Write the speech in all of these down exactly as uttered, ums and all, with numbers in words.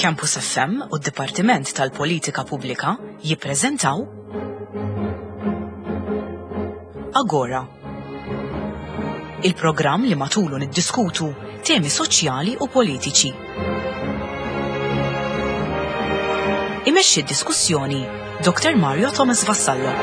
Campus F M u d-Dipartiment tal-Politika Pubblika jippreżentaw Agora. Il-programm li matulu niddiskutu temi soċjali u politiċi. Imexxi d-diskussjoni Doktor Mario Thomas Vassallo.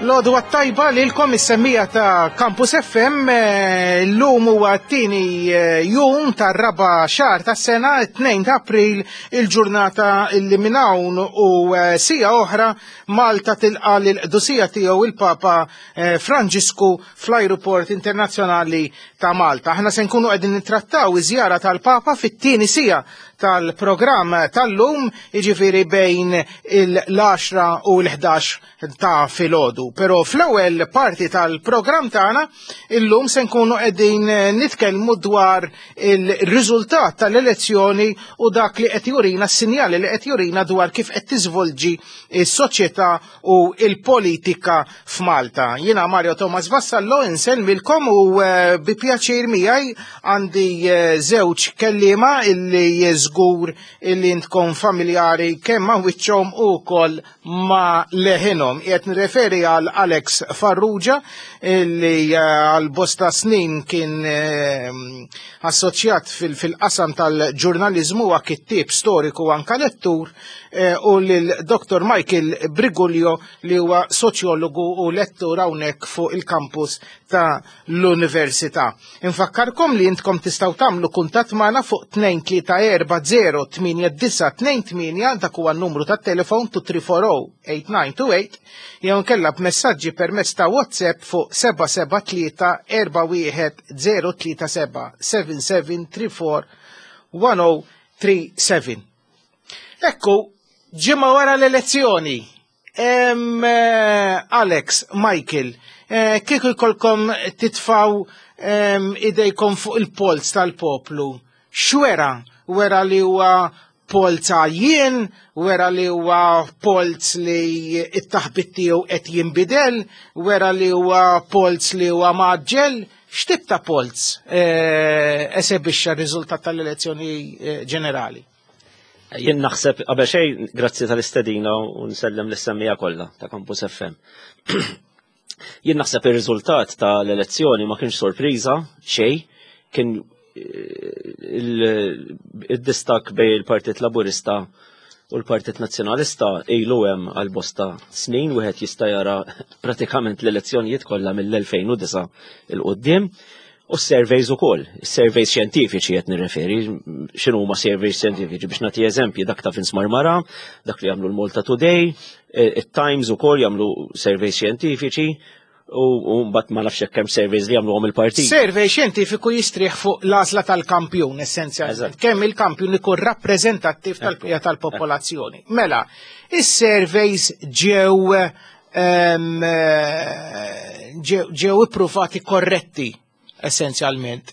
L-għodwa t-tajba lilkom is-semmiegħa ta' Campus F M, eh, l-lum huwa t-tieni eh, jum tar-raba' xahar tas-sena, tnejn ta' April, il-ġurnata li minn hawn u eh, siegħa oħra Malta tilqa' l-qdusija tiegħu il-Papa Franġisku fl-Ajruport Internazzjonali ta' Malta. Aħna se nkunu qegħdin nittrattaw iż-żjara tal-Papa fit-tieni siegħa tal-programm tal-lum, jiġifieri bejn il-għaxra u l-ħdax ta' filgħodu. Però fl-ewwel parti tal-programm tagħna illum se nkunu qegħdin nitkellmu dwar il-riżultat tal-elezzjoni u dak li qed jurina, s-sinjali li qed jurina dwar kif qed tiżvolġi s-soċjetà u il-politika f'Malta. Jiena Mario Thomas Vassallo insellmilkom u eh, bi pjaċir miegħi għandi eh, żewġ kelliema illi żgur illi intkom familjari kemm ma' wiċċhom u wkoll ma' leħinhom. Qed nirreferi għal Alex Farrugia illi eh, għal bosta snin kien eh, assoċjat fil-qasam tal-ġurnalizmu, huwa kittieb storiku, anka lettur, eh, u lil Doktor Michael Briguglio li huwa soċjologu u lettur hawnhekk fuq il-kampus ta' l-Università. Infakkarkom li intkom tistgħu tagħmlu kuntatt magħna fuq tnejn tlieta erba' zero tmienja disgħa tnejn tmienja, dak huwa n-numru tat-telefon two three four oh eight nine two eight, jew nkella b'messaġġi permezz ta' WhatsApp fuq seba' seba' tlieta erba' wieħed zero tlieta seba', seven seven three four one oh three seven. Ekku, ġimgħa wara l-elezzjoni. Em, eh, Alex, Michael, eh, kieku jkollkom titfaw em, idejkom fuq il-polz tal-poplu, x'wera? Wera li huwa polz għajjien, wera li huwa polz li it-taħbit tiegħu qed jinbidel, wera li huwa polz li huwa mgħaġġel, x'tip ta' polz eh, esebixxa r-riżultat tal-elezzjoni eh, ġenerali? Jien naħseb, qabel xejn, grazzi tal-istedina u nsellem lis-semmiegħa kollha ta' Campus F M. Jien naħseb ir-riżultat tal-elezzjoni ma kienx sorpriża xejn, kien eh, il-distakk bejn il-Partit Laburista u l-Partit Nazzjonalista ilu hemm għal bosta snin, wieħed jista' jara pratikament l-elezzjonijiet kollha mill-elfejn u disgħa 'l quddiem. U surveys ukoll, surveys xjentifiċi qed nirreferi, x'inhu huma surveys xjentifiċi, biex nagħti eżempji, dak ta' Vince Marmara, dak li jagħmlu l-Malta Today, it-Times ukoll jagħmlu surveys xjentifiċi, u mbagħad ma nafx hekk hemm surveys li jagħmluhom il-partit. Survey xjentifiku jistrieħ fuq l-għażla tal-kampjun essenzjalment. Kemm il-kampjun ikun rappreżentattiv tal-bqija tal-popolazzjoni. Mela, is-surveys ġew em, eh, ġew ġew ippruvati korretti essenzjalment.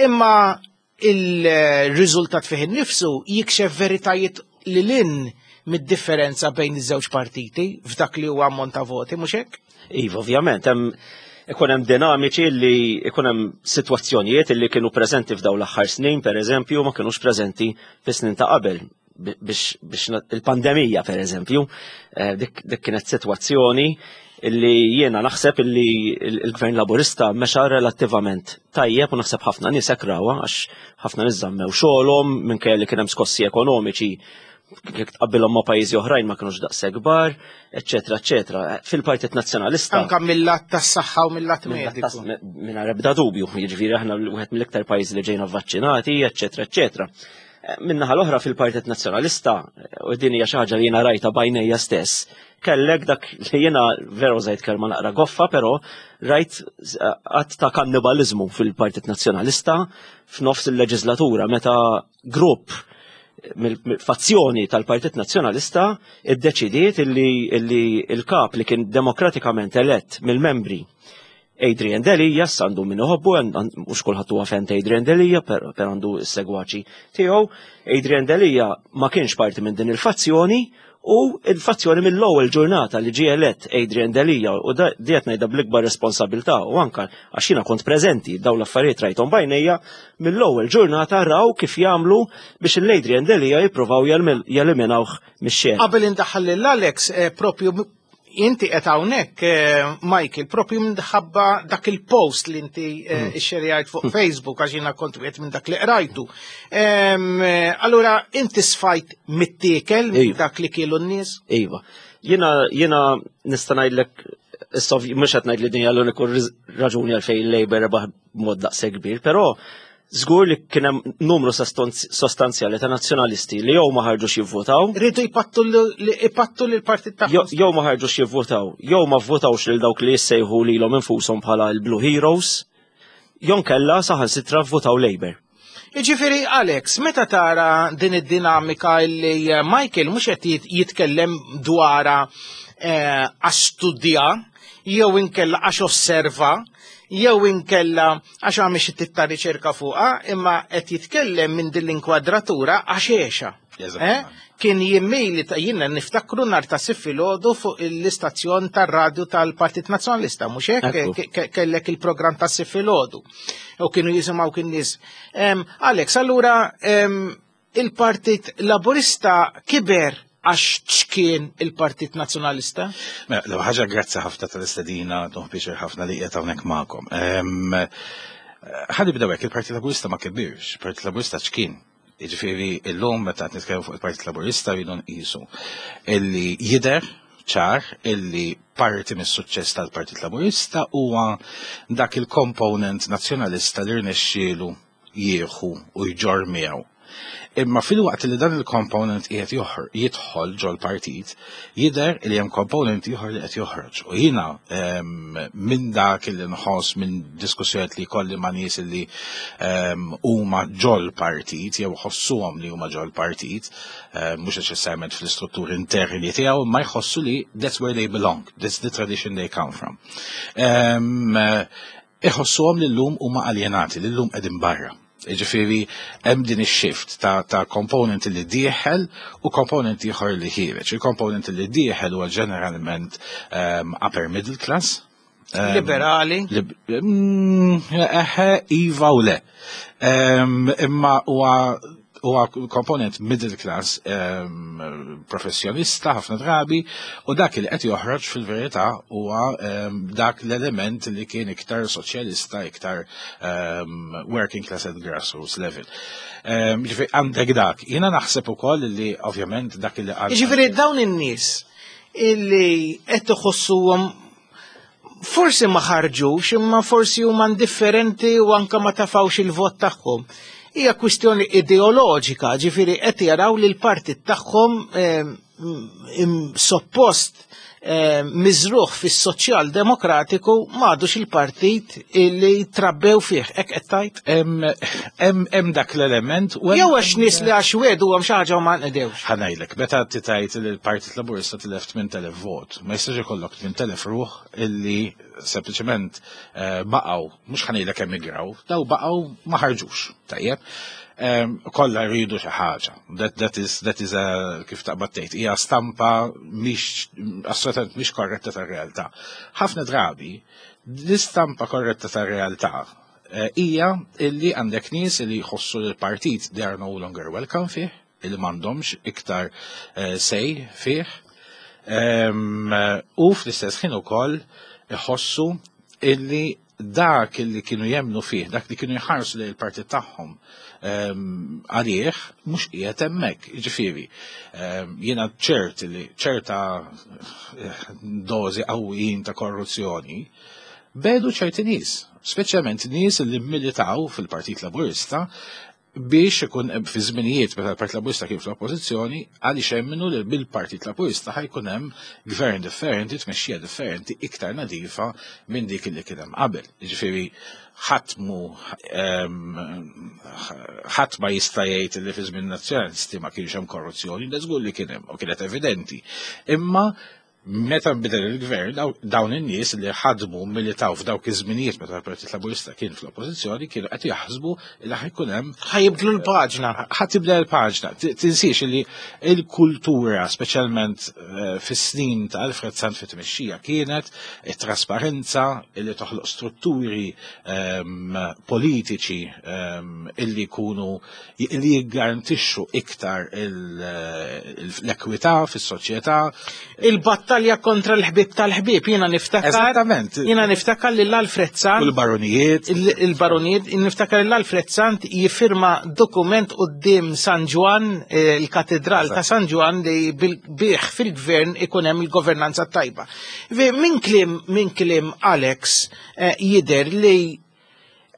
Imma il-riżultat fih innifsu jikxef veritajiet li lin mid-differenza bejn iż-żewġ partiti f'dak li huwa ammont ta' voti, mhux hekk? Iva, ovvjament, hemm ikun hemm dinamiċi li ikun hemm sitwazzjonijiet li kienu preżenti f'dawn l-aħħar snin, per eżempju, ma kinux preżenti fis-snin ta' qabel. Biex, biex il-pandemija, per eżempju, eh, dik, dik kienet sitwazzjoni illi jiena naħseb illi il-Gvern Laburista mexa relattivament tajjeb u naħseb ħafna nies hekk rawha, għax ħafna nies żammew xogħolhom minkejja li kien hemm skossi ekonomiċi, jekk tqabbilhom ma' pajjiżi oħrajn ma kinux daqshekk kbar, eċetera, eċetera. Fil-Partit Nazzjonalista Anka mill-lat tas-saħħa u mill-lat mediku. Mingħajr ebda dubju, jiġifieri aħna wieħed mill-iktar pajjiżi li ġejna vvaċċinati, eċetera, eċetera. Min-naħa l-oħra fil-Partit Nazzjonalista, u din hija xi ħaġa li jiena rajta b'għajnejja stess, kellek dak li jiena veru użajt kelma naqra goffa, però rajt att ta' kannibalizmu fil-Partit Nazzjonalista f'nofs il-leġislatura meta grupp Mill-fazzjoni tal-Partit Nazzjonalista iddeċidiet illi illi il-kap li kien demokratikament elett mill-membri, Adrian Delia, għandu min iħobbu, mhux kulħadd huwa fan ta' Adrian Delia, per per għandu s-segwaċi tiegħu. Adrian Delia ma kienx parti minn din il-fazzjoni u il-fazzjoni mill-ewwel ġurnata li ġie elett Adrian Delia, u da diet ngħidha bl-ikbar responsabilità u anka għax jiena kont preżenti, dawn l-affarijiet rajthom b'għajnejja, mill-ewwel ġurnata raw kif jagħmlu biex l-Adrian Delia jippruvaw jeliminawh mix-xena. Qabel indaħħal lil Alex, eh, propju inti qed hawnhekk, eh, Michael, propju minħabba dak il-post li inti eh, xerjajt fuq Facebook, għax jiena kont wieħed minn dak li qrajtu. Em, eh, Allura inti sfajt mittiekel minn Iva. dak li kielu n-nies? Iva. Jiena jiena nista' ngħidlek issa, mhux qed ngħid li din hija l-uniku riż- raġuni għalfejn il-Labour rebaħ b'mod daqshekk kbir, però żgur li kien hemm numru sostanzjali ta' nazzjonalisti li jew ma ħarġux jivvotaw, Rridu jpattu l- ipattu l-partit jew tagħhom. Jew ma ħarġux jivvotaw, jew ma vvotawx lil dawk li jissejħu lilhom infushom bħala l-Blue Heroes, jew kella saħansitra vvotaw Labour. Iġifiri, Alex, meta tara din id-dinamika li eh, Michael mhux qed jit- jitkellem dwara eh, għax studja, jew inkella għax osserva, jew inkella għax għamel xi tip ta' riċerka fuqha, imma qed jitkellem minn din l-inkwadratura għax għexha. Eżattament. Eh? Kien jimmili ta' jiena niftakru nhar ta' Sibt filgħodu fuq l-istazzjon tar-radju tal-Partit Nazzjonalista, mhux hekk? Ekku. Ke- ke- Kellek il-programm ta' Sibt filgħodu. U kienu jisimgħu kien nies. Em, Alex, allura em, il-Partit Laburista kiber għax ċkien il-Partit Nazzjonalista? Mela, l ħaġa, grazzi ħafna tal-istedina, nieħu pjaċir ħafna li qiegħed hawnhekk magħkom. Em, Ħa nibdew hekk, il-Partit Laburista ma kibirx, il-Partit Laburista ċkien. Jiġifieri illum meta qed nitkellmu fuq il-Partit Laburista rridu nqisu illi jidher ċar illi parti mis-suċċess tal-Partit Laburista huwa dak il-component nazzjonalista li rnexxielu jieħu u jġorr miegħu. Imma fil-waqt li dan il-component qiegħed joħor jidħol ġol-partit, jidher li hemm component ieħor li qed joħroġ. U jiena em, minn dak li nħoss minn diskussjonijiet li kolli ma' nies li em, huma ġol-partit jew ħossuhom li huma ġol-partit, em, mhux neċessarjament fl-istrutturi interni tiegħu, ma jħossu li that's where they belong, that's the tradition they come from. Em, Iħossuhom li llum huma aljenati, li llum qegħdin barra. Ġifieri, hemm din ix-shift ta', ta' component li dieħel u component ieħor li ħiereġ. Il-component li dieħel huwa ġeneralment um, upper middle class. Um, Liberali. Lib mm, eħe, iva u le. Um, imma huwa huwa component middle class um, professjonista ħafna drabi, u dak li qed joħroġ fil-verità huwa um, dak l-element li kien iktar soċjalista, iktar um, working class at grassroots level. Um, Ġifieri għandek dak. Jiena naħseb ukoll li ovvjament dak li qal Jiġifieri dawn in-nies illi qed iħossuhom forsi ma ħarġux, imma forsi huma indifferenti u anka ma tafawx il-vot tagħhom. Hija kwistjoni ideoloġika, ġifieri qed jaraw li l-partit tagħhom eh, im- suppost eh, miżruħ fis-soċjal demokratiku m'għadux il-partit illi trabbew fih. Hekk qed tgħid? Hemm hemm hemm dak l-element u hemm- Jew għax nies li għax wegħdu għam xi ħaġa u ma nqdewx. Ħa ngħidlek, meta tgħid li l-Partit Laburista tilef tmien elef vot, ma jistax ikollok tmien elef ruħ illi sempliċement eh, baqgħu, mhux ħa ngħidlek emigraw, daw baqgħu ma ħarġux, tajjeb. Em, Kollha rridu xi ħaġa. That, that is, that is a, kif taqbad tgħid, hija stampa mhix assolutament mhix korretta tar-realtà. Ħafna drabi l-istampa korretta tar-realtà eh, hija illi għandek nies li jħossu li l-partit they are no longer welcome fih, illi m'għandhomx iktar eh, say fih. Em, U fl-istess ħin ukoll iħossu illi dak illi kienu jemnu fih, dak li kienu jħarsu li l-partit tagħhom em, għalih mhux qiegħed hemmhekk. Ġifieri, em, jiena ċert li ċerta eh, dożi qawwijin ta' korruzzjoni bedu ċerti nies, speċjalment nies li militaw fil-Partit Laburista Biex ikun fi żminijiet meta l-Partit Laburista kien fl-oppożizzjoni, għaliex emmnu li bil-Partit Laburista ħa jkun hemm gvern differenti, tmexxija differenti, iktar nadifa minn dik li kien hemm qabel. Jiġifieri ħadd mu ħadd ma jista' jgħid li fi żmien Nazzjonalisti ma kienx hemm korruzzjoni, da żgur li kien hemm u kienet evidenti. Imma meta nbidel il-gvern, dawn in-nies li ħadmu, militaw f'dawk iż-żminijiet meta l-Partit Laburista kien fl-oppożizzjoni, kienu qed jaħsbu li ħa jkun hemm Ħa jibdlu l-paġna. Ħa tibdel il-paġna. Tinsiex li il-kultura, speċjalment eh, fis-snin ta' Alfred Sant fit-tmexxija, kienet it-trasparenza li toħloq strutturi ehm, politiċi ehm, illi jkunu illi jiggarantixxu iktar l-ekwità fis-soċjetà. Il-battalja kontra l-ħbib tal-ħbib, jiena niftakar. Eżattament. Jiena niftakar li l-Alfred Sant. U l-baronijiet. Il-baronijiet, niftakar li l-Alfred Sant jiffirma dokument quddiem San Ġwann, eh, il-katedral ta' San Ġwann, li bih fil-gvern ikun hemm il-governanza tajba. Min kliem min kliem Alex eh, jidher li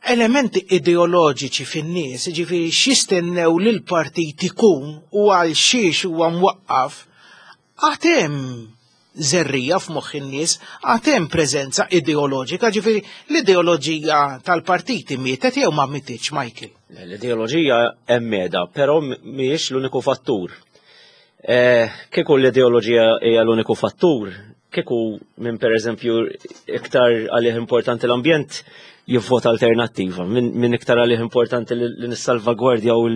elementi ideoloġiċi fin-nies, ġifieri x'jistennew li l-partit ikun u għal xiex huwa mwaqqaf, għad hemm żerriegħa f'moħħ in-nies, għad hemm preżenza ideoloġika, ġifieri l-ideoloġija tal-partiti mietet jew ma mietitx, Michael? L-ideoloġija hemm qiegħda, però mhijiex l-uniku fattur. Eh, kieku l-ideoloġija hija l-uniku fattur, kieku minn per eżempju iktar għalih importanti l-ambjent jivvota Alternattiva, minn iktar għalih importanti li nissalvagwardja u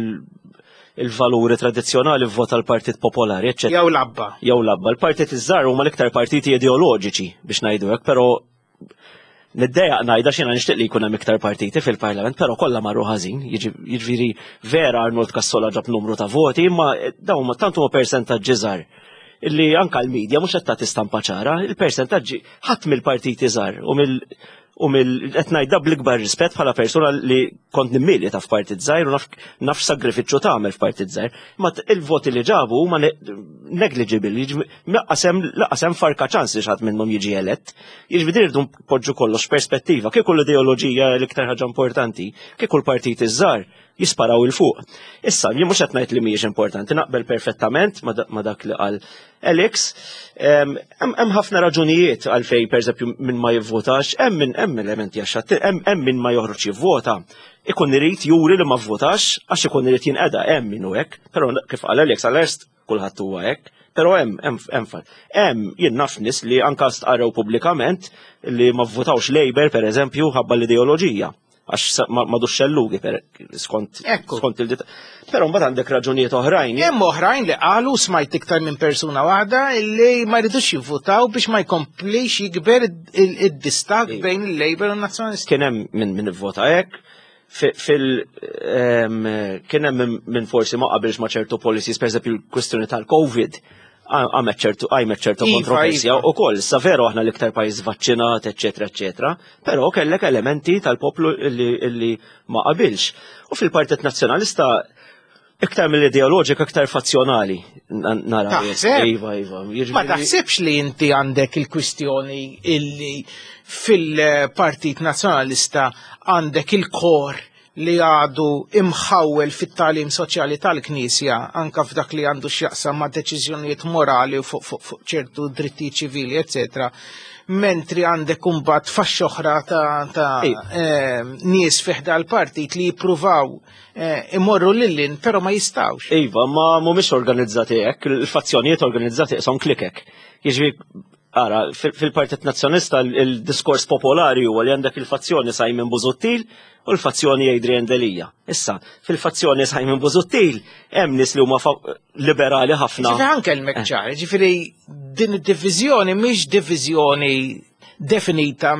il-valuri tradizzjonali vvota l-Partit Popolari, eccetera. Jew l-ABBA. Jew l-ABBA. Il-partit iż-żgħar huma l-iktar partiti ideoloġiċi, biex ngħidu hekk, però niddejjaq ngħidha, x'jiena nixtieq li jkun hemm iktar partiti fil-Parlament, però kollha marru ħażin. Jiġifieri vera Arnold Cassola ġab numru ta' voti, imma dawn ma tant huma persentaġġi żgħar illi anka l-medja mhux qed tagħti stampa ċara, il-persentaġġi ħadd mill-partiti żgħar u mill u mill qed ngħidha bl-ikbar rispett bħala persuna li kont nimmilita f'partit żgħir u naf naf sagrifiċċju tagħmel f'partit żgħir, ma il-voti li ġabu huma negligible, lanqas hemm lanqas hemm farka ċans li xi ħadd minnhom jiġi elett. Jiġifieri rridu npoġġu kollox perspettiva, kieku l-ideoloġija l-iktar ħaġa importanti, kieku l-partit iż-żgħar jisparaw 'il fuq. Issa, jien mhux qed ngħid li mhijiex importanti, naqbel perfettament ma dak li qal Alex. Hemm ħafna raġunijiet għalfej, pereżempju, min ma jivvotax, hemm min hemm elementi għax hemm min ma joħroġ jivvota. Ikun irid juri li ma vvotax għax ikun irid jinqeda, hemm min hu hekk, però kif qal Alex, għal-est kulħadd huwa hekk. Però hemm hemm hemm hemm jien naf nies li anka stqarrew pubblikament li ma vvotawx Labour, pereżempju, ħabba l-ideoloġija, għax m'għadux xellugi skont skont il Però mbagħad għandek raġunijiet oħrajn. Hemm oħrajn li qalu, smajt iktar minn persuna waħda, li ma jridux jivvutaw biex ma jkomplix jikber id-distakk bejn il-Labour u n-Nazzjonalisti. Kien hemm min min ivvota hekk, fil kien hemm min forsi ma qabilx ma' ċertu policies, pereżempju l-kwistjoni tal-Covid għamet ċertu għajmet ċertu iva, kontroversja iva. u koll, sa veru aħna l-iktar pajjiż vaċċinat, eccetera, eccetera, però kellek elementi tal-poplu illi, illi ma qabilx. U fil-Partit Nazzjonalista iktar mill-ideoloġika, iktar fazzjonali nara. Taħseb? Iva, iva. Ma taħsibx li inti għandek il-kwistjoni illi fil-Partit Nazzjonalista għandek il-kor li għadu imħawel fit-tagħlim soċjali tal-Knisja, anka f'dak li għandu x'jaqsam ma' deċiżjonijiet morali fuq fu, fu ċertu dritti ċivili, eccetera, mentri għandek imbagħad faxxa oħra ta', ta eh, nies fi ħdan l-partit li jippruvaw eh, imorru lil hinn, però ma jistgħux? Iva, ma mhumiex organizzati hekk, il-fazzjonijiet organizzati son klikek. Jiġri, ara, fil-Partit Nazzjonalista il-diskors popolari huwa li għandek il-fazzjoni Simon Busuttil u l-fazzjoni Adrian Delia. Issa, fil-fazzjoni Simon Busuttil hemm nies li huma liberali ħafna. Ġifieri anke l-mekċar, ġifieri din id-diviżjoni mhix diviżjoni definita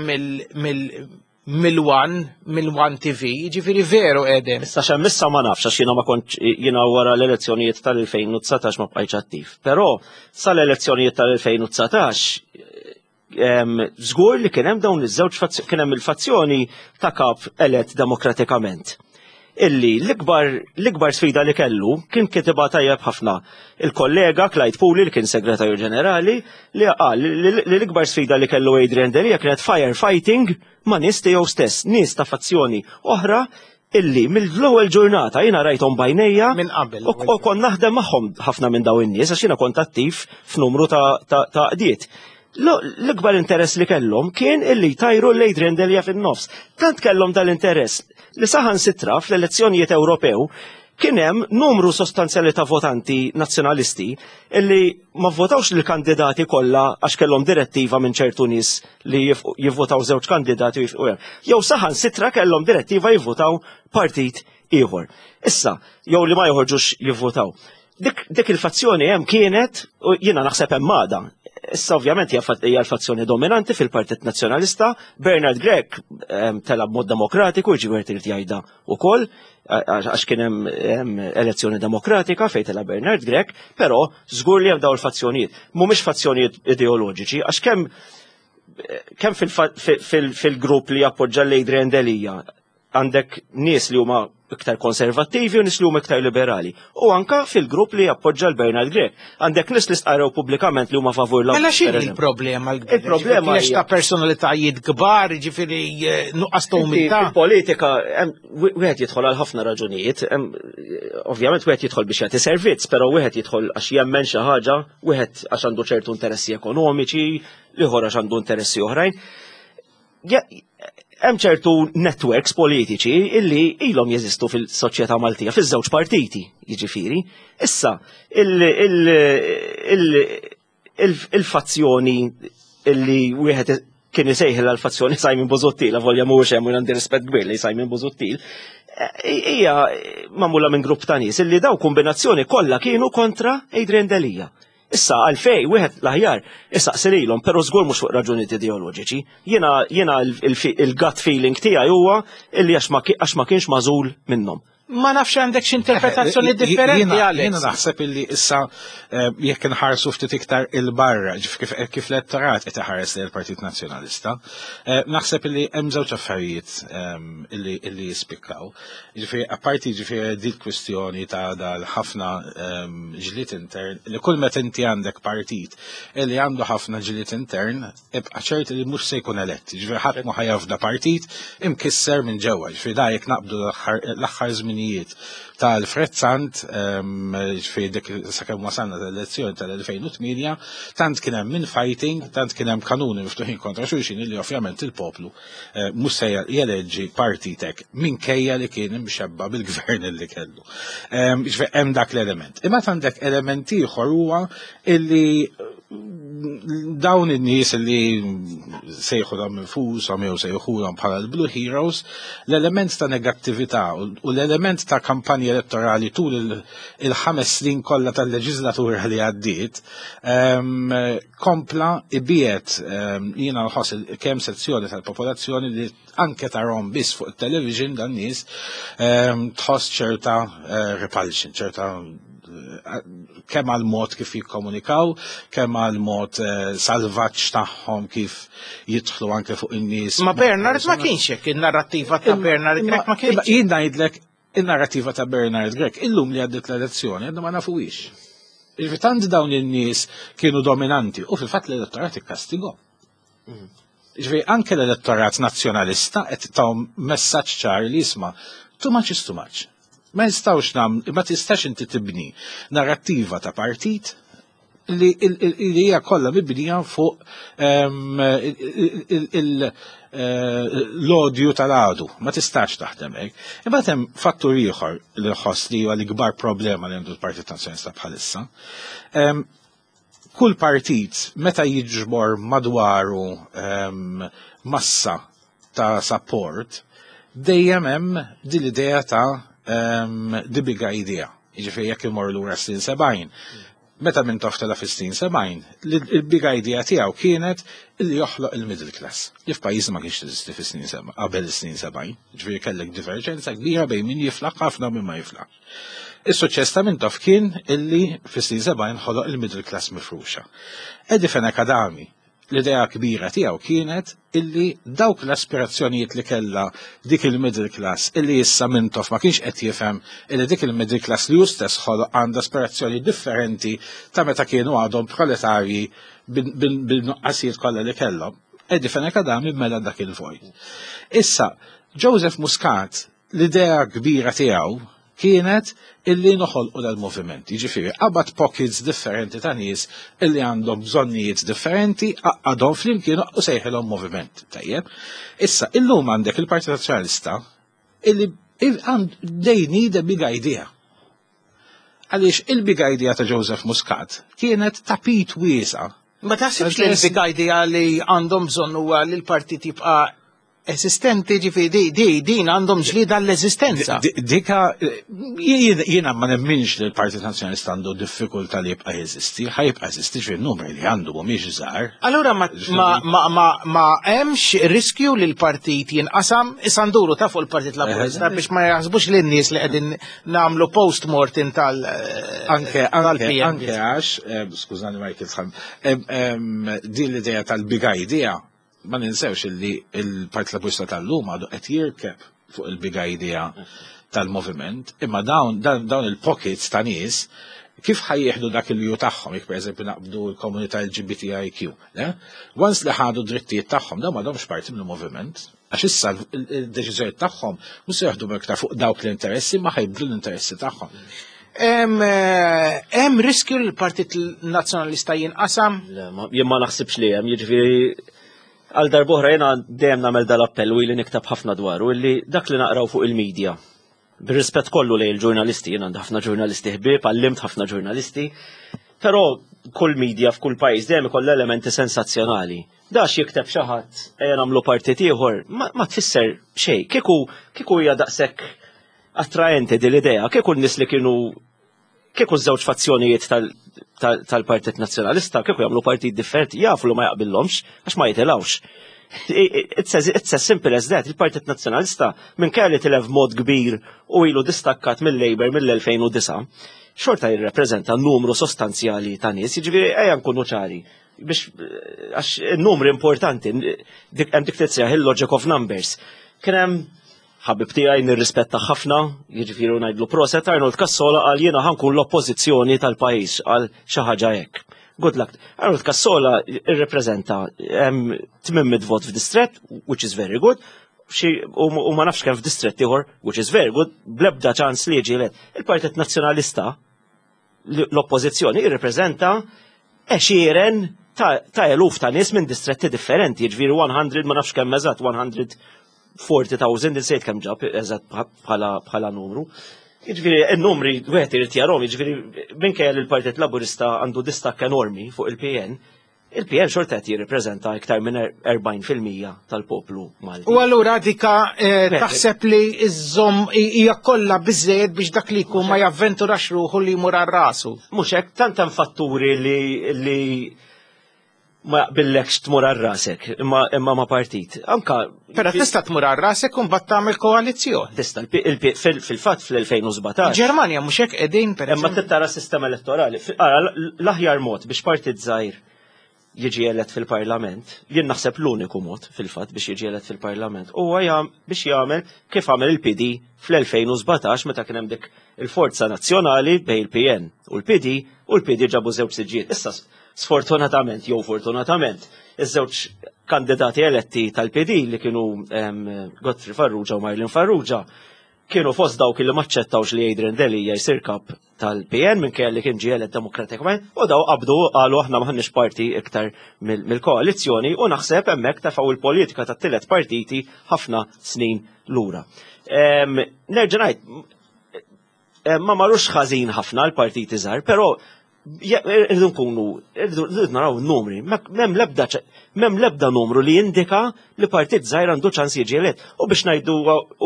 mill-One, mill-One T V, ġifieri veru edem. Issa xem issa ma nafx, għax jiena ma kontx, jiena wara l-elezzjonijiet tal-elfejn u dsatax ma bqajtx attiv. Però sal-elezzjonijiet tal-elfejn u dsatax żgur li kien hemm dawn iż-żewġ, kien hemm il-fazzjoni ta' kap elett demokratikament, illi l-ikbar l-ikbar sfida li kellu kien kitibha tajjeb ħafna il-kollega Clyde Puli, li kien segretarju ġenerali, li qal li l-ikbar sfida li kellu Adrian Delia kienet firefighting ma' nies tiegħu stess, nies ta' fazzjoni oħra Illi mill-ewwel ġurnata jiena rajthom b'għajnejja Minn qabel. U u kont naħdem magħhom ħafna minn dawn in-nies għax jiena kont attiv f'numru ta' ta' ta' għaqdiet. L-ikbar interess li kellhom kien illi jtajru l-Adrian Delia fin-nofs. Tant kellhom dal-interess li saħansitra fl-elezzjonijiet Ewropew kien hemm numru sostanzjali ta' votanti nazzjonalisti illi ma votawx lill-kandidati kollha għax kellhom direttiva minn ċertu nies li jivvotaw żewġ kandidati u jifqu hemm. Jew saħansitra kellhom direttiva jivvotaw partit ieħor. Issa, jew li ma joħorġux jivvotaw. Dik, dik il-fazzjoni hemm kienet u jiena naħseb hemm għadha. Issa ovvjament hija l-fazzjoni dominanti fil-Partit Nazzjonalista, Bernard Grech tela b'mod demokratiku, ġifieri trid jgħidha wkoll, għax kien hemm elezzjoni demokratika fejn tela Bernard Grech, però żgur li hemm dawn il-fazzjonijiet. Mhumiex fazzjonijiet ideoloġiċi, għax kemm kemm fil-grupp li jappoġġa l-Adrian Delia għandek nies li huma iktar konservattivi u nies li huma iktar liberali. U anka fil-grupp li jappoġġa l-Bernard Grech. Għandek nies li stqarrew pubblikament li huma favur l Mela x'inhi l-problema l-kbira? Il-problema hija ta' personalitajiet kbar, ġifieri eh, nuqqas ta' umiltà. Fil-politika wieħed jidħol għal ħafna raġunijiet. Ovvjament wieħed jidħol biex jagħti servizz, però wieħed jidħol għax jemmen xi ħaġa, wieħed għax għandu ċertu interessi ekonomiċi, ieħor għax għandu interessi oħrajn. Hemm ċertu networks politiċi illi ilhom jeżistu fil-soċjetà Maltija, fiż-żewġ partiti, jiġifieri. Issa, il-fazzjoni illi wieħed kien isejħel l-fazzjoni Simon Busuttil, volja mhuwiex hemm u għandi rispett kbir li Simon Busuttil, hija magħmula minn grupp ta' nies illi daw kombinazzjoni kollha kienu kontra Adrian Delia. Issa għalfej, wieħed l-aħjar, issa lilhom, però żgur mhux fuq raġunijiet ideoloġiċi. Jiena jiena il-gut feeling tiegħi huwa illi għax ma kienx magħżul minnhom. Ma nafx għandek x'interpretazzjoni differenti, Alex. Jiena naħseb illi issa eh, jekk inħarsu ftit iktar il-barra, kif kif l-elettorat qed iħares lejn il-Partit Nazzjonalista, eh, naħseb illi hemm żewġ affarijiet ehm, illi illi jispikkaw. Ġifieri apparti ġifieri dik kwistjoni ta' dal ħafna ehm, ġlied intern, li kull meta inti għandek partit illi għandu ħafna ġlied intern, ibqa' ċert li mhux se jkun elett. Ġifieri ħadd ma ħa jafda partit imkisser minn ġewwa. Ġifieri da jekk naqbdu l-aħħar żminijiet tal-Alfred Sant, ġifieri dik sakemm wasalna tal-elezzjoni tal-elfejn u tmienja, tant kien hemm infighting, tant kien hemm kanuni miftuħin kontra xulxin li ovvjament il-poplu eh, mhux se jeleġġi partitek minkejja li kien imxebba bil-gvern li kellu. Ġifieri hemm dak l-element. Imma għandek element ieħor huwa illi dawn in-nies li sejħulhom infushom jew sejħulhom bħala l-Blue Heroes, l-element ta' negattività u l-element ta' kampanja elettorali tul il-ħames snin kollha tal-leġislatura li għaddiet kompla ibiet jiena nħoss kemm sezzjoni tal-popolazzjoni li anke tarahom biss fuq il-television dan nies tħoss ċerta eh, repulsion, ċerta kemm għal mod kif jikkomunikaw, kemm għal mod eh, salvaġġ tagħhom kif jidħlu anke fuq in-nies. Ma Bernard ma kienx hekk, in-narrattiva ta' Bernard Grech ma kienx. Jien ngħidlek in-narrattiva ta' Bernard Grech illum li għaddit l-elezzjoni għadna ma nafuhiex. Ġifieri dawn in-nies kienu dominanti u fil-fatt l-elettorat ikkastigahom. Ġifieri anke l-elettorat nazzjonalista qed tahom messaġġ ċar li jisma' too much is too much. Ma jistawx nam, ma tistax inti tibni narrattiva ta' partit li hija kollha mibnija fuq ehm, l-odju tal-għadu. Ma tistax taħdem hekk. Imbagħad hemm fattur ieħor li nħoss li huwa l-ikbar problema li għandu l-Partit Nazzjonalista bħalissa. Ehm, kull partit meta jiġbor madwaru ehm, massa ta' support, dejjem hemm din l-idea ta' um, the big idea. Jiġifieri jekk imur lura snin sebgħin. Meta Mintoff tela' fis-snin sebgħin, il-big idea tiegħu kienet li joħloq il-middle class. Li f'pajjiżna ma kienx teżisti fis-snin qabel is-snin sebgħin. Ġifieri kellek diverġenza kbira bejn min jiflaħ ħafna u min ma jiflaħ. Is-suċċess ta' Mintoff kien illi fis-snin sebgħin ħoloq il-middle class mifruxa. Eddie Fenech Adami, l-idea kbira tiegħu kienet illi dawk l-aspirazzjonijiet li kella dik il-middle class illi issa Mintoff ma kienx qed jifhem illi dik il-middle class li hu stess ħoloq għandha aspirazzjoni differenti ta' meta kienu għadhom proletarji bil-nuqqasijiet kollha li kellhom. Eddie Fenech Adami mela dak il-vojt. Issa, Joseph Muscat L-idea kbira tiegħu kienet illi noħolqu dal-moviment. Jiġifieri qabad pockets differenti ta' nies illi għandhom bżonnijiet differenti, għaqqadhom flimkien u sejħilhom moviment. Tajjeb. Issa, illum għandek il-Partit Nazzjonalista illi they need a big idea. Għaliex il-big idea ta' Joseph Muscat kienet tapit wiesa'. Ma taħsibx li l-big idea li għandhom bżonn huwa li l-partit jibqa' esistenti, ġifieri di din għandhom ġlida l-eżistenza? Dika, jiena ma nemminx li l-Partit Nazzjonalista għandu diffikultà li jibqa' jeżisti, ħa jibqa' jeżisti, ġifieri numri li għandu mhumiex żgħar. Allura ma ma ma hemmx riskju li l-partit jinqasam? Issa nduru ta' fuq il-Partit Laburista biex ma jaħsbux lin nies li qegħdin nagħmlu post-mortem tal Anke anke anke għax, skużani Michael, din l-idea tal-big idea, ma ninsewx illi il-Partit Laburista tal-lum għadu qed jirkeb fuq il-big idea tal-moviment, imma dawn dawn il-pockets ta' nies kif ħa jieħdu dak il-ju tagħhom, jekk pereżempju naqbdu l-komunità L G B T I Q, once li ħadu drittijiet tagħhom, dawn m'għadhomx parti mill-moviment, għax issa il-deċiżjoni tagħhom mhux se jaħdu iktar fuq dawk l-interessi, ma ħa jibdlu l-interessi tagħhom. Hemm riskju li l-Partit Nazzjonalista jinqasam? Jien ma naħsibx li hemm, jiġifieri għal darb'oħra jiena dejjem nagħmel dal-appell u ili nikteb ħafna dwaru, illi dak li naqraw fuq il-medja. Bir-rispett kollu lejn il-ġurnalisti, jien għandi ħafna ġurnalisti ħbieb, għallimt ħafna ġurnalisti, però kull media f'kull pajjiż dejjem ikoll elementi sensazzjonali. Dax jikteb xi ħadd ejja nagħmlu partit ieħor, ma tfisser xejn. Kieku kieku hija daqshekk attraenti din l-idea, kieku n-nies li kienu, kieku żewġ fazzjonijiet tal-Partit Nazzjonalista kieku jagħmlu partit differenti, jafu li ma jaqbillhomx għax ma jitilgħux. It's as, it's as simple as that. Il-Partit Nazzjonalista, minn kelli tilef mod kbir u ilu distakkat mill-Labour mill-elfejn u disgħa, xorta jirrepreżenta numru sostanzjali ta' nies, jiġifieri ejja nkunu ċari. Biex għax il-numri importanti, dik hemm dik titsejjaħ il-logic of numbers. Kien hemm ħabib tiegħi nirrispetta ħafna, jiġifieri ngħidlu proset, Arnold Cassola, qal jiena ħa nkun l-oppożizzjoni tal-pajjiż, għal xi ħaġa hekk. Good luck. Arnold Cassola irrepreżenta tmien mitt vot f'distret, which is very good, xi u u ma nafx kemm f'distret ieħor, which is very good, blebda ċans li jiġi elett. Il-Partit Nazzjonalista, l-oppożizzjoni, jirrepreżenta għexieren ta' ta' eluf ta' nies minn distretti differenti, jiġifieri mija, ma nafx kemm eżatt, mija u erbgħin elf, insejt kemm ġab eżatt bħala bħala numru. Jiġifieri n-numri wieħed irid jarahom, jiġifieri minkejja li l-Partit Laburista għandu distakk enormi fuq il-P N, il-P N xorta qed jirrippreżenta iktar minn erbgħin fil-mija tal-poplu Malti. U allura dika eh, taħseb li iżżomm hija kollha biżejjed biex dak li jkun ma javventurax ruħu li jmur għal rasu? Mhux hekk, tant hemm fatturi li li ma jaqbillekx tmur għal rasek imma imma ma partit. Anka Però tista' tmur għal rasek u mbagħad tagħmel koalizzjoni. Tista' il- fil- fil-fatt fl-elfejn u sbatax. Ġermanja mhux hekk qegħdin, per Imma eżempju? Tara sistema elettorali. Fi- Ara, l-aħjar mod biex partit żgħir jiġi elett fil-parlament, jien naħseb l-uniku mod fil-fatt biex jiġi elett fil-parlament, huwa jam, biex jagħmel kif għamel il-P D fl-elfejn u sbatax meta kien hemm dik il-Forza Nazzjonali bejn il-P N u l-P D, u l-P D ġabu żewġ siġġiet. Issa, sfortunatament jew fortunatament, iż-żewġ kandidati eletti tal-P D li kienu em, Godfrey Farrugia u Marlene Farrugia kienu fost dawk li maċċettawx li Adrian Delia jsir kap tal-P N minn li kien ġie elett demokratikament, u daw qabdu qalu aħna m'aħniex parti iktar mill- mill-koalizzjoni u naħseb hemmhekk tefgħu il-politika tat-tielet partiti ħafna snin lura. Em, Nerġa' ngħid, em, ma marux ħażin ħafna l-partiti żgħar, però je- irridu nkunu, irridu irridu naraw numri, m'hemm lebda ċ- m'hemm lebda numru li jindika li partit żgħir għandu ċans jiġi elett. U biex ngħidu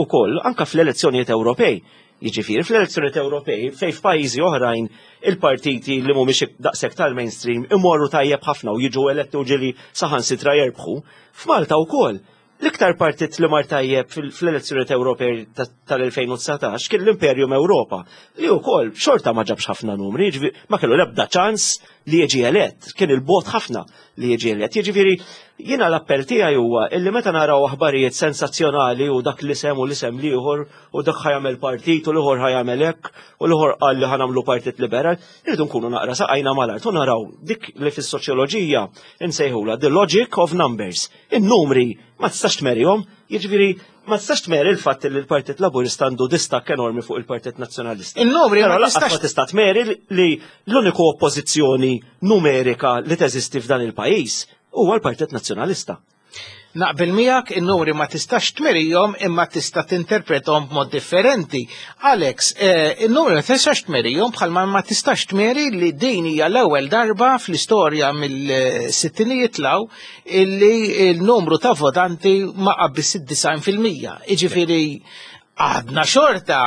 wkoll, anka fl-elezzjonijiet Ewropej, jiġifieri fl-elezzjonijiet Ewropej, fejn f'pajjiżi oħrajn il-partiti li mhumiex daqshekk tal-mainstream imorru tajjeb ħafna u jiġu eletti u ġieli saħansitra jerbħu, f'Malta wkoll. L-iktar partit li mar tajjeb fil- fl-elezzjonijiet Ewropej ta- tal-elfejn u dsatax kien l-Imperium Ewropa, li wkoll xorta ma ġabx ħafna numri, jiġifieri ma kellu l-ebda ċans li jiġi elett, kien il-bogħod ħafna li jiġi elett. Jiġifieri jiena l-appell tiegħi huwa illi meta naraw aħbarijiet sensazzjonali u dak l-isem u l-isem l-ieħor u dak ħa jagħmel partit u l-ieħor ħa jagħmel hekk u l-ieħor qal li ħa nagħmlu partit liberal, irridu nkunu naqra saqajna mal-art u naraw dik li fis-soċjoloġija insejħula the logic of numbers. In-numri Ma tistax tmerihom, jiġifieri ma tistax tmeri l-fatt li l-Partit Laburista għandu distakk enormi fuq il-Partit Nazzjonalista. In-numri Però ma lanqas tistax ma tista' tmeri li l-uniku oppożizzjoni numerika li teżisti f'dan il-pajjiż huwa l-Partit Nazzjonalista. Naqbel miegħek, in-numri ma tistax tmerihom imma tista' tinterpretahom b'mod differenti. Alex, eh, in-numri ma tistax tmerihom bħalma ma tistax tmeri li din hija l-ewwel darba fl-istorja mill-sittinijiet 'l hawn illi il-numru ta' votanti ma qabbis id-disgħin fil-mija. Jiġifieri għadna xorta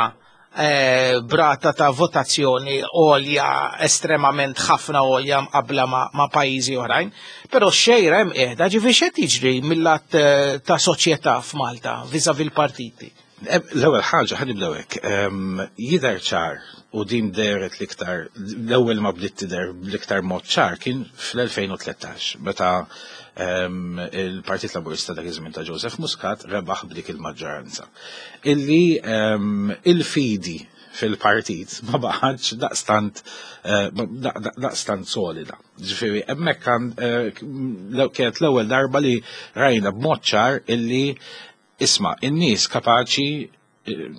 eh, b'rata ta' votazzjoni għolja, estremament ħafna għolja mqabla ma', ma' pajjiżi oħrajn, però xejra hemm qiegħda. Ġifieri x'qed jiġri mill-lat eh, ta' soċjetà f'Malta vis-à-vis l-partiti? L-ewwel ħaġa ħa nibdew hekk. Em, Jidher ċar u din dehret l-iktar, l-ewwel ma bdiet tidher bl-iktar mod ċar kien fl-elfejn u tlettax meta em, il-Partit Laburista dak iż-żmien ta' Joseph Muscat rebaħ b'dik il-maġġoranza. Illi em, il-fidi fil-partit ma baqgħetx daqstant eh, da- da- daqstant solida. Ġifieri hemmhekk kan eh, kienet l-ewwel darba li rajna b'mod ċar illi isma' in-nies kapaċi eh,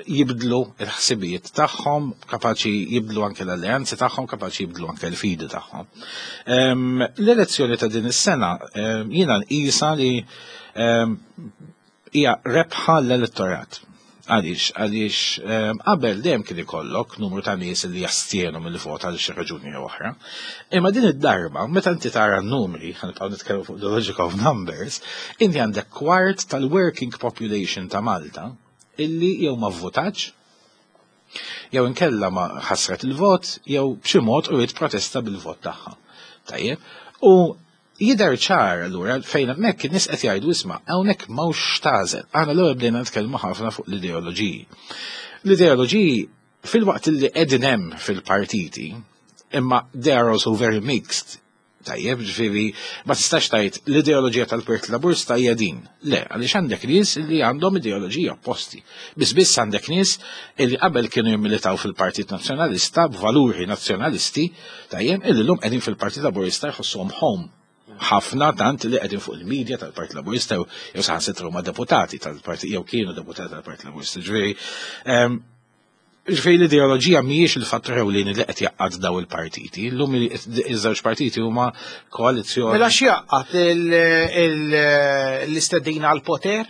jibdlu il-ħsibijiet tagħhom, kapaċi jibdlu anke l-alleanzi tagħhom, kapaċi jibdlu anke l-fidi tagħhom. Em, L-elezzjoni ta' din is-sena em, jiena nqisha li em, hija rebħa l-elettorat. Għaliex, għaliex em, qabel dejjem kien ikollok numru ta' nies li jastienu mill-vot għal xi raġuni jew oħra. Imma din id-darba, meta inti tara n-numri, ħa nibqgħu nitkellmu fuq the logic of numbers, inti għandek kwart tal-working population ta' Malta illi jew ma vvotatx, jew inkella ma ħasret il-vot, jew b'xi mod uriet protesta bil-vot tagħha. Tajjeb, u jidher ċar allura fejn hemmhekk in-nies qed jgħidu, isma', hawnhekk m'hawnx x'tagħżel. Aħna l-ewwel bdejna nitkellmu ħafna fuq l-ideoloġiji. L-ideoloġiji fil-waqt li qegħdin hemm fil-partiti, imma they are also very mixed. Tajjeb, ġifieri, ma tistax tgħid l-ideoloġija tal-Partit Laburista hija din. Le, għaliex għandek nies li għandhom ideoloġija opposti. Biss biss għandek nies li qabel kienu jimmilitaw fil-Partit Nazzjonalista b'valuri nazzjonalisti, tajjeb, illi llum qegħdin fil-Partit Laburista jħossuhom home. Ħafna tant li qegħdin fuq il-medja tal-Partit Laburista jew jew saħansitra huma deputati tal-Partit jew kienu deputati tal-Partit Laburista. Ġifieri, ehm, Ġifieri l-ideoloġija mhijiex il-fattur ewlieni li qed jgħaqqad daw il-partiti. Illum iż-żewġ partiti huma koalizzjoni. Mela x'jgħaqqad l-istedina għal-poter?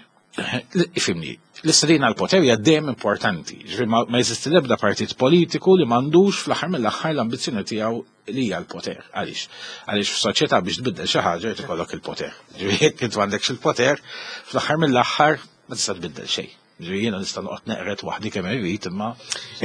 Ifhimni, l-istedina għal-poter hija dejjem importanti. Ġifieri ma ma jeżisti l-ebda partit politiku li m'għandux fl-aħħar mill-aħħar l-ambizzjoni tiegħu li hija l-poter. Għaliex? Għaliex f'soċjetà biex tbiddel xi ħaġa jrid ikollok il-poter. Ġifieri jekk int m'għandekx il-poter, fl-aħħar mill-aħħar ma tista' tbiddel xejn. Ġifieri jiena nista' noqgħod neqret waħdi kemm irrid imma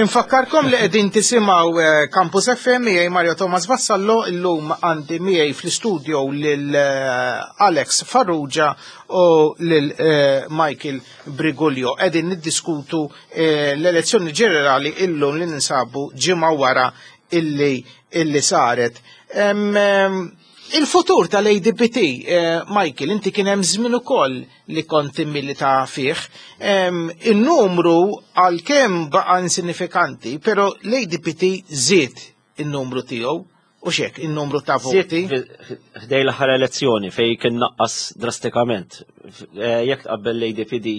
Infakkarkom li qegħdin tisimgħu eh, Campus F M miegħi Mario Thomas Vassallo. Illum għandi miegħi fl-istudio lil eh, Alex Farrugia u lil eh, Michael Briguglio. Qegħdin niddiskutu eh, l-elezzjoni ġenerali illum li ninsabu ġimgħa wara illi illi saret. Em, em, Il-futur tal-A D P T, eh, Michael, inti kien hemm żmien ukoll li kont immilita fih. Em, Il-numru għalkemm baqa' insinifikanti, però l-A D P T żied il-numru tiegħu u xek, il-numru ta' voti. Ħdejn l-aħħar elezzjoni fej kien naqqas drastikament. Eh, Jekk tqabbel l-A D P D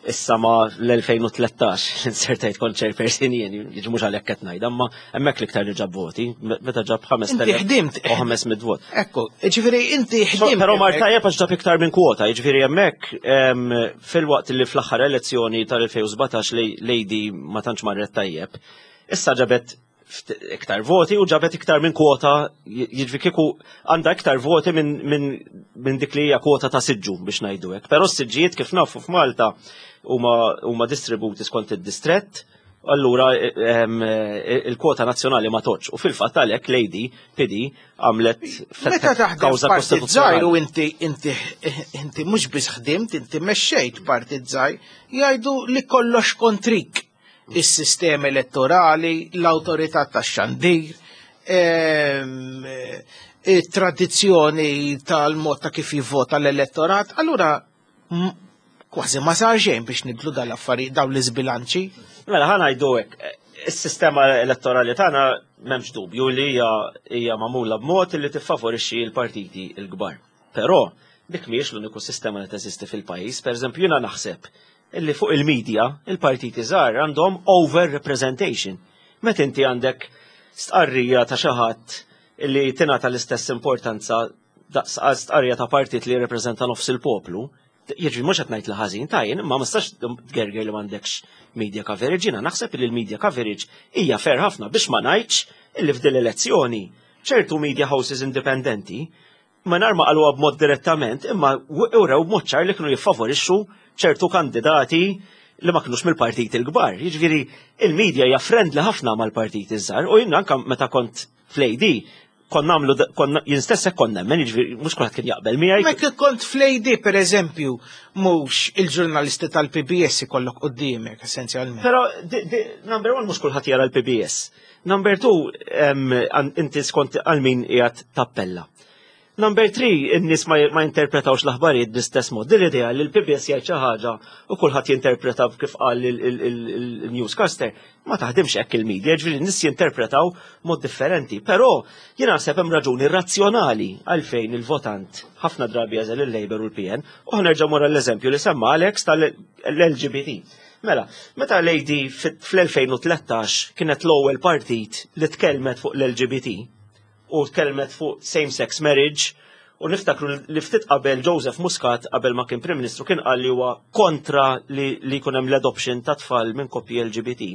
issa ma l-elfejn u tlettax, insertajt kont chairperson jien, jiġi mhux għalhekk qed ngħid, imma hemmhekk l-iktar li ġab voti, meta ġab Inti ħdimt. ħames mitt vot. Ekku, ġifieri inti ħdimt. Però mar hemmhekk. tajjeb għax ġab iktar minn kwota, jiġifieri hemmhekk em, fil-waqt li fl-aħħar elezzjoni tal-elfejn u sbatax l-A D ma tantx marret tajjeb, issa ġabet ft- iktar voti u ġabet iktar minn kwota, jiġifieri kieku għandha iktar voti minn min, min dik li hija kwota ta' siġġu biex ngħidu hekk. Però s-siġġijiet kif nafu f'Malta huma huma distributi skont id-distrett, allura em, il-kwota nazzjonali ma toċ. U fil-fatt għalhekk l-A D P D għamlet Meta taħdem kawża partit żgħir u kostituzzjonali. inti inti inti mhux biss ħdimt, inti mexxejt partit żgħir, jgħidu li kollox kontrik. Is-sistema elettorali, l-awtorità tax-xandir, ehm, it-tradizzjoni tal-mod ta' kif jivvota l-elettorat, allura m- kważi ma sar xejn biex nibdlu dal-affarijiet, dawn l-iżbilanċi. Mela ħa ngħidu hekk, is-sistema elettorali tagħna m'hemmx dubju li hija hija magħmula b'mod li tiffavorixxi l-partiti l-kbar. Però Dik mhijiex l-uniku sistema li teżisti fil-pajjiż. Per eżempju, jiena naħseb illi fuq il-medja il-partiti żgħar għandhom over representation. Meta inti għandek stqarrija ta' xi ħadd illi tingħata l-istess importanza daqs stqarrija ta' partit li jirrepreżenta nofs il-poplu, jiġri mhux qed ngħid li ħażin tajjeb, imma ma nistax tgerger li m'għandekx media coverage. Jiena naħseb li l-media coverage hija fair ħafna, biex ma ngħidx illi f'din l-elezzjoni ċertu media houses indipendenti ma nar ma qaluha b'mod direttament, imma urew b'mod ċar li kienu jiffavorixxu ċertu kandidati li ma kinux mill-partiti l-kbar. Jiġifieri il-media hija friendly ħafna mal-partiti żgħar u jien anke meta kont fl-A D kont nagħmlu, konna jien stess hekk kont nemmen, jiġifieri mhux kulħadd kien jaqbel miegħi. Ma kif kont fl-A D, per eżempju, mhux il-ġurnalisti tal-P B S ikollok quddiemek, essenzjalment. Però di- di- number one, mhux kulħadd jara l-P B S. Number two, em, għan- inti skont għal min qiegħed tappella. Number three, in-nies ma, ma interpretawx l-aħbarijiet bl-istess mod. Din l-idea li l-P B S jgħid xi ħaġa u kulħadd jinterpreta kif qal il-newscaster, ma taħdimx hekk il-media, ġifieri n-nies jinterpretaw mod differenti. Però jiena naħseb hemm raġuni razzjonali għalfejn il-votant ħafna drabi jagħżel il-Labour u l-P N. U ħanerġa' mora l-eżempju li semma Alex tal-L G B T. Mela, meta l-A D fl-elfejn u tlettax kienet l-ewwel partit li tkellmet fuq l-L G B T u tkellmet fuq same-sex marriage, u niftakru li ftit qabel Joseph Muscat, qabel ma kien Prim Ministru, kien qal li huwa kontra li, li jkun hemm l-adoption ta' tfal minn koppji L G B T.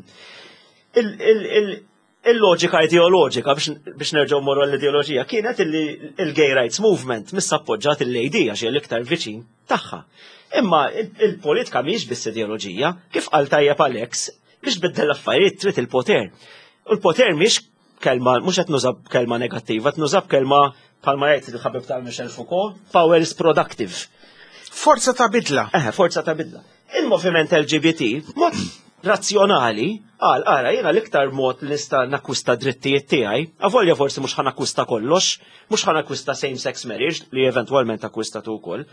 Il- il- il- Il-loġika ideoloġika, biex, biex nerġgħu morru l-ideoloġija, kienet illi il-gay rights movement missa appoġġat il-A D għax hija l-iktar viċin tagħha. Imma il- il-politika mhijiex biss ideoloġija, kif qal tajjeb Alex, biex biddel l-affarijiet trid il-poter. U l-poter mhix kelma, mhux qed nuża kelma negattiva, qed nuża kelma bħalma jgħid il-ħabib ta' Michel Foucault, power is productive. Forza ta' bidla. Eh, forza ta' bidla. Il-moviment L G B T, mod razzjonali, għal, ara, jena l-iktar mod li nista' nakkwista drittijiet tiegħi, avolja forsi mhux ħa nakkwista kollox, mhux ħa nakkwista same-sex marriage, li eventwalment akkwistatu wkoll,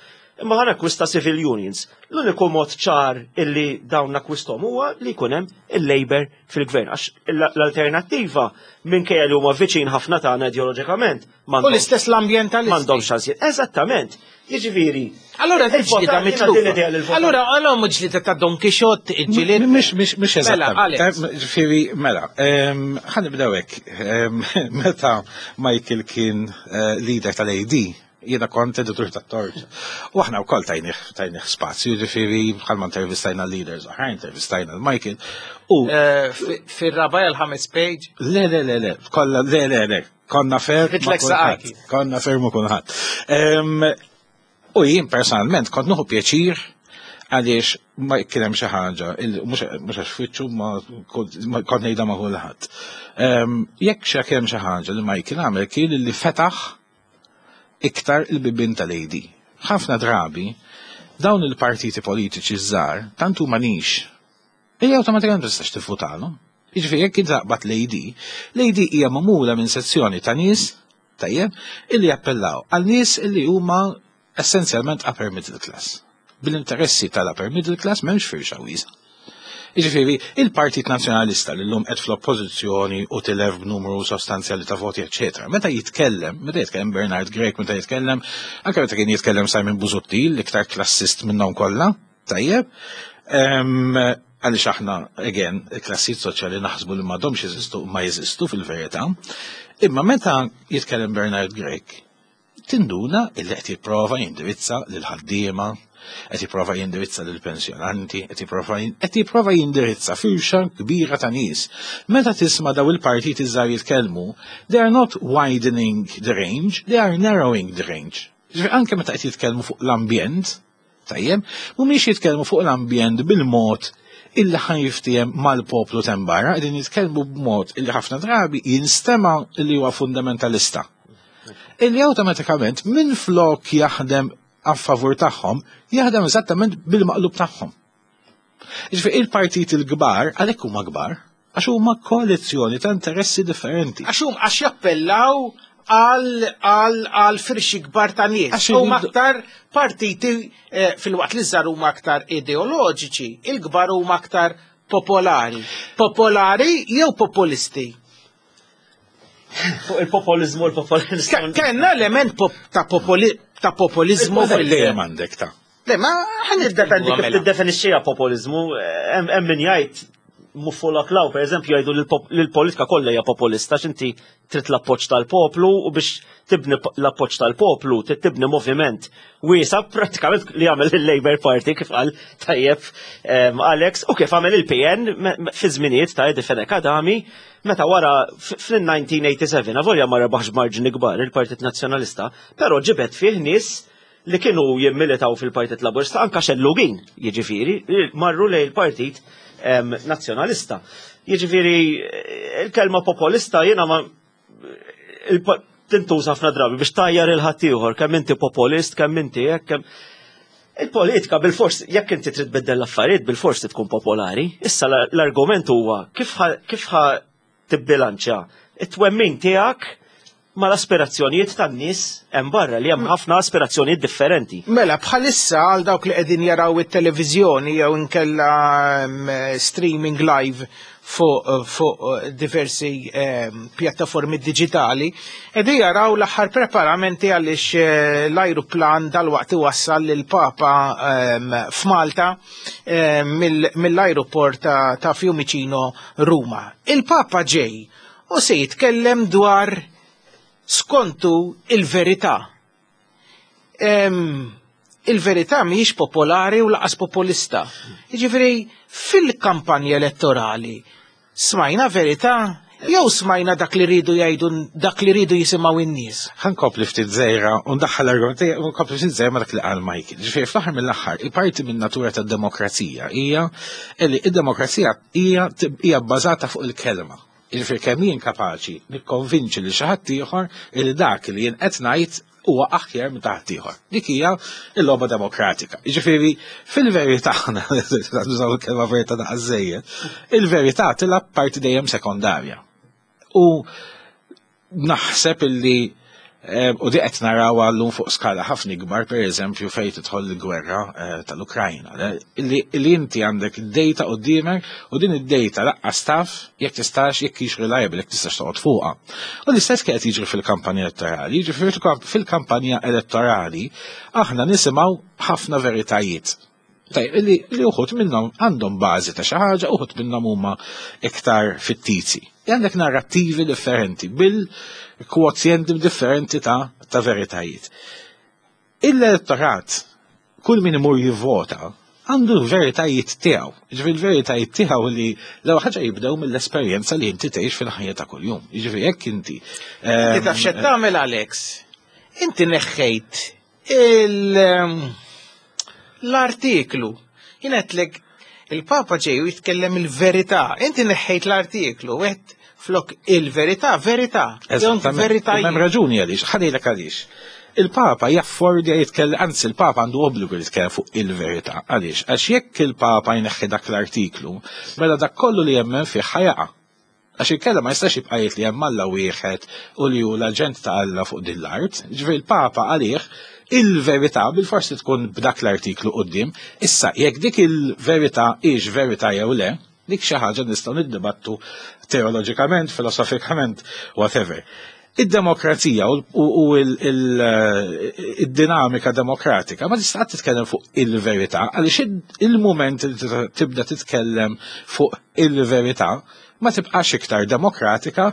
imma ħa nakkwista civil unions. L-uniku mod ċar illi dawn nakkwistom huwa li jkun hemm il-Labour fil-gvern. Għax l-alternattiva, minkejja li huma viċin ħafna tagħna ideoloġikament, U l-istess l-ambientalisti. m'għandhomx ċansijiet. Eżattament. Jiġifieri. Allora il-votant- ġlida jiena din l-idea li mitlufa. l-votant- Allora, allora mhux ġlida ta' Don Quixote, il-ġilied. Mhix mhix mhix Mela, eżattament. Alex. Ġifieri, mela, em, ħa nibdew hekk. Em, Meta Michael kien eh, leader tal-A D, jiena kont editur tat-Torċa. U aħna wkoll tajnih tajnih spazju, ġifieri bħalma intervistajna leaders oħra, intervistajna l-Michael. U Eh, fi- Fir-raba' l-ħames page. Le, le, le, le, kolla, le, le, le, konna fair ma' Ritlek kulħadd. saqaki. Konna fair ma' kulħadd. Em, U jien personalment kont nieħu pjaċir għaliex ma kien hemm xi ħaġa, il- mhux mhux għax fwiċċu ma kont ma kont ngħidha ma' kulħadd. Em, Jekk xi kien hemm xi ħaġa li Michael għamel kien li fetaħ iktar il-bibin tal-A D. Ħafna drabi dawn il-partiti politiċi żgħar tant huma niche illi awtomatikament ma tistax tivvutalhom. Jiġifieri jekk taqbad l-A D, l-A D hija magħmula minn sezzjoni ta' nies, tajjeb, illi jappellaw għal nies illi huma essenzjalment upper middle class. Bil-interessi tal-upper middle class m'hemmx firxa wiesgħa. Jiġifieri, il-Partit Nazzjonalista li llum qed fl-oppożizzjoni u tilef b'numru sostanzjali ta' voti, eċetera. Meta jitkellem, meta jitkellem Bernard Grech, meta jitkellem, anke meta kien jitkellem Simon Busuttil, l-iktar klassist minnhom kollha, tajjeb, em, għaliex aħna, again, il-klassijiet soċjali naħsbu li m'għadhomx jeżistu, ma jeżistu fil-verità. Imma meta jitkellem Bernard Grech, tinduna illi qed jipprova jindirizza lil ħaddiema, qed jipprova jindirizza lil pensjonanti, qed jipprova qed jipprova jindirizza firxa kbira ta' nies. Meta tisma' daw il-partiti żgħar jitkellmu, they are not widening the range, they are narrowing the range. Ġifieri anke meta qed jitkellmu fuq l-ambjent, tajjeb, mhumiex jitkellmu fuq l-ambjent bil-mod illi ħa jiftiehem mal-poplu t'hemm barra, qegħdin jitkellmu b'mod illi ħafna drabi jinstema' illi huwa fundamentalista. Illi awtomatikament minn flok jaħdem a favur tagħhom, jaħdem eżattament bil-maqlub tagħhom. Ġifieri il-partit il-kbar, għalhekk huma kbar, għax huma koalizzjoni ta' interessi differenti. Għax hum għax jappellaw għal għal għal firxi kbar ta' nies. Għax Huma iridu- aktar partiti eh, fil-waqt li żgħar huma aktar ideoloġiċi, il-kbar huma aktar popolari. Popolari jew populisti? Fuq il-populizmu, il-populizmu. Ke- Kenna element pop, ta' popoli ta' populizmu fil Dejjem għandek ta' Le, ma ħan Jiddependi kif tiddefinixxiha populizmu, hemm min jgħid Muffola Klaw, per eżempju, jgħidu li l-politika kollha hija populista, x'inti trid l-appoġġ tal-poplu u biex tibni l-appoġġ tal-poplu, trid tibni moviment wiesa prattikament li għamel il-Labour Party kif qal tajjeb Alex u kif għamel il-P N fi żminijiet ta' Eddie Fenech Adami meta wara fil-elf disa' mija u sebgħa u tmenin, avolja ma rebaħx marġni kbar il-Partit Nazzjonalista, però ġibet fih nies li kienu jimmilitaw fil-Partit Laburista, anka xellugin, jiġifieri, marru lejn il-Partit Nazzjonalista. Jiġifieri, il-kelma populista jiena ma tintuża ħafna drabi biex tgħajjar lil ħaddieħor, kemm inti populist, kemm inti hekk, kemm il-politika bil-fors, jekk inti trid tbiddel l-affarijiet, bil-fors tkun popolari. Issa l-argument huwa kif ħa tibbilanċja it-twemmin tiegħek ma l-aspirazzjonijiet tan-nies hemm barra, li hemm ħafna aspirazzjonijiet differenti. Mela, bħalissa għal dawk li qegħdin jaraw it-televiżjoni jew inkella mm, streaming live fuq fuq diversi eh, pjattaformi digitali, qegħdin jaraw l-aħħar preparamenti għaliex eh, l-ajruplan dal-waqt iwassal lill-Papa eh, f'Malta eh, mill-ajruport ta', ta Fiumicino, Ruma. Il-Papa ġej u se jitkellem dwar, skontu, il-verità. Il-verità mhijiex popolari u lanqas populista. Jiġifieri, fil-kampanja elettorali smajna verità jew smajna dak li ridu jgħidu, dak li ridu jisimgħu in-nies? Ħa nkompli ftit żgħira u ndaħħal l-argument u nkompli ftit żgħira ma' dak li qal Michael. Ġifieri, fl-aħħar mill-aħħar, il-parti minn natura tad-demokrazija hija li id-demokrazija hija hija bbażata fuq il-kelma. Ġifieri, kemm jien kapaċi nikkonvinċi li xi ħadd ieħor li dak li jien qed ngħid huwa aħjar minn ta' ħaddieħor. Dik hija l-logħba demokratika. Jiġifieri, fil-verità, nużaw il-kelma verità daqsżejjed, il-verità tilgħab parti dejjem sekondarja. U naħseb illi eh, u di qed naraw għallum fuq skala ħafna ikbar, per eżempju, fejn tidħol il-gwerra eh, tal-Ukrajna. Illi illi inti għandek id-data quddiemek u din id-data lanqas taf jekk tistax, jekk hix reliable, jekk tistax toqgħod fuqha. U l-istess kien qed jiġri fil-kampanja elettorali. Jiġri fil-kampanja elettorali aħna nisimgħu ħafna veritajiet. Tajjeb, illi li uħud minnhom għandhom bażi ta' xi ħaġa, uħud minnhom huma iktar fittizi. Għandek narrattivi differenti bil-kwozjenti differenti ta' ta' veritajiet. Il-elettorat, kull min imur jivvota, għandu l-veritajiet tiegħu. Ġifieri, l-veritajiet tiegħu li l-ewwel ħaġa jibdew mill-esperjenza li inti tgħix fil-ħajja ta' kuljum. Jiġifieri, jekk inti Inti taf x'qed tagħmel, Alex? Inti neħħejt il- l-artiklu. Jien għedtlek il-Papa ġej u jitkellem il-verità. Inti neħħejt l-artiklu, għedt flok il-verità, verità. Eżattament. Veritajiet. Hemm raġuni għaliex, ħa ngħidlek għaliex. Il-Papa jaffordja jitkellem, anzi il-Papa għandu obbligu jitkellem fuq il-verità. Għaliex? Għax jekk il-Papa jneħħi dak l-artiklu, mela dak kollu li jemmen fih ħa jaqa'. Għax il-kelma ma jistax jibqa' jgħid li hemm Alla wieħed u li hu l-aġent ta' Alla fuq din l-art. Ġifieri, il-Papa għalih il-verità bil-forsi tkun b'dak l-artiklu quddiem. Issa, jekk dik il-verità hix verità jew le, dik xi ħaġa nistgħu niddibattu teoloġikament, filosofikament, whatever. Id-demokrazija u u il-dinamika demokratika ma tista' titkellem fuq il-verità, għaliex il-moment li tibda titkellem fuq il-verità ma tibqax iktar demokratika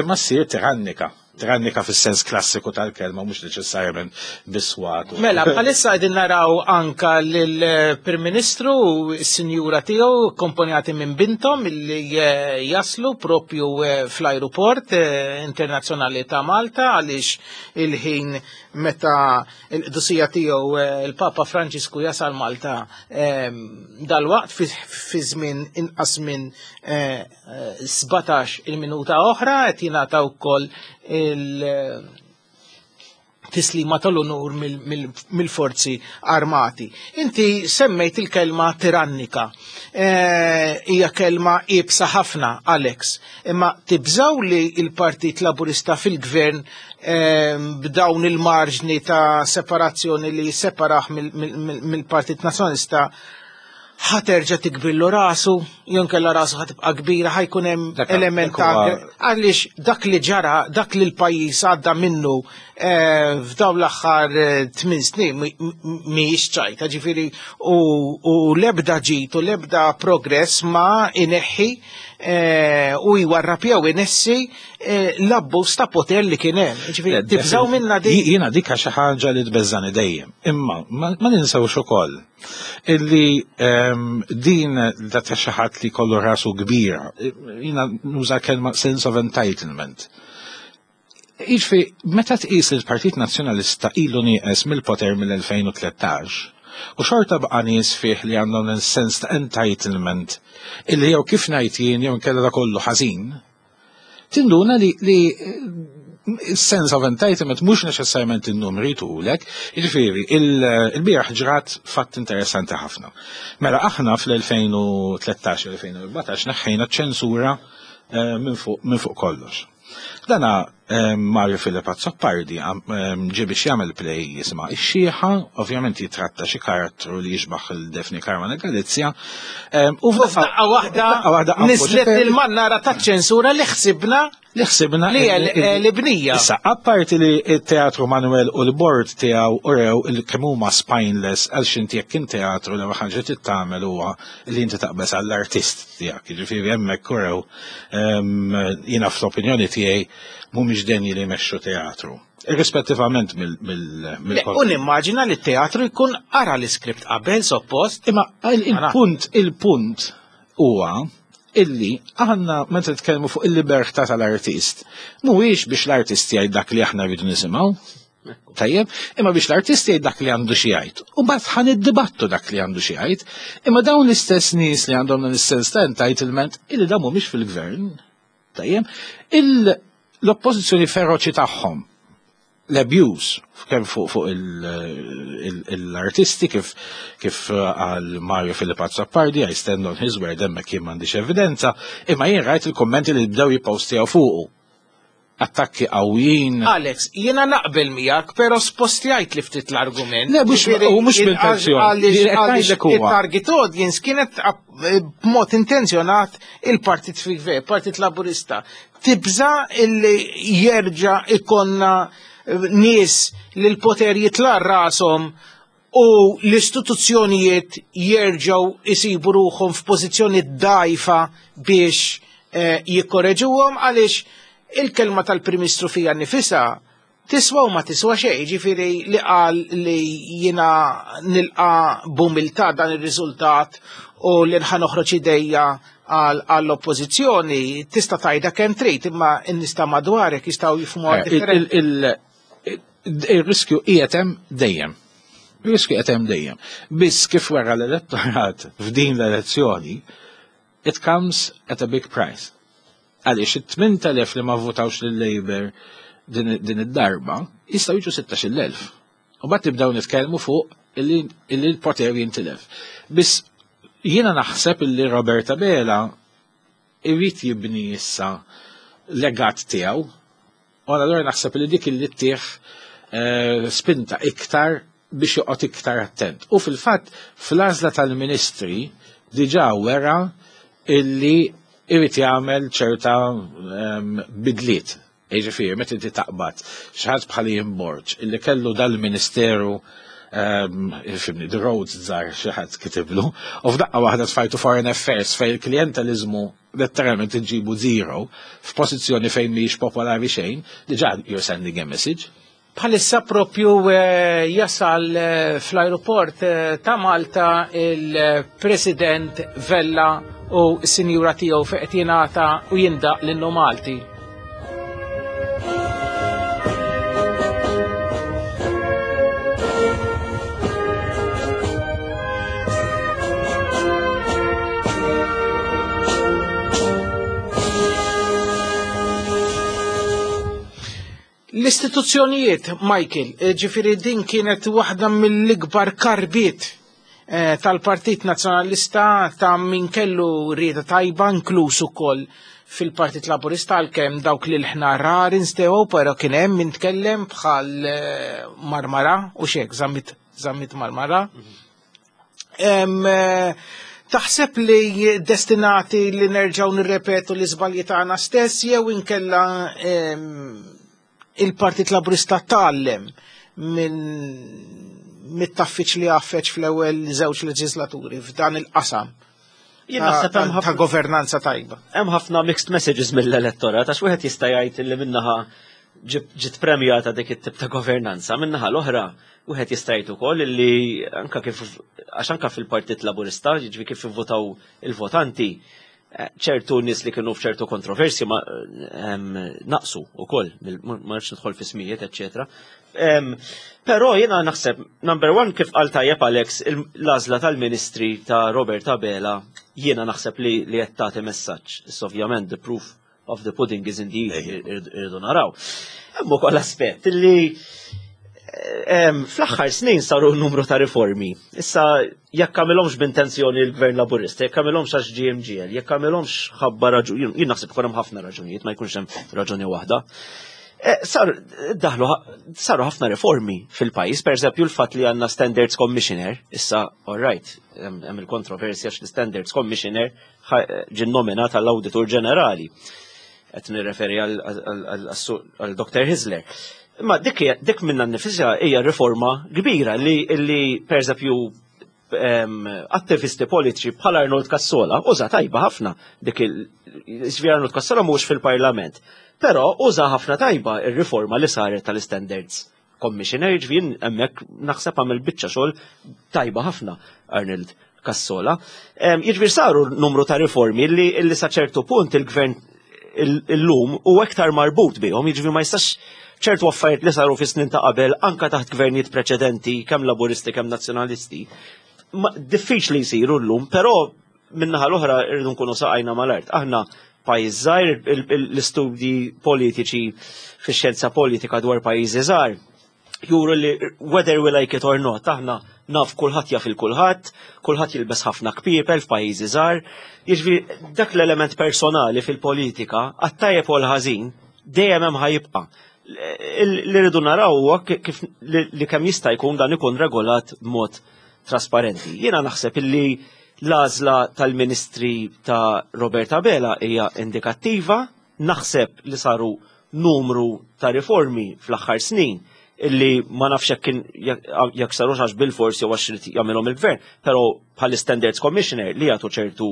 imma ssir tirannika. Tirannika fis-sens klassiku tal-kelma, mhux neċessarjament biswat. Mela, bħalissa qegħdin naraw anka lill-Prim Ministru u s-Sinjura tiegħu akkompanjati minn bintom illi eh, jaslu propju eh, fl-ajruport eh, internazzjonali ta' Malta, għaliex il-ħin meta l-qdusija tiegħu il-Papa Franġisku jasal Malta dal-waqt fi żmien inqas minn sbatax il-minuta oħra qed jingħata wkoll il-tislima tal-unur mill-forzi armati. Inti semmejt il-kelma tirannika. Hija kelma iebsa ħafna, Alex. Imma tibżaw li il-Partit Laburista fil-gvern, b'dawn il-marġni ta' separazzjoni li separah mill-Partit Nazzjonalista, ħa terġa' tikbrillu rasu, jew inkella rasu ħa tibqa' kbira, ħa jkun hemm element ta' għaliex dak li ġara, dak li l-pajjiż għadda minnu f'dawn l-aħħar tmien snin mhijiex ċajta, ġifieri u l-ebda ġid u l-ebda progress ma ineħħi u jwarrab jew inessi l-abbuż ta' poter li kien hemm. Ġifieri tibżgħu minna dik. Jiena dik xi ħaġa li tbeżżani dejjem. Imma ma ninsewx ukoll illi din da ta' xi ħadd li kollu rasu kbira, jiena nuża kelma sense of entitlement. Jiġifieri, meta tqis li l-Partit Nazzjonalista ilu nieqes mill-poter mill-elfejn u tlettax, u xorta baqa' nies fih li għandhom sens ta' entitlement illi jew kif ngħid jien jew inkella da kollu ħażin, tinduna li, li sense of entitlement mhux neċessarjament in-numri tulek. Jiġifieri, il-bieraħ ġrat fatt interessanti ħafna. Mela aħna fl-elfejn u tlettax elfejn u erbatax neħħejna ċensura minn fuq minn fuq kollox. Dana Mario Philip Azzopardi ġie biex jagħmel play jisimha Ix-Xieħa, ovvjament jitratta xi karattru li jixbaħ il-Daphne Caruana Galizia. U f'daqqa waħda nislet il-mannara taċ-ċensura li ħsibna li ħsibna li l-bnija. Issa, apparti li t-teatru Manuel u l-bord tiegħu urew kemm huma spineless għal x'inti jekk kien teatru l-ewwel ħaġa trid tagħmel huwa li inti taqbeż għall-artist tiegħek. Jiġifieri hemmhekk urew jiena fl-opinjoni tiegħi mhumiex denji li jmexxu teatru. Irrispettivament mill. U nimmaġina li t-teatru jkun qara l-iskript qabel suppost. Imma il-punt il-punt huwa illi aħna meta nitkellmu fuq il-libertà tal-artist, mhuwiex biex l-artist jgħid dak li aħna rridu nisimgħu, tajjeb, imma biex l-artist jgħid dak li għandu xi jgħid. U mbagħad ħa niddibattu dak li għandu xi jgħid, imma dawn l-istess nies li għandhom dan is-sens ta' entitlement illi dawn mhumiex fil-gvern, tajjeb, l-oppożizzjoni feroċi tagħhom, l-abuse kemm fuq fuq l-artisti kif kif għal Mario Philip Azzopardi, I stand on his word, hemmhekk jien m'għandix evidenza, imma jien rajt il-kommenti li bdew jippostjaw fuqu. Attakki qawwijin. Alex, jiena naqbel miegħek, però spostjajt li ftit l-argument. Le, mhux u mhux b'intenzjoni. Il-target audience kienet b'mod intenzjonat il-Partit fil-Gvern, Partit Laburista. Tibża illi jerġa' ikonna nies li l-poter jitla' rashom u l-istituzzjonijiet jerġgħu isibu ruħhom f'pożizzjoni dgħajfa biex jikkoreġuhom, għaliex il-kelma tal-Prim Ministru fija nnifisha tiswa u ma tiswa xejn, ġifieri li qal li jiena nilqa' b'umiltà dan ir-riżultat u li nħa noħroġ idejja għall-oppożizzjoni, tista' tgħidha kemm trid, imma n-nies ta' madwarek jistgħu jifhmuha differenti. Il-riskju qiegħed hemm dejjem. Il-riskju qiegħed hemm dejjem. Biss kif wara l-elettorat f'din l-elezzjoni, it comes at a big price. Għaliex it-tmien elef li ma votawx lil-Labour din id-darba jistgħu jiġu sittax-il elf. U mbagħad nibdew nitkellmu fuq illi l-poter jintilef. Biss jiena naħseb illi Robert Abela irid jibni issa legat tiegħu, u allura naħseb li dik illi ttieħ spinta iktar biex joqgħod iktar attent. U fil-fatt fl-għażla tal-ministri diġà wera illi irid jagħmel ċerta bidliet. Jiġifieri meta inti taqbad xi ħadd bħal Ian Borg illi kellu dal-ministeru ifimni, the roads żgħar xi ħadd kitiblu, u f'daqqa waħda tfajtu foreign affairs fejn il-klijenteliżmu letteralment iġibu zero f'pożizzjoni fejn mhijiex popolari xejn, diġà you're sending a message. Bħalissa propju jasal fl-aeroport ta' Malta il-President Vella u s-sinjura tiegħu fejn qed jingħata u jindaq l-innu Malti. L-istituzzjonijiet, Michael, ġifieri din kienet waħda mill-ikbar karbiet tal-Partit Nazzjonalista ta' min kellu rieda tajba, inkluż ukoll fil-Partit Laburista, għalkemm dawk li l-ħna rar instew, però kien hemm min tkellem bħal Marmara u xek, Zammit, Zammit Marmara. Taħseb li destinati li nerġgħu nirrepetu l-iżbalji tagħna stess jew inkella Il-Partit Laburista tgħallem minn mit-taffiċ li għaffeċ fl-ewwel żewġ leġislaturi f'dan il-qasam Jien naħseb hemm ta' ħafna governanza tajba? Hemm ħafna mixed messages mill-elettorat, għax wieħed jista' jgħid li minnaħa ġiet premjata dik it-tip ta' governanza, minnaħa l-oħra wieħed jista' jgħid ukoll li anka kif, għax anka fil-Partit Laburista, jiġri kif ivvotaw il-votanti, eh, ċertu nies li kienu f'ċertu kontroversi ma em, naqsu ukoll, ma nafx nidħol fi smijiet, eċċetera. Em, Però jiena naħseb, number one, kif qal tajjeb Alex, il- l-għażla tal-ministri ta' Robert Abela jiena naħseb li li qed tagħti messaġġ. Issa ovvjament the proof of the pudding is in the eating, irridu naraw. Hemm ukoll aspett li em, fl-aħħar snin saru numru ta' riformi. Issa jekk għamilhomx b'intenzjoni l-Gvern Laburista, jekk għamilhomx għax G M G L, jekk għamilhomx ħabba raġuni, jien naħseb ikun hemm ħafna raġunijiet, ma jkunx hemm raġuni waħda. Eh, Sar, daħlu, saru ħafna riformi fil-pajjiż, per eżempju l-fatt li għandna Standards Commissioner, issa, all right, hemm hemm il-kontroversja għax l-Standards Commissioner ħa- ġie nominat għall-Auditur Ġenerali. Qed nirreferi għal Doktor Hyzler. Imma dik hija- dik minna nnifisha hija riforma kbira li li per eżempju em, attivisti politiċi bħal Arnold Cassola uża tajba ħafna dik il ġifieri Arnold Cassola mhux fil-Parlament. Però uża ħafna tajba ir-riforma li saret tal-Standards Commissioner, ġifieri hemmhekk naħseb għamel biċċa xogħol tajba ħafna Arnold Cassola. Em, Jiġifieri saru numru ta' riformi li, li sa ċertu punt il-gvern il-lum u aktar marbut bihom, jiġifieri ma jistax ċertu affarijiet li saru fi snin ta' qabel anka taħt gvernijiet preċedenti, kemm laburisti kemm nazzjonalisti, ma- diffiċli jsiru llum, però minnaħa l-oħra irridu nkunu saqajna mal-art. Aħna pajjiż żgħir, il- il- l-istudji politiċi fix-xjenza politika dwar pajjiżi żgħar juru li whether we like it or not, aħna naf kulħadd jaf il-kulħadd, kulħadd jilbes ħafna kpiepel f'pajjiżi żgħar. Jiġifieri dak l-element personali fil-politika, għat-tajjeb u l-ħażin, dejjem hemm ħa jibqa'. Li rridu naraw huwa kif li li kemm jista' jkun dan ikun regolat b'mod trasparenti. Jiena naħseb illi l-għażla tal-ministri ta' Robert Abela hija indikattiva, naħseb li saru numru ta' riformi fl-aħħar snin illi ma nafx jekk kien jekk sarux għax bil-forsi jew għax irid jagħmilhom il-gvern, però bħal Standards Commissioner li jagħtu ċertu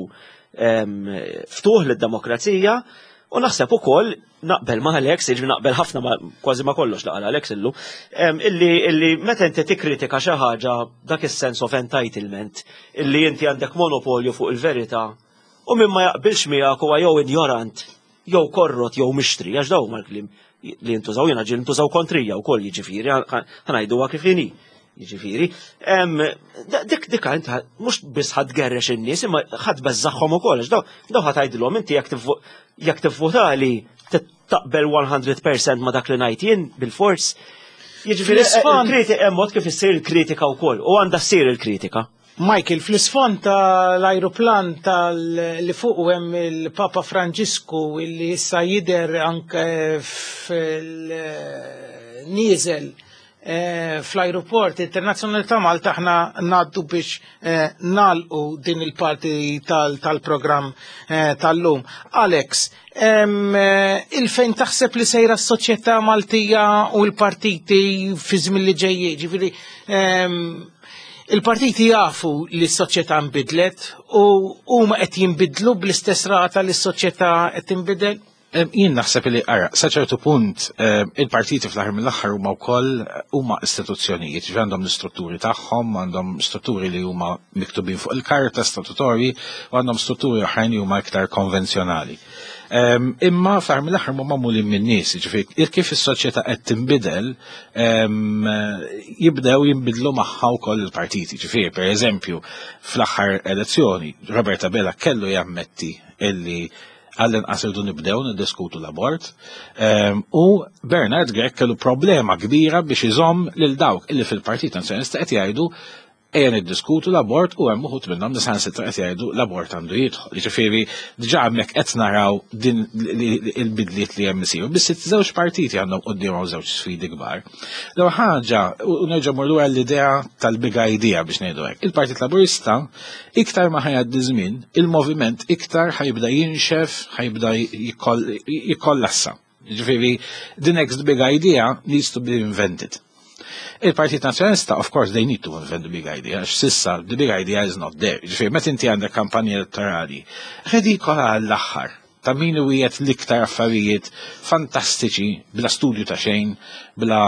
em, ftuħ lid-demokrazija. U naħseb ukoll naqbel ma' Alex, jiġri naqbel ħafna ma' kważi ma' kollox laqal Alex illu, em, illi, illi meta inti tikkritika xi ħaġa, dak is-sense of entitlement illi inti għandek monopolju fuq il-verità u min ma jaqbilx miegħek huwa jew ignorant, jew korrot, jew mixtri, għax daw mal-kliem li jintużaw, jiena ġieli ntużaw kontrija wkoll, jiġifieri ħa ngħiduha kif inhi. Jiġifieri, em, da- dik dik inti mhux biss ħa tgerrex in-nies imma ħa tbeżżagħhom ukoll, għax daw daw ħa tgħidilhom inti jekk tivvo- jekk tivvotali taqbel mija fil-mija ma dak li ngħid jien bil-fors. Jiġifieri Fl-isfond- il-kritika hemm mod kif issir il-kritika wkoll u għandha ssir il-kritika. Michael, fl-isfond tal-ajruplan tal li fuq hemm il-Papa Franġisku illi issa jider anke fil-nieżel eh, fl-aeroport internazzjonali ta' Malta, aħna ngħaddu biex eh, nagħlqu din il-parti tal- tal-programm eh, tal-lum. Alex, em, eh, il-fejn taħseb li sejra s-soċjetà Maltija u l-partiti fi żmien li ġejjin, ġifieri em, il-partiti jafu li s-soċjetà nbidlet u huma qed jinbidlu bl-istess rata li s-soċjetà qed tinbidel? Em, Jien naħseb li ara, sa ċertu punt em, il-partiti fl-aħħar mill-aħħar huma wkoll huma istituzzjonijiet, ġifieri għandhom l-istrutturi tagħhom, għandhom strutturi li huma miktubin fuq il-karta statutorji u għandhom strutturi oħrajn li huma iktar konvenzjonali. Em, Imma fl-aħħar mill-aħħar huma magħmulin minn nies, ġifieri kif is-soċjetà qed tinbidel, em, jibdew jinbidlu magħha wkoll il-partiti. Ġifieri, pereżempju, fl-aħħar elezzjoni Robert Abela kellu jammetti illi għall-inqas irdu nibdew niddiskutu l-abort. Em, U Bernard Grech kellu problema kbira biex iżomm lil dawk illi fil-Partit Nazzjonalista qed jgħidu ejja niddiskutu l-abort u hemm uħud minnhom li saħansitra qed jgħidu l-abort għandu jidħol. Jiġifieri diġà hemmhekk qed naraw din il-bidliet li hemm isiru. Biss iż-żewġ partiti għandhom quddiemhom żewġ sfidi kbar. L-ewwel ħaġa, u nerġa' mmur lura l-idea tal-big idea biex ngħidu hekk. Il-Partit Laburista iktar ma ħa jgħaddi żmien, il-moviment iktar ħa jibda jinxef, ħa jibda jikollassa. Ġifieri, the next big idea needs to be invented. Il-Partit Nazzjonalista, of course, they need to invent the big idea, għax s'issa, the big idea is not there. Ġifieri, meta inti għandek kampanja elettorali, redikola għall-aħħar, ta' min wiegħed l-iktar affarijiet fantastiċi, bla studju ta' xejn, bla,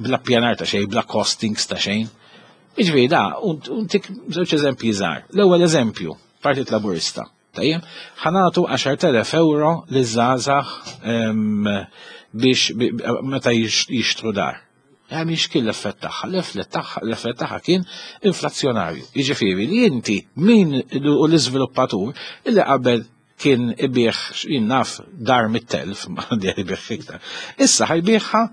bla pjanar ta' xejn, bla costings ta' xejn. Ġifieri, da, ntik żewġ eżempji żgħar. L-ewwel eżempju, Partit Laburista. Tajjeb, ħa nagħtu għaxart elef euro liż-żgħażagħ biex meta jixtru dar. Għam kien l-effett tagħha? L-effett tagħha l-effett tagħha kien inflazzjonarju. Jiġifieri li inti min u l-iżviluppatur illi qabel kien ibigħ, jien naf, dar mitt elf, ma ibigħ iktar. Issa ħa jbigħha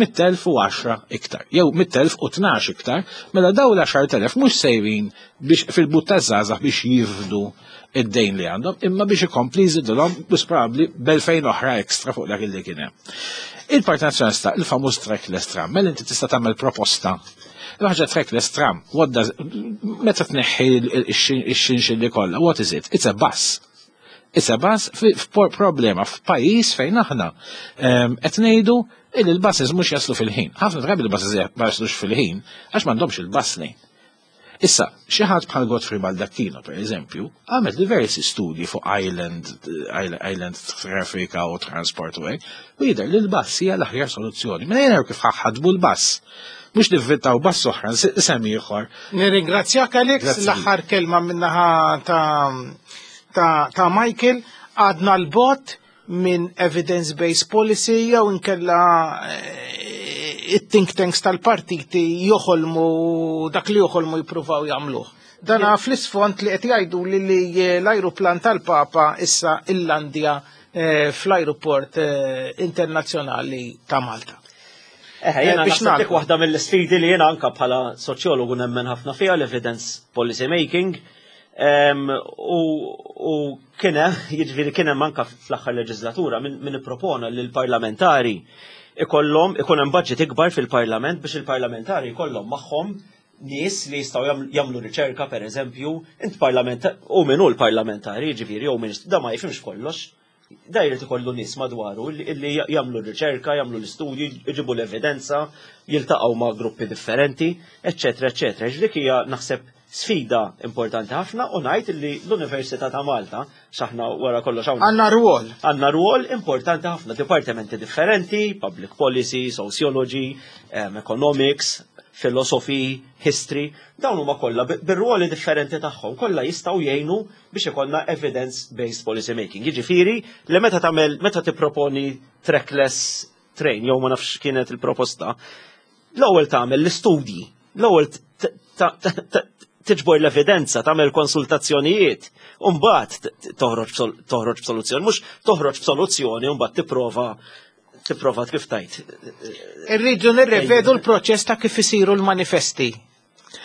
mitt elf u għaxra iktar, jew mitt elf u tnax iktar, mela daw l-għaxart elef mhux sejrin biex fil-but taż-żgħażagħ biex jifdu id-dejn li għandhom, imma biex ikompli jżidulhom biex probabbli b'elfejn oħra ekstra fuq dak li kien hemm. Il-Partit Nazzjonalista, il-famuż trackless tram, mela inti tista' tagħmel proposta. L-ħaġa trackless tram, what does, meta tneħħi x-xinxilli kollha, what is it? It's a bus. It's a bus. Problema f'pajjiż fejn aħna qed ngħidu il il-buses mhux jaslu fil-ħin. Ħafna drabi il-buses ma jaslux fil-ħin għax m'għandhomx il-bus lane. Issa, xi ħadd bħal Godfrey Baldacchino, per eżempju, għamel diversi studji fuq island, island traffic u transport u hekk, u jidher li l-bus hija l-aħjar soluzzjoni. Mela jena kif ħadbu l-bus. Mhux nivvintaw bus oħra, isem ieħor. Nirringrazzjak, Alex, l-aħħar kelma min-naħa ta' ta', ta Michael, għadna 'l bogħod minn evidence-based policy jew inkella eh, it-think tanks tal-partiti joħolmu dak li joħolmu jippruvaw jagħmluh? Dana fl-isfond li qed jgħidu li li l-ajruplan tal-Papa issa illandja eh, fl-ajruport eh, internazzjonali ta' Malta. Eh, jena naħseb dik waħda mill-sfidi li jena anka bħala soċjologu nemmen ħafna fiha, l-evidence policy making. U kien hemm, jiġifieri kien hemm anka fl-aħħar leġislatura min, min ippropona li l-parlamentari ikollhom ikun hemm budget ikbar fil-parlament biex il-parlamentari jkollhom magħhom nies li jistgħu jagħmlu riċerka. Per eżempju, int parlament u min hu l-parlamentari, jiġifieri jew ministru, da ma jifhimx kollox. Da jrid ikollu nies madwaru li jagħmlu riċerka, jagħmlu l-istudju, jġibu l-evidenza, jiltaqgħu ma' gruppi differenti, eċċetera, eċċetera. Dik hija naħseb sfida importanti ħafna u ngħid li l-Università ta' Malta, x'aħna wara kollox hawn. Għandna rwol. Għandna rwol importanti ħafna, dipartimenti differenti, public policy, sociology, um, economics, philosophy, history, dawn huma kollha bir-ruoli differenti tagħhom, kollha jistgħu jgħinu biex ikollna evidence-based policy making. Jiġifieri li meta tagħmel meta tipproponi trackless train jew ma nafx kienet il-proposta, l-ewwel tagħmel l-istudji, l-ewwel tiġbor l-evidenza, tagħmel konsultazzjonijiet, u mbagħad toħroġ toħroġ b'soluzzjoni, mhux toħroġ b'soluzzjoni u mbagħad tipprova tipprova kif tajt. Irridu nirrevedu l-proċess ta' kif isiru l-manifesti.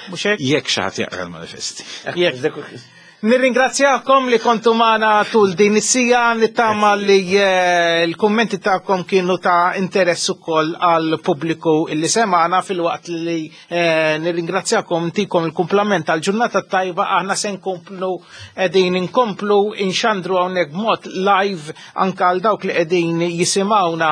Mhux hekk? Jekk xi ħadd jaqra l-manifesti. Jekk. Nirringrazzjakom li kontu magħna tul din is-siegħa, nittama li eh, l-kummenti tagħkom kienu ta' interess ukoll għal pubbliku illi semana, filwaqt li eh, nirringrazzjakom, ntikom il-kumplament għal ġurnata tajba. Aħna se nkomplu qegħdin inkomplu inxandru hawnhekk b'mod live anka għal dawk li qegħdin jisimgħuna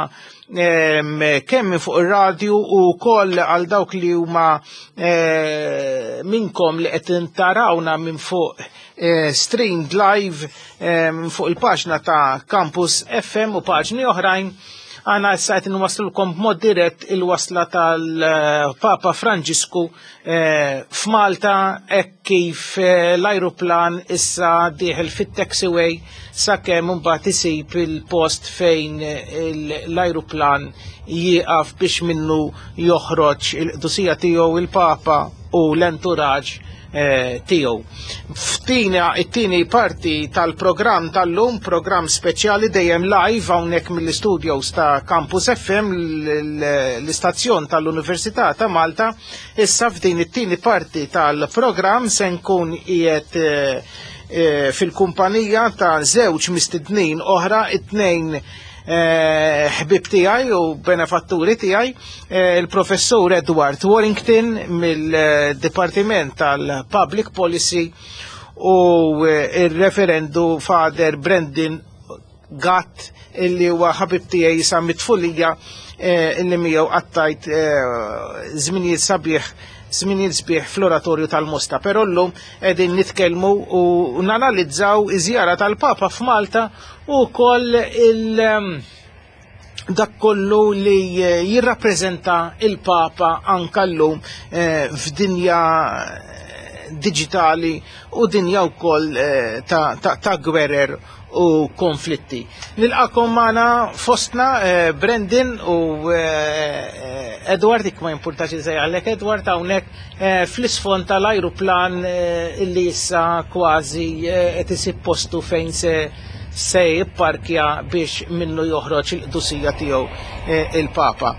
em, kemm minn fuq ir-radju u koll għal dawk li huma eh, minkom li qed tarawna minn fuq eh, streamed live eh, minn fuq il-paġna ta' Campus F M u paġni oħrajn. Għana issa qed nwaslulkom b'mod dirett il-wasla tal-Papa Franġisku eh, f'Malta hekk kif eh, l-ajruplan issa dieħel fit-taxiway sakemm imbagħad isib il-post fejn eh, l-ajruplan jieqaf biex minnu joħroġ il-qdusija tiegħu il-Papa u l-entourage eh, tiegħu. Ftina it-tieni parti tal-programm tal-lum, programm speċjali dejjem live hawnhekk mill-studios ta' Campus F M, l-istazzjon tal-Università ta' Malta. Issa f'din it-tieni parti tal-programm se nkun qiegħed eh, eh, fil-kumpanija ta' żewġ mistednin oħra, it-tnejn eh, ħbib tiegħi u benefatturi tiegħi, eh, il-professur Edward Warrington mill-Dipartiment tal-Public Policy u eh, il-referendu Father Brendan Gatt illi huwa ħabib tiegħi sa mit-tfulija illi miegħu qattajt żminijiet sabiħ żminijiet sbieħ fl-oratorju tal-Mosta. Però llum qegħdin nitkellmu u nanalizzaw iż-żjara tal-Papa f'Malta u wkoll il- dak kollu li jirrappreżenta il-Papa anka llum f'dinja digitali u dinja wkoll ta', ta, ta gwerer u konflitti. Nilqakom magħna fostna eh, Brendan u eh, Edward, ik ma jimpurtax għalek Edward, hawnhekk eh, fl-isfond tal-ajruplan eh, illi issa kważi qed isib postu fejn se se jipparkja biex minnu joħroġ il-qdusija tiegħu eh, il-Papa.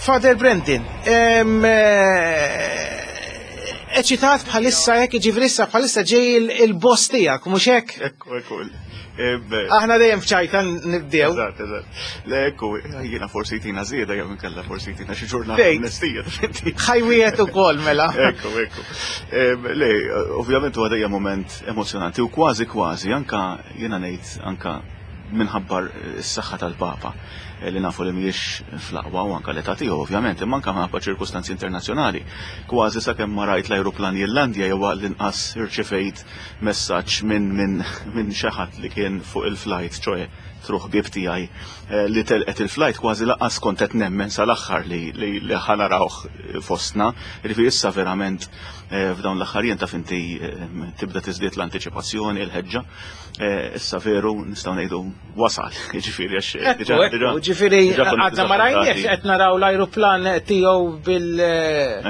Father Brendan, em, eh, eċitat bħalissa jekk ġifieri issa bħalissa ġej il-boss tiegħek, mhux hekk? Ekku, ekku. Aħna dejjem f'ċajta nibdew. Eżatt, eżatt. Le, ekku, jiena forsi jtina żieda jew inkella forsi jtina xi ġurnata Fejn? amnestija. Ħajwiet ukoll mela. Ekku, ekku. Le, ovvjament huwa dejjem moment emozjonanti u kważi kważi anka jiena ngħid anka minħabba s-saħħa tal-Papa li nafu li mhijiex fl-aqwa u anka l-età tiegħu ovvjament, imma anka minħabba ċirkustanzi internazzjonali. Kważi sakemm ma rajt l-ajruplan jillandja jew l-inqas irċevejt messaġġ minn minn minn xi ħadd li kien fuq il-flight, ċoe through ħbieb tiegħi li telqet il-flight, kważi lanqas kont qed nemmen sal-aħħar li li ħa narawh fostna. Jiġifieri issa verament f'dawn l-aħħar jiem taf inti tibda tiżdied l-antiċipazzjoni, il-ħeġġa. Issa veru nistgħu ngħidu wasal, jiġifieri għax Ekku, ekku, ġifieri għadna ma rajniex qed naraw l-ajruplan tiegħu bil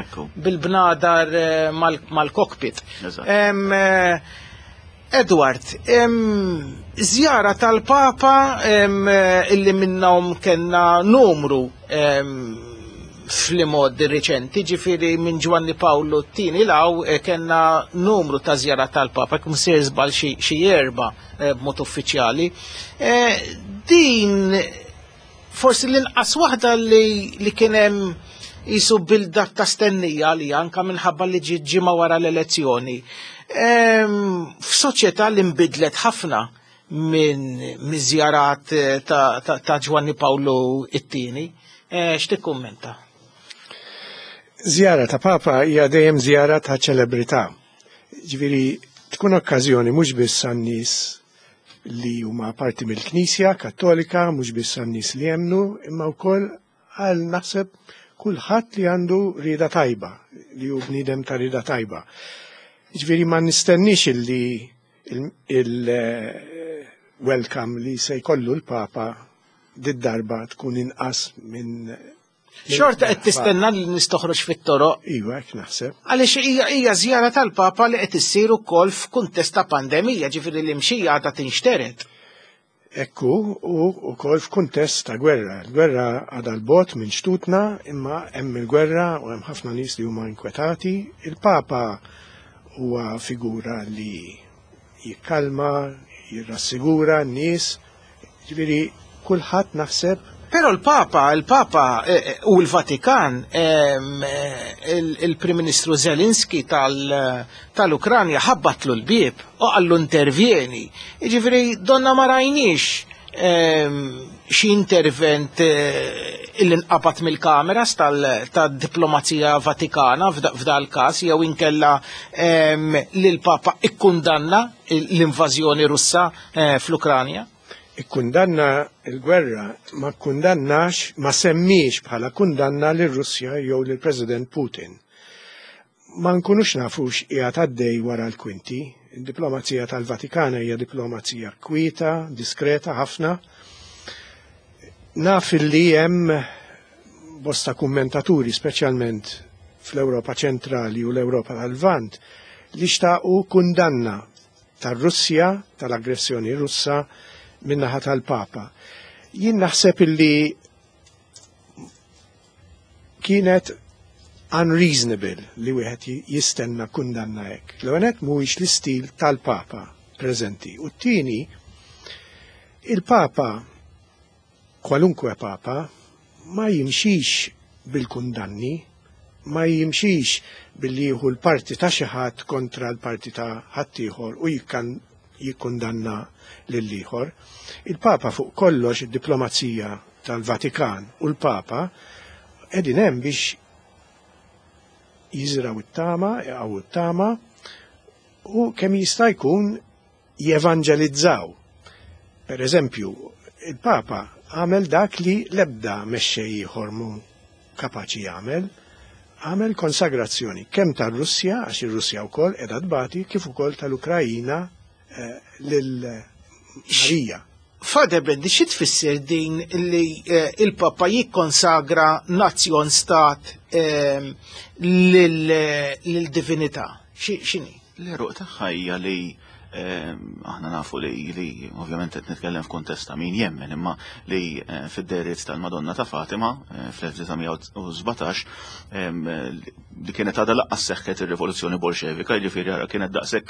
Ekku. bil-bnadar mal-cockpit. Eżatt. Em, Edward, em, żjara tal-Papa em, illi minnhom kellna numru em, fl-modi riċenti, ġifieri minn Ġwanni Pawlu t-tieni 'l hawn eh, kellna numru ta' żjara tal-Papa, kum sir żball xi xi erba eh, b'mod uffiċjali. Eh, Din forsi l-inqas waħda li, li kien hemm jisu bil-dak ta' stennija li anka minħabba li ġiet ġimgħa wara l-elezzjoni. Em, F'soċjetà li nbidlet ħafna minn miż-żjarat eh, ta', ta, ta' Ġwanni Pawlu it-tieni. Eh, X'tikkummenta? Żjara ta' Papa hija dejjem żjara ta' ċelebrità. Ġifieri tkun okkażjoni mhux biss għan-nies li huma parti mill-Knisja Kattolika, mhux biss għan-nies li jemnu, imma wkoll għal naħseb kulħadd li għandu rieda tajba, li hu bniedem ta' rieda tajba. Ġifieri ma nistennix illi il-welcome li se jkollu l-Papa did-darba tkun inqas minn Xorta qed tistenna li nies toħroġ fit-toroq. Iva, hekk naħseb. Għaliex hija hija żjara tal-Papa li qed issir ukoll f'kuntest ta' pandemija, ġifieri l-imxija għadha tinxteret. Ekku, u wkoll f'kuntest ta' gwerra. Il-gwerra għadha 'l bogħod minn xtutna, imma hemm il-gwerra u hemm ħafna nies li huma inkwetati. Il-Papa huwa figura li jikkalma, jirrassigura n-nies. Ġifieri kulħadd naħseb. Però l-Papa, il-Papa eh, eh, u l-Vatikan, ehm, eh, il- il-Prim Ministru Zelenski tal- tal-Ukranja ħabbatlu l-bieb u qallu intervjeni. Jiġifieri donna ma rajniex ehm, xi intervent eh, illi nqabad mill-kameras tal-diplomazija Vatikana f'da- f'dal każ jew inkella ehm, li l-Papa ikkundanna l-invażjoni Russa eh, fl-Ukranja. Ikkundanna il-gwerra, ma kkundannax, ma semmiex bħala kundanna lir Russja jew lill President Putin. Ma nkunux nafux qiegħed għaddej wara l-kwinti. Il-diplomazija tal-Vatikana hija diplomazija kwieta, diskreta ħafna. Naf li hemm bosta kummentaturi, speċjalment fl-Ewropa ċentrali u l-Ewropa tal-Lvant, li xtaqu kundanna tar-Russja, tal-aggressjoni Russa, min-naħa tal-Papa. Jien naħseb illi kienet unreasonable li wieħed jistenna kundanna hekk. L-ewwel mhuwiex l-istil tal-Papa preżenti. U t-tieni, il-Papa, kwalunkwe Papa, ma jimxix bil-kundanni, ma jimxix billi jieħu l-parti ta' xi ħadd kontra l-parti ta' ħaddieħor u jikkundanna lill-ieħor. Il-Papa fuq kollox, id-diplomazija tal-Vatikan u l-Papa qegħdin hemm biex jiżraw it-tama, jaqgħu it-tama u kemm jista' jkun jevanġelizzaw. Per eżempju, il-Papa għamel dak li l-ebda mexxej ieħor mu kapaċi jagħmel, għamel konsagrazzjoni kemm tar-Russja, għax ir-Russja wkoll qiegħda tbati, kif ukoll tal-Ukrajina eh, lil Marija. Father Bradley, xi tfisser din li eh, il-Papa jikkonsagra nazzjon stat eh, lil-divinità? X'inhi? L-għeruq tagħha hija li ehm, aħna nafu li li ovvjament qed nitkellem f'kuntest ta' min jemmen, imma li eh, fid-dehriet tal-Madonna ta' Fatima eh, fl-elf disa' mija u sbatax, ehm, li kienet għadha lanqas seħħet ir-Rivoluzzjoni Bolxevika, jiġifieri ara kienet daqshekk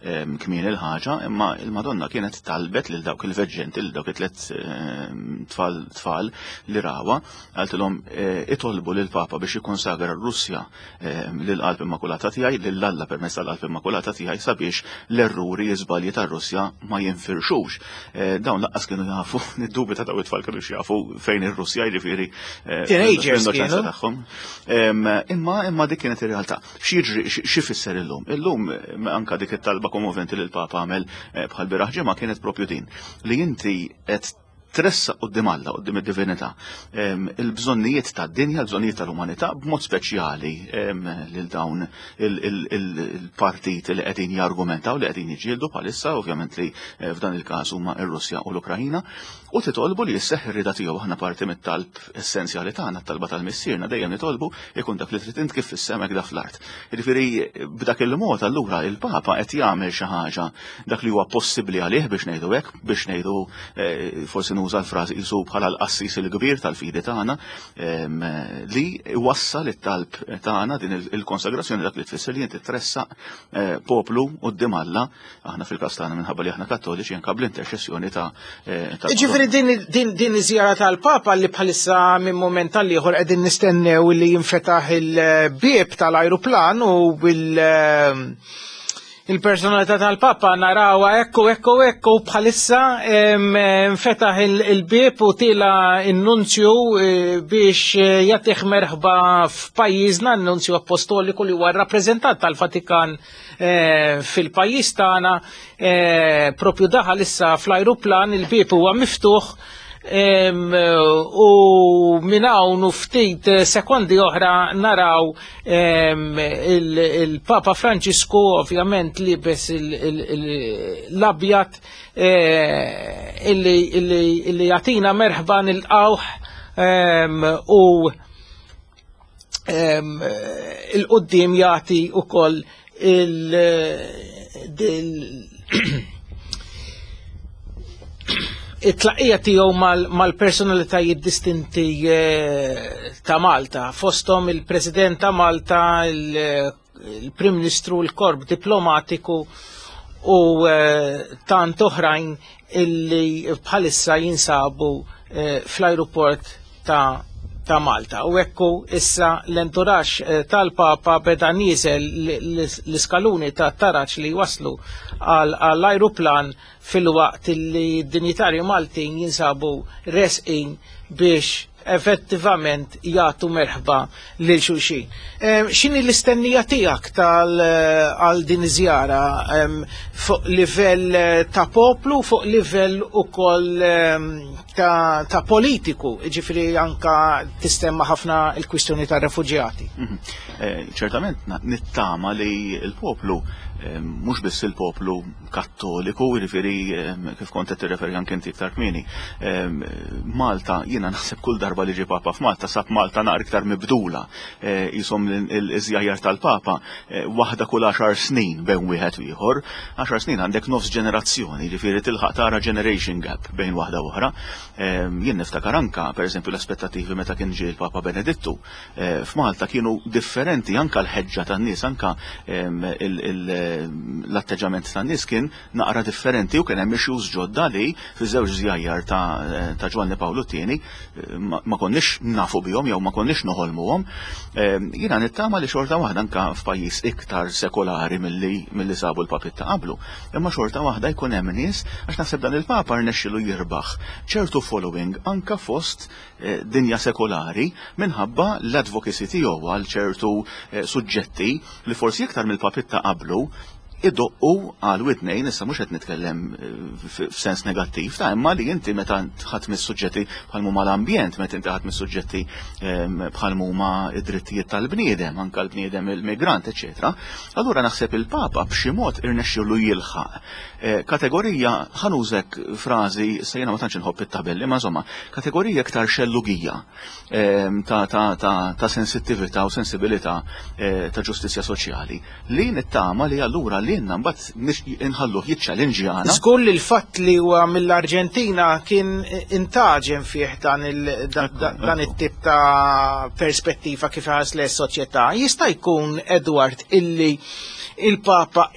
ehm, kmin il-ħaġa, imma il-Madonna kienet talbet lil dawk il-veġġenti, lil dawk it-tlet ehm, tfal tfal li rawa, qaltilhom eh, itolbu lil Papa biex jikkonsagra r-Russja ehm, lill-Qalb Immakulata tiegħi, lil Alla permezz tal-Qalb Immakulata tiegħi, sabiex l-erruri, l-iżbalji tar-Russja ma jinfirxux. Eh, dawn lanqas kienu jafu, niddubita daw it-tfal kienu jafu fejn ir-Russja, jiġifieri eh, Teenagers fl-innoċenza kienu. tagħhom. Em, Imma imma dik kienet ir-realtà. X'jiġri, x'ifisser illum? Illum em, anka dik it-talba kommoventi li l-Papa għamel eh, bħal bieraħ ġimgħa kienet propju din li inti qed tressaq quddiem Alla, quddiem id-divinità, em, il-bżonnijiet tad-dinja, il-bżonnijiet tal-umanità, b'mod speċjali em, lil dawn il-partit li qegħdin jargumentaw, li qegħdin jiġġieldu bħalissa, ovvjament li eh, f'dan il-każ huma ir-Russja u l-Ukrajina, u titolbu li jisseħ ir-rida tiegħu. Aħna parti mit-talb essenzjali tagħna, t-talba tal-Missierna, dejjem nitolbu ikun dak li trid int kif fis-sema hekk fl-art. Jiġifieri b'dak il-mod allura il-Papa qed jagħmel xi ħaġa, dak li huwa possibbli għalih, biex ngħidu hekk, biex ngħidu eh, forsi nuża l-frażi qisu bħala l-qassis il-kbir tal-fidi tagħna, em, li wassal it-talb tagħna, din il-konsagrazzjoni, dak li tfisser li inti tressaq eh, poplu quddiem Alla, aħna fil-każ tagħna minħabba li aħna Kattoliċi anke bl-interċessjoni ta' eh, ta' Ġifieri din, din, din iż-żjara tal-Papa li bħalissa minn moment għal ieħor qegħdin nistennew li jinfetaħ il-bieb tal-ajruplan u bil il-personalità tal-Papa narawha ekku ekku ekku bħalissa em, nfetaħ il- il-bieb u tila in-nunzju eh, biex eh, jagħtih merħba f'pajjiżna, n-nunzju apostoliku li huwa rappreżentant tal-Vatikan eh, fil-pajjiż tagħna, eh, propju daħal issa fl-ajruplan, il-bieb huwa miftuħ em, u minn hawn u ftit sekondi oħra naraw em, il- il-Papa Franġisku, ovvjament libes il- il- il- l-abjad, eh, illi illi- illi jagħtina merħba, nilqawh em, u em, il-qoddim jagħti ukoll il- il- it-tlaqija tiegħu mal-personalitajiet distinti eh, ta' Malta, fosthom il-President ta' Malta, il- il-Prim Ministru, il-Korp Diplomatiku u eh, tant oħrajn illi bħalissa jinsabu eh, fl-aeroport ta' ta' Malta. U ekku issa l-entourage eh, tal-Papa beda nieżel l-iskaluni ta' taraċ li waslu għall-ajruplan fil-waqt li d-dinjitarju Maltin jinsabu resqin biex effettivament jagħtu merħba lil xulxin. Em, X'inhi l-istennija tiegħek tal eh, għal din iż-żjara em, fuq livell eh, ta' poplu, fuq livell ukoll em, ta', ta' politiku, ġifieri anka tistemma ħafna il-kwistjoni ta' refuġjati? Mhm. Eh, ċertament na- nittama li il-poplu, eh, mhux biss il-poplu Kattoliku, jiġifieri eh, kif kont qed tirreferi anke inti iktar kmieni. eh, Malta, jiena naħseb kull darba li ġie Papa f'Malta sab Malta naqra iktar mibdula. Eh, Jisom il-żjajjar tal-Papa eh, waħda kull għaxar snin bejn wieħed u ieħor. Għaxar snin għandek nofs ġenerazzjoni, jiġifieri tilħaq tara generation gap bejn waħda u oħra. Eh, Jien niftakar anka, pereżempju, l-aspettattivi meta kien ġie l-Papa Benedittu eh, f'Malta kienu differenti, anka l-ħeġġa tan-nies, anka em, il- il- l-atteġġament tan-nies kien naqra differenti u kien hemm issues ġodda li fi żewġ żjajjar ta' ta' Ġwanni Pawlu t-tieni ma konniex nafu bihom jew ma konniex noħolmuhom. Jiena nittama li xorta waħda anka f'pajjiż iktar sekolari milli milli sabu l-papiet ta' qablu. Imma xorta waħda jkun hemm nies, għax naħseb dan il-Papa rnexxielu jirbaħ ċertu following anka fost eh, dinja sekolari minħabba l-advocacy tiegħu għal ċertu eh, suġġetti li forsi iktar mill-papiet ta' qablu idoqqu għal widnejn. Issa mhux qed nitkellem eh, f'sens negattiv ta' imma li inti meta ħadd mis-suġġetti bħal huma l-ambjent, meta inti ħadd mis-suġġetti ehm, bħal huma id-drittijiet tal-bniedem, anka l-bniedem il-migrant, eċetera. Allura naħseb il-Papa b'xi mod irnexxielu jilħaq eh, kategorija, ħa nuża frażi, se jiena ma tantx inħobb it-tabelli, ma insomma, kategorija iktar xellugija ehm, ta' ta' ta' ta' sensittività u sensibilità eh, ta' ġustizzja soċjali li nittama li allura li jenna mbagħad inħalluh jiċċalinġjana. Żgur li l-fatt li huwa mill-Arġentina kien intaġen fih dan il- da- da- dan it-tip ta' perspettiva kif ħares lejn is-soċjetà. Jista' jkun, Edward, illi il-Papa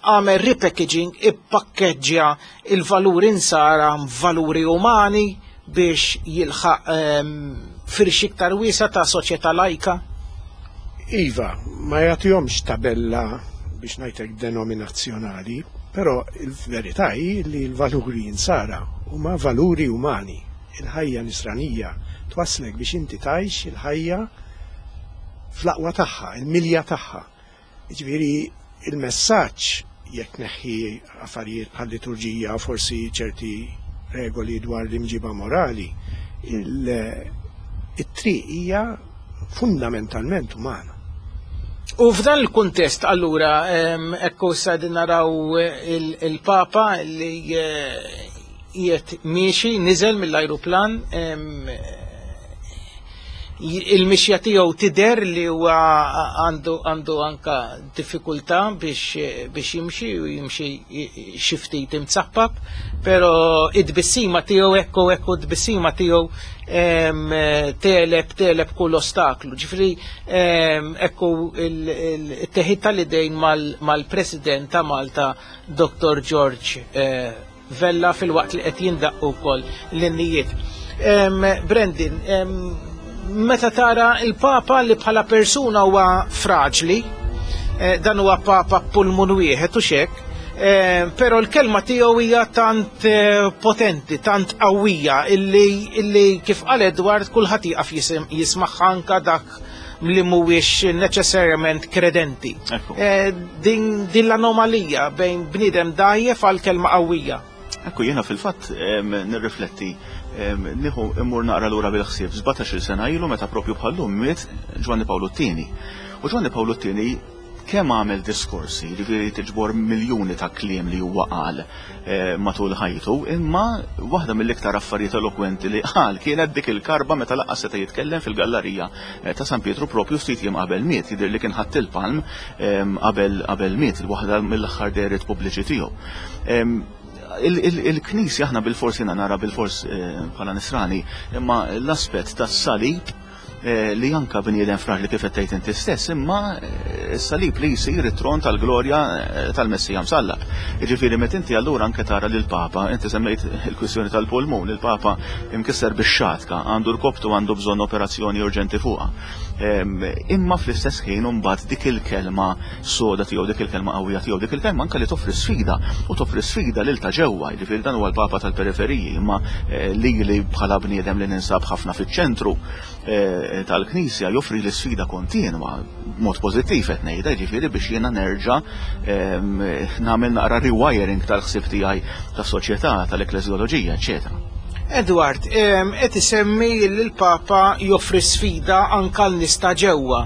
għamel repackaging, ippakkeġġja il-valuri nsara valuri umani biex jilħaq ehm, firxa iktar wiesgħa ta' soċjetà lajka? Iva, ma jagħtihomx tabella, biex ngħidlek, denominazzjonali, però il-verità hi li l-valuri insara huma valuri umani. Il-ħajja nisranija twasslek biex inti tgħix il-ħajja fl-aqwa tagħha, il-milja tagħha. Ġifieri il-messaġġ, jekk neħħi affarijiet bħal liturġija, forsi ċerti regoli dwar l-imġiba morali, il-triq hija fundamentalment umana. U f'dan il-kuntest, allura, em, ekku sa din naraw il- il-Papa li eh, qiegħed miexi, niżel mill-ajruplan, em, il-mixja tiegħu tidher li huwa għandu għandu anka diffikultà biex biex jimxi u jimxi xi ftit imzappap, però id-tbissima tiegħu, ekku ekku d-tbissima tiegħu em, tegħleb tegħleb kull ostaklu. Ġifieri em, ekku il-teħid tal-idejn mal-President ta' Malta, Doktor George eh, Vella, filwaqt li qed jindaqqu wkoll l-innijiet. Em, Brendan, em, meta tara il-Papa li bħala persuna huwa fraġli, eh, dan huwa Papa pulmun wieħed u xek, eh, però l-kelma tiegħu hija tant eh, potenti, tant qawwija illi, illi kif qal Edward, kulħadd jieqaf jisim- jismagħha, anka dak li mhuwiex neċessarjament kredenti. Ekku. Eh, din, din l-anomalija bejn bniedem dgħajjef għal kelma qawwija. Ekku, jiena fil-fatt em, nirrifletti, em, nieħu immur naqra lura bil-ħsieb sbatax-il sena ilu, meta propju bħallum miet Ġwanni Pawlu t-Tieni. U Ġwanni Pawlu t-Tieni kemm għamel diskorsi, ġifieri tiġbor miljuni ta' kliem li huwa qal eh, matul ħajtu, imma waħda mill-iktar affarijiet elokwenti li qal kienet dik il-karba meta lanqas seta' jitkellem fil-gallerija eh, ta' San Pietru propju ftit jiem qabel miet, jidher li kien ħadd il-palm em, qabel qabel miet, waħda mill-aħħar dehriet pubbliċi tiegħu. Em, il- il- Il-Knisja aħna bil-fors, jiena nara bil-fors eh, bħala nisrani, imma l-aspett tas-salib eh, li anka bniedem fraġli kif qed tgħid inti stess, imma eh, s-salib li jsir it-tron tal-glorja eh, tal-Messija msallab. Jiġifieri meta inti allura anke tara lil Papa, inti semmejt il-kwistjoni tal-pulmun, il-Papa imkisser bix-xatka, għandu rkoptu, għandu bżonn operazzjoni urġenti fuqha. Em, Imma fl-istess ħin mbagħad dik il-kelma soda tiegħu, dik il-kelma qawwija tiegħu, dik il-kelma anke li toffri sfida u toffri sfida lil ta' ġewwa, jiġifieri dan huwa l-Papa tal-periferiji, imma eh, li li bħala bniedem li ninsab ħafna fiċ-ċentru eh, tal-Knisja joffri l sfida kontinwa, mod pożittiv qed ngħidha, jiġifieri biex jiena nerġa' em, nagħmel naqra rewiring tal-ħsieb tiegħi tas-soċjetà, tal-ekleżjoloġija, eċetera. Edward, em, qed isemmi li l-Papa joffri sfida anka l-nies ta' ġewwa.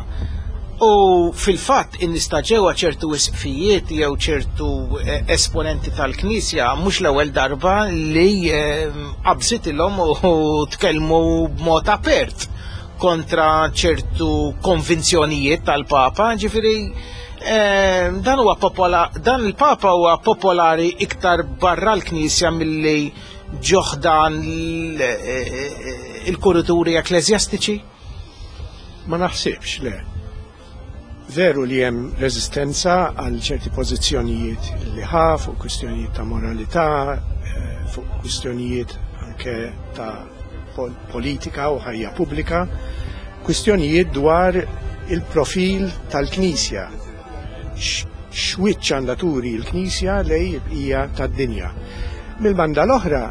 U fil-fatt in-nies ta' ġewwa, ċertu isqfijiet jew ċertu eh, esponenti tal-Knisja, mhux l-ewwel darba li em, qabżitilhom u tkellmu b'mod apert kontra ċertu konvinzjonijiet tal-Papa, ġifieri eh, dan huwa popola, dan il-Papa huwa popolari iktar barra l-Knisja milli ġo ħdan il-kurituri ekklesjastiċi? Ma naħsibx, le. Veru li hemm reżistenza għal ċerti pożizzjonijiet li ħa fuq kwistjonijiet ta' moralità, eh, fuq kwistjonijiet anke ta' politika u ħajja pubblika, kwistjonijiet dwar il-profil tal-Knisja. X'wiċċ għandha turi l-Knisja lej il-bqija tad-dinja. Mill-banda l-oħra,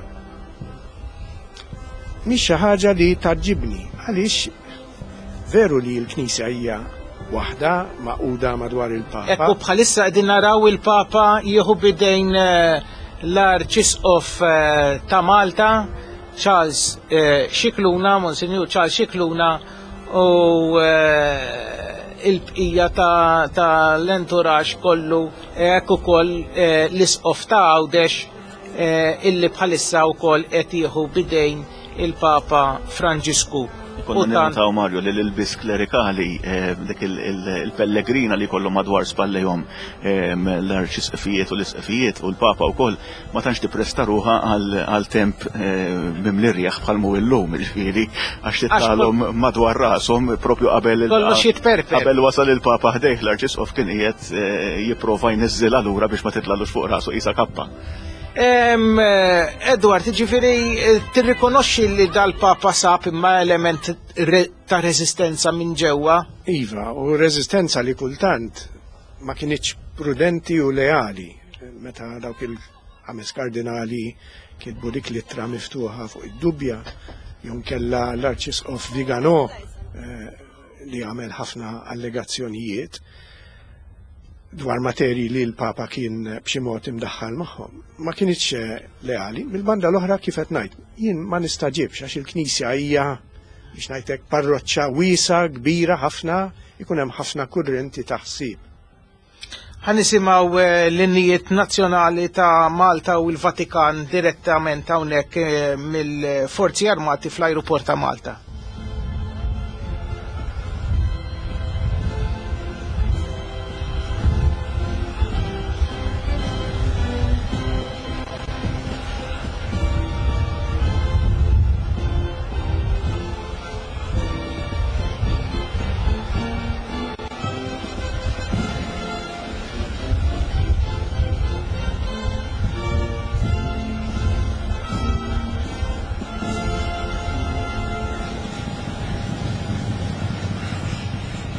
mhix xi ħaġa li tgħaġġibni, għaliex veru li l-Knisja hija waħda maquda madwar il-Papa. Ekku bħalissa qegħdin naraw il-Papa jieħu bidejn l-Arċisqof ta' Malta, Charles Scicluna, Monsinjur Charles Scicluna, u il-bqija ta' l-entourage kollu, hekk ukoll l-Isqof ta' Għawdex illi bħalissa wkoll qed jieħu bidejn il-Papa Franġisku. Konna nirrataw, Mario, li l-ilbis klerikali, dik il-pellegrina li kollu madwar spallejhom l-arċisqfijiet u l-isqfijiet u l-Papa wkoll ma tantx tippresta ruħha għal temp mimli rieħ bħal mu illum, jiġifieri għax tittalhom madwar rashom propju qabel qabel wasal il-Papa ħdejh l-arċisqof kien qiegħed jipprova jniżżilha lura biex ma titlalux fuq rasu qisha kappa. Edward, ġifieri tirrikonoxxi li dal-Papa sab imma element ta' reżistenza minn ġewwa? Iva, u reżistenza li kultant ma kinitx prudenti u leali. Meta dawk il-ħames kardinali kitbu dik l-ittra miftuħa fuq id-dubja, jew kella l-Arċisqof Vigano li għamel ħafna allegazzjonijiet dwar materji li l-Papa kien b'xi mod imdaħħal magħhom. Ma kinitx leali. Mill-banda l-oħra kif qed ngħid, jien ma nistaġibx għax il-Knisja hija biex ngħidlek parroċċa wiesa kbira ħafna, ikun hemm ħafna kurrenti ta' ħsieb. Ħa nisimgħu l-innijiet nazzjonali ta' Malta u l-Vatikan direttament hawnhekk mill-Forzi Armati fl-Ajruport ta' Malta.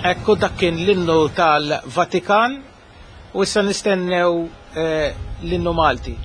Ekku dak kien l-innu tal-Vatikan u issa nistennew l-innu Malti.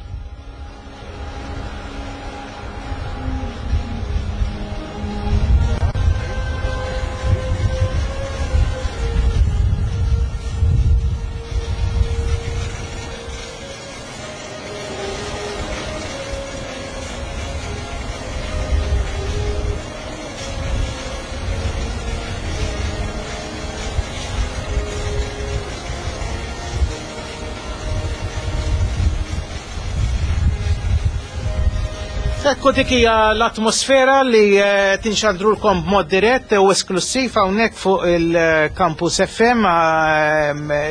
Ekku dik hija l-atmosfera li tinxandrulkom b'mod dirett u esklusiv hawnhekk fuq il-Campus F M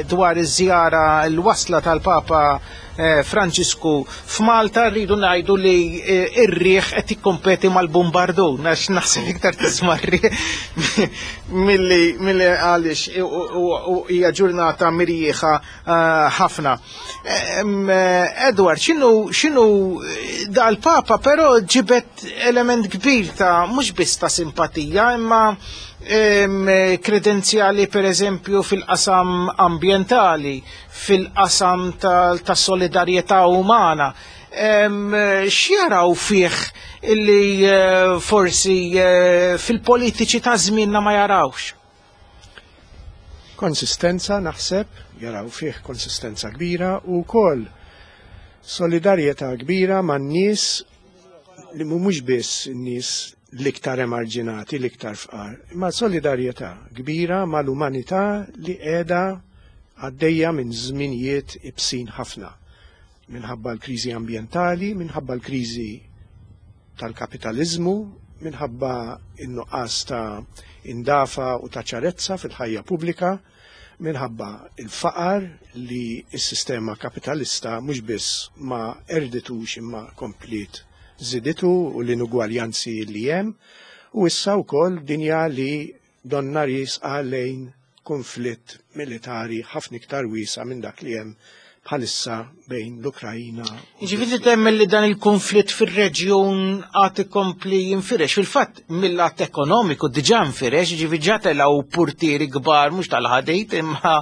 dwar iż-żjara l-wasla tal-Papa Franġisku f'Malta. Rridu ngħidu li r-riħ qed jikkompeti mal-bombardun għax naħseb iktar tisma' r-riħ milli għaliex hija ġurnata mirjieħa ħafna. Edward, x'inhu x'inhu dal-Papa però ġibet element kbir ta' mhux biss ta' simpatija imma kredenzjali per eżempju fil-qasam ambientali, fil-qasam ta' solidarjetà umana. X'jaraw fih illi forsi fil-politiċi ta' żmienna ma jarawx? Konsistenza naħseb, jaraw fih konsistenza kbira u wkoll solidarjetà kbira man-nies li mhumiex biss in-nies l-iktar emarġinati, l-iktar fqar, imma solidarjetà kbira mal-umanità li qiegħda għaddejja minn żminijiet ibsin ħafna, minħabba l-kriżi ambjentali, minħabba l-kriżi tal-kapitaliżmu, minħabba n-nuqqas ta' indafa u ta' ċarezza fil-ħajja pubblika, minħabba il-faqar li s-sistema kapitalista mhux biss ma erditux imma komplet żiditu u l-inugwaljanzi li hemm, u issa wkoll dinja li donna risqa lejn konflitt militari ħafna iktar wiesa minn dak li hemm bħalissa bejn l-Ukrajina. Ġifieri temmen li dan il-konflitt fir-reġjun għad ikompli jinfirex. Fil-fatt, mill-lat ekonomiku diġà nfirex, ġifieri ġa telgħu purtieri kbar, mhux tal-ħadid, imma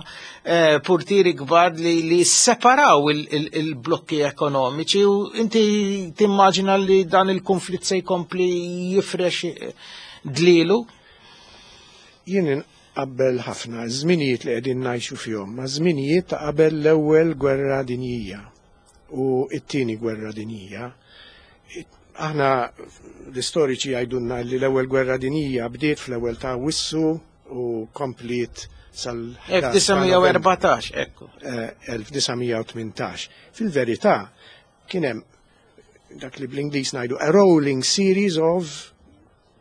eh, purtieri kbar li, li separaw il-blokki ekonomiċi, u inti timmaġina li dan il-konflitt se jkompli jifrex dlilu? Jien qabbel ħafna żminijiet li qegħdin ngħixu fihom ma' żminijiet ta' qabel l-ewwel gwerra dinjija u t-tieni gwerra dinjija. Aħna l-istoriċi jgħidulna li l-ewwel gwerra dinjija bdiet fl-ewwel ta' Awwissu u kompliet sal elf disa' mija u erbatax, ekku. elf disa' mija u tmintax. Fil-verità kien hemm dak li bl-Ingliż ngħidu a rolling series of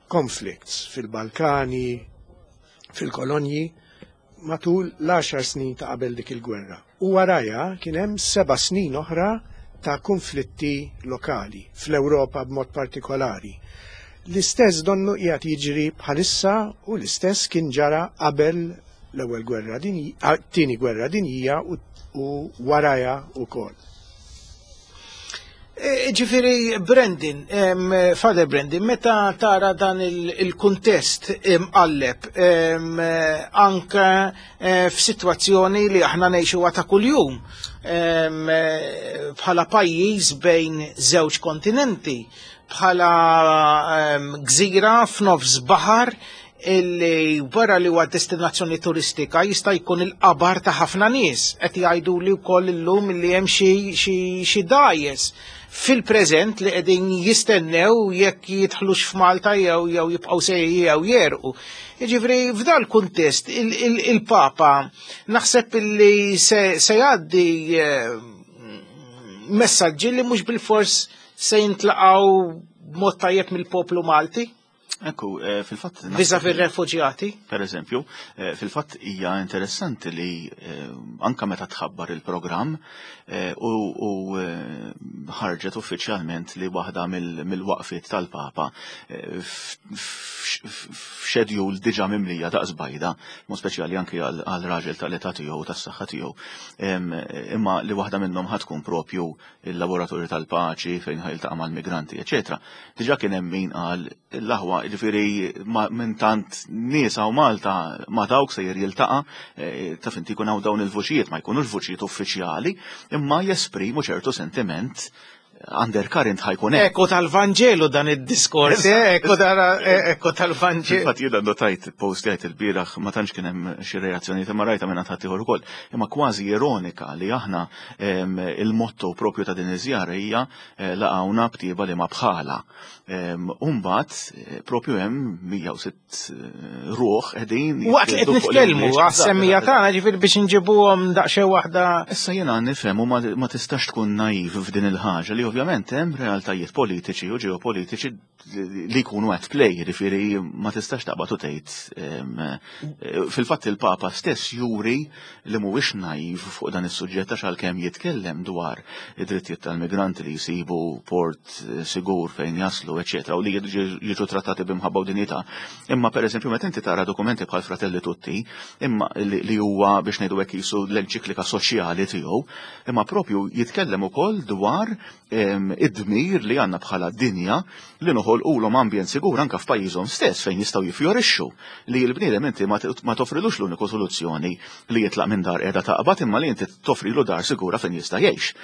conflicts fil-Balkani, fil-kolonji, matul l-għaxar snin ta' qabel dik il-gwerra. U warajha kien hemm seba' snin oħra ta' konflitti lokali, fl-Ewropa b'mod partikolari. L-istess donnu qiegħed jiġri bħalissa u l-istess kien ġara qabel l-ewwel gwerra dinjija, tieni gwerra dinjija u, u warajha wkoll. E, ġifieri Brendan, em, Father Brendan, meta tara dan il-, il-kuntest imqalleb, em, anke, eh, f'sitwazzjoni li aħna ngħixuha ta' kuljum, em, bħala pajjiż bejn żewġ kontinenti, bħala, em, gżira f'nofs baħar illi wara li huwa destinazzjoni turistika jista' jkun il-qabar ta' ħafna nies. Qed jgħidu li wkoll illum li hemm xi, xi, xi dgħajjes fil-preżent li qegħdin jistennew jekk jidħlux f'Malta jew, jew jibqgħu sejjer jew jerqu. Jiġifieri f'dal kuntest il-, il-, il-Papa naħseb illi se, se jgħaddi, eh, messaġġi li mhux bilfors se jintlaqgħu b'mod tajjeb mill-poplu Malti. Ekku, eh, fil-fatt naħseb Viża fir-refuġjati. Per eżempju, eh, fil-fatt hija interessanti li, eh, anka meta tħabbar il-programm, eh, u, u, eh, ħarġet uffiċjalment li waħda mill-, mill-waqfiet tal-Papa, eh, f-, f-, f-, f'xedjul diġà mimlija daqs bajda, mod speċjali anki għal, għal raġel tal-età tiegħu u tas-saħħa tiegħu. Em, imma li waħda minnhom ħad tkun propju il-laboratorju tal-paċi fejn ħajltaqa' mal-migranti, eċetera. Diġà kien hemm min qal l-aħwa, ġifieri ma-, minn tant nies hawn Malta ma dawk sejjer jiltaqa', eh, taf inti jkun hawn dawn il-vuċijiet, ma jkunux vuċijiet uffiċjali, imma jesprimu ċertu sentiment undercurrent ħajkun hekk. Eko tal-Vanġelu dan id-diskors, Eżatt. eh, eko dara, eh, eko tal-Vanġelu. Infatti jiena notajt post jgħid il-bieraħ ma tantx kien hemm xi reazzjonijiet imma rajta minn ħadd ieħor ukoll, imma kważi ironika li aħna, em, il-motto propju ta' din iż-żjara hija, eh, laqgħuna btieba li ma bħala. Em, u mbagħad, eh, propju hemm mija u sitt, eh, ruħ qegħdin Waqt li qed jitqiegħdu fuq nitkellmu l-imniex. għas-semmija Eżatt, tagħna, ġifieri biex inġibuhom daqsxejn waħda. Issa jiena nifhem u ma, ma tistax tkun naiv f'din il-ħaġa li ovvjament hemm realtajiet politiċi u ġeopolitiċi li jkunu at play, jiġifieri ma tistax taqbad u tgħid, em, eh, fil-fatt il-Papa stess juri li mhuwiex naiv fuq dan is-suġġett għax għalkemm jitkellem dwar id-drittijiet tal-migranti li jsibu port, eh, sigur fejn jaslu, eċetera, u li jiġu, jiġu trattati b'imħabba u dinjità. Imma pereżempju meta inti tara dokumenti bħal Fratelli Tutti, imma li, li huwa biex ngħidu hekk jisu l-enċiklika soċjali tiegħu, imma propju jitkellem ukoll dwar, em, id-dmir li għandna bħala dinja li noħolqulhom ambjent sigur anke f'pajjiżhom stess fejn jistgħu jifjorixxu, li l-bniedem inti ma t-, ma toffrilux l-uniku soluzzjoni li jitlaq minn dar qiegħda taqbad, imma li inti toffrilu dar sigura fejn jista' jgħix.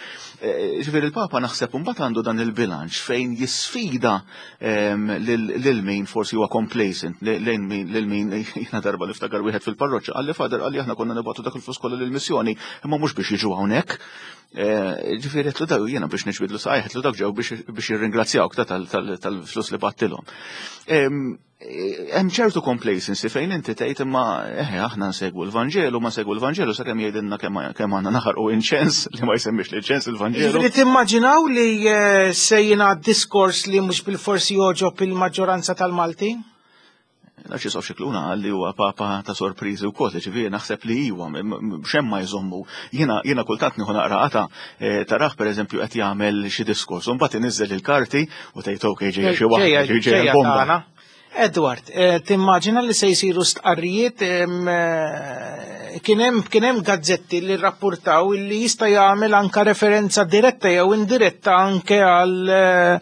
Eh, ġifieri il-Papa naħseb imbagħad għandu dan il-bilanċ fejn jisfida, em, lil, lil min forsi huwa complacent, li-, lejn min, lil min jiena darba niftakar wieħed fil-parroċċa qalli Father, qalli aħna konna nibgħatu dak il-flus kollha lill-missjoni, imma mhux biex jiġu hawnhekk. Eh, ġifieri qed dak jiena biex niġbidlu saqajh, qed dak ġew biex, biex jirringrazzjawk ta' tal-, tal-, tal-flus li battilhom. Em, hemm ċertu complacency fejn inti tgħid imma eħe aħna nsegwu l-Vanġelu, ma nsegwu l-Vanġelu sakemm jgħidilna kemm, kemm għandna naħarqu inċens li ma jsemmix l-inċens il-Vanġelu. Ġifieri timmaġinaw li, eh, se jingħad diskors li mhux bilforsi jogħġob il-maġġoranza tal-Maltin? L-Arċisqof Scicluna qal li huwa papa ta' sorpriżi wkoll, ġifieri naħseb li iwa, m-, m-, xemm ma jżommu. Jiena, jiena kultant nieħu naqra qata, eh, taraħ pereżempju qed jagħmel xi diskors, u mbagħad iniżżel il-karti u tgħid ok, ġejja xi waħda, Ġejja, ġejja ġejja l-bomba. tagħna. Edward, eh, timmaġina li se jsiru stqarrijiet, eh, kien hemm kien hemm gazzetti li rrappurtaw li jista' jagħmel anka referenza diretta jew indiretta anke għal eh,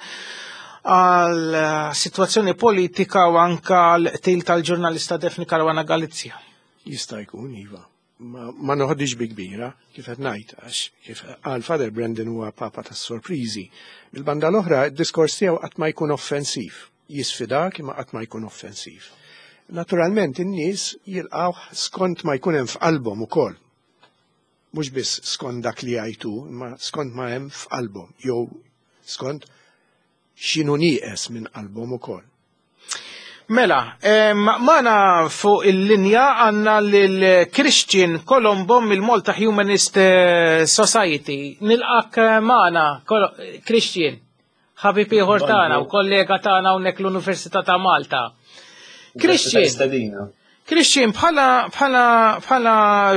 għal sitwazzjoni politika u anka għal qtil tal-ġurnalista Daphne Caruana Galizia. Jista' jkun, iva. Ma, ma noħodix bi kbira, kif qed ngħid, għax kif qal Father Brendan huwa papa tas-sorpriżi. Bil-banda l-oħra, id-diskors tiegħu qatt ma jkun offensiv. Jisfidak imma qatt ma jkun offensiv. Naturalment in-nies jilqgħu skont ma jkun hemm f'qalbhom ukoll. Mhux biss skont dak li jgħidu, imma skont ma hemm f'qalbhom, jew skont x'inhu nieqes minn qalbhom ukoll. Mela, magħna fuq il-linja għandna lil Christian Colombo mill-Malta Humanist eh, Society. Nilqgħek eh, magħna, Christian, ħabib ieħor tagħna u kollega tagħna hawnhekk l-Università ta' Malta. Christian, Christian, bħala bħala bħala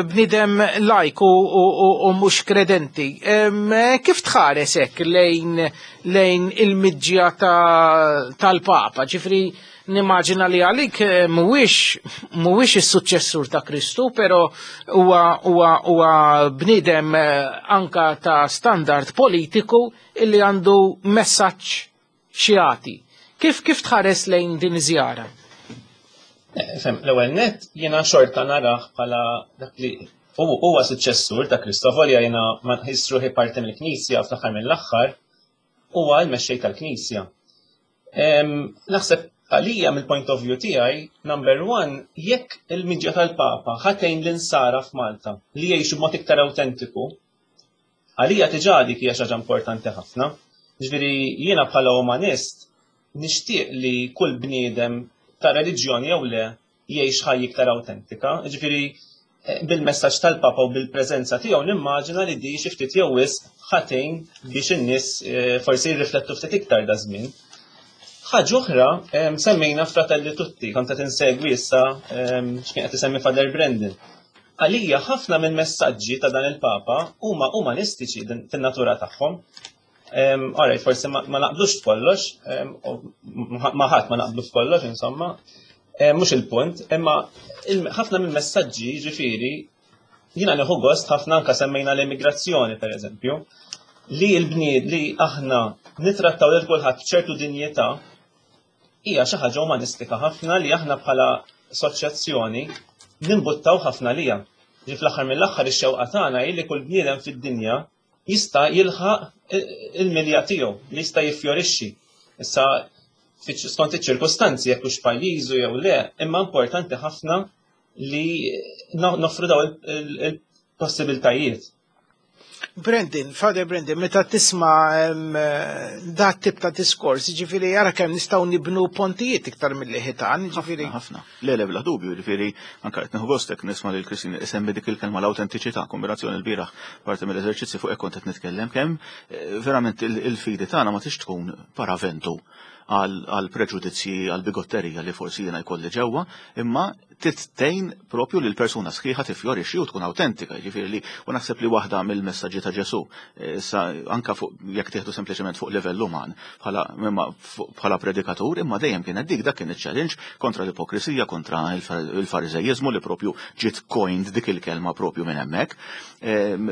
bniedem lajk u, u, u, u mhux kredenti, kif tħares hekk lejn lejn il-miġja tal-Papa? Ġifieri nimmaġina li għalik eh, mhuwiex mhuwiex is-suċċessur ta' Kristu, però huwa huwa huwa bniedem eh, anka ta' standard politiku illi għandu messaġġ x'jagħti. Kif kif tħares lejn din iż-żjara? Eh, fem, l-ewwel net jiena xorta narah bħala dak li huwa suċċessur ta' Kristofor, jiena ma nħoss ruħi parti mill-Knisja, fl-aħħar mill-aħħar huwa l-mexxej tal-Knisja. Naħseb għalija mill-point of view tiegħi, number one, jekk il-miġja tal-Papa ħa tgħin l-insara f'Malta li jgħixu b'mod iktar autentiku, għalija diġà dik hija xi ħaġa importanti ħafna. Ġifieri jiena bħala umanist nixtieq li kull bniedem ta' reliġjoni jew le jgħix ħajja iktar autentika. Ġifieri eh, bil-messaġġ tal-Papa u bil-preżenza tiegħu nimmaġina li di xi ftit jew wisq ħa tgħin biex in-nies eh, forsi jirriflettu ftit iktar da żmien. Ħaġa oħra, semmejna Fratelli Tutti, kont qed insegwi issa x'kien qed isemmi Father Brendan. Għalija ħafna minn messaġġi ta' dan il-Papa huma umanistiċi fin-natura tagħhom. Alright, forsi ma naqblux f'kollox, ma ħadd ma naqblu f'kollox, insomma, mhux il-punt, imma ħafna minn messaġġi, ġifieri, jiena nieħu gost ħafna anka semmejna l-immigrazzjoni, per eżempju, li l-bnied li aħna nitrattaw lil kulħadd b'ċertu dinjità hija xi ħaġa umanistika ħafna li aħna bħala assoċjazzjoni nimbuttaw ħafna lija. Ġi fl-aħħar mill-aħħar ix-xewqa tagħna hi li kull bniedem fid-dinja jista' jilħaq il-milja tiegħu, li jista' jiffjorixxi. Issa skont iċ-ċirkostanzi jekk hux pajjiżu jew le, imma importanti ħafna li noffru daw il-possibiltajiet. Brendan, Father Brendan, meta tisma da tip ta' diskors, ġifieri jara kemm nistgħu nibnu pontijiet iktar mill ħitan, ġifieri. Ħafna. Le, le, bla dubju, ġifieri, anka qed nieħu gostek nisma' lil Christine isemmi dik il-kelma l-awtentiċità, kombinazzjoni l-bieraħ parti mill-eżerċizzi fuq hekk kont qed nitkellem kemm eh, verament il-fidi tagħna ma tix tkun paraventu għal preġudizzji, għal bigotterija li forsi jiena jkolli ġewwa, imma tgħin propju li l-persuna sħiħa tifjorixxi u tkun autentika, ġifieri li u naħseb li waħda mill-messaġġi ta' Ġesu, issa anka fuq jekk tieħdu sempliċement fuq livell uman bħala bħala predikatur, imma dejjem kienet dik, dak kien iċ-challenge kontra l-ipokrisija, kontra il-fariżejjiżmu li propju ġiet coined dik il-kelma propju minn hemmhekk.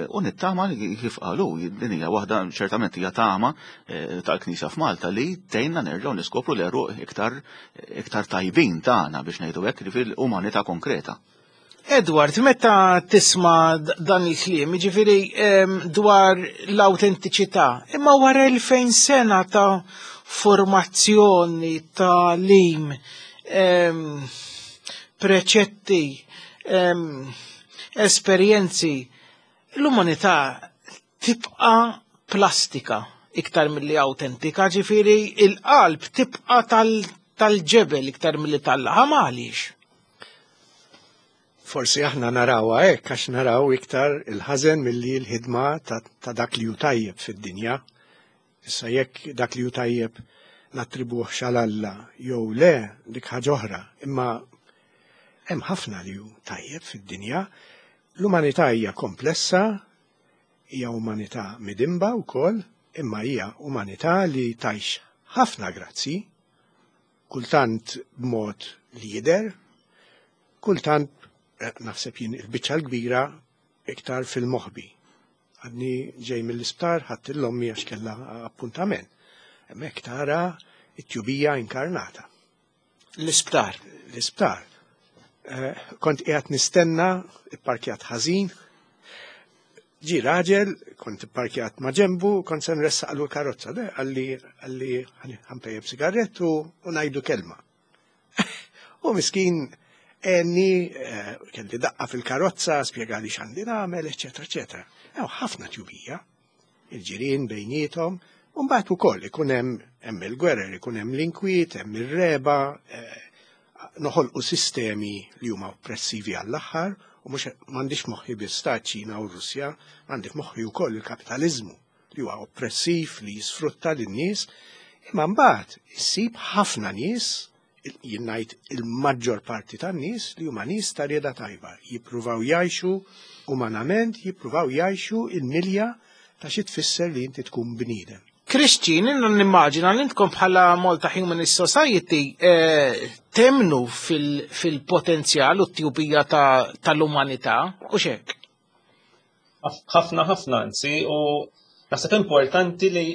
U nittama li kif qalu, din hija waħda ċertament hija tama eh, tal-Knisja f'Malta li tgħinna nerġgħu niskopru l-għeruq iktar iktar tajbin tagħna biex ngħidu hekk, ġifieri umanità konkreta. Edward, meta tisma dan il-kliem, ġifieri dwar l-autentiċità, imma wara elfejn sena ta' formazzjoni, ta' lim, preċetti, esperjenzi, l-umanità tibqa plastika iktar mill-li autentika, ġifieri il-qalb tibqa tal-ġebel iktar mill-li tal-laħam, għaliex? Forsi aħna narawha hekk għax naraw iktar il-ħażen milli l-ħidma ta', ta dak li hu tajjeb fid-dinja. Issa jekk dak li hu tajjeb nattribuh għal Alla jew le, dik ħaġa oħra, imma hemm ħafna li hu tajjeb fid-dinja. L-umanità hija komplessa, hija umanità midinba wkoll, imma hija umanità li tgħix ħafna grazzi Kultant b'mod li jidher, kultant eh, naħseb jien il-biċċa l-kbira iktar fil-moħbi. Għadni ġej mill-isptar, ħadt 'l ommi għax kellha appuntament. Hemmhekk tara it-tjubija inkarnata. L-isptar. L-isptar. Eh, kont qiegħed nistenna, ipparkjat ħażin, ġi raġel, kont ipparkjat ma' ġembu, kont se nressaqlu l-karozza, de, qalli qalli ħa npejjep sigarettu u ngħidu kelma. U miskin għenni, eh, kelli daqqa fil-karozza, spjegali x'għandi nagħmel, eċetera, eċetera. Ew ħafna tjubija, il-ġirien bejniethom, u mbagħad ukoll ikun hemm hemm il-gwerer, ikun hemm l-inkwiet, hemm ir-reba, eh, noħolqu sistemi li huma oppressivi għall-aħħar, u mhux m'għandix moħħi biss ta' Ċina u Russja, għandi f'moħħi wkoll il-kapitaliżmu li huwa oppressiv li jisfrutta lin-nies, imma mbagħad issib ħafna nies, jien ngħid il-maġġor parti tan-nies li huma nies ta' rieda tajba, jippruvaw jgħixu umanament, jippruvaw jgħixu il-milja ta' xi tfisser li inti tkun bniedem. Christian, inna nimmaġina li intkom bħala Malta Humanist Society eh, temmnu fil-potenzjal u t-tjubija tal-umanità, u xek? Ħafna ħafna anzi, u naħseb importanti li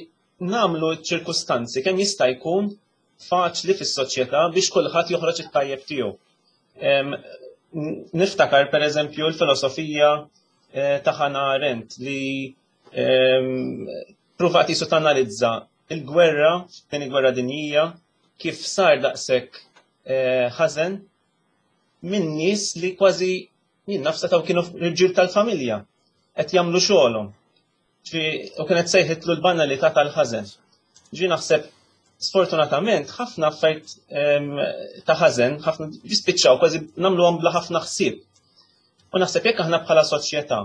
nagħmlu ċirkustanzi kemm jista' jkun faċli fis-soċjetà biex kulħadd joħroġ it-tajjeb tiegħu. Niftakar pereżempju l-filosofija eh, ta' Hannah Arendt li pruvat jisu tanalizza il-gwerra, tieni gwerra dinjija, kif sar daqshekk eh, ħażen minn nies li kważi jien nafsa taw kienu rġiel tal-familja qed jagħmlu xogħolhom. U kienet sejħitlu l-banalità tal-ħażen. Ġi naħseb sfortunatament ħafna affarijiet ta' ħażen, ħafna jispiċċaw kważi nagħmluhom bla ħafna ħsieb. U naħseb jekk aħna bħala soċjetà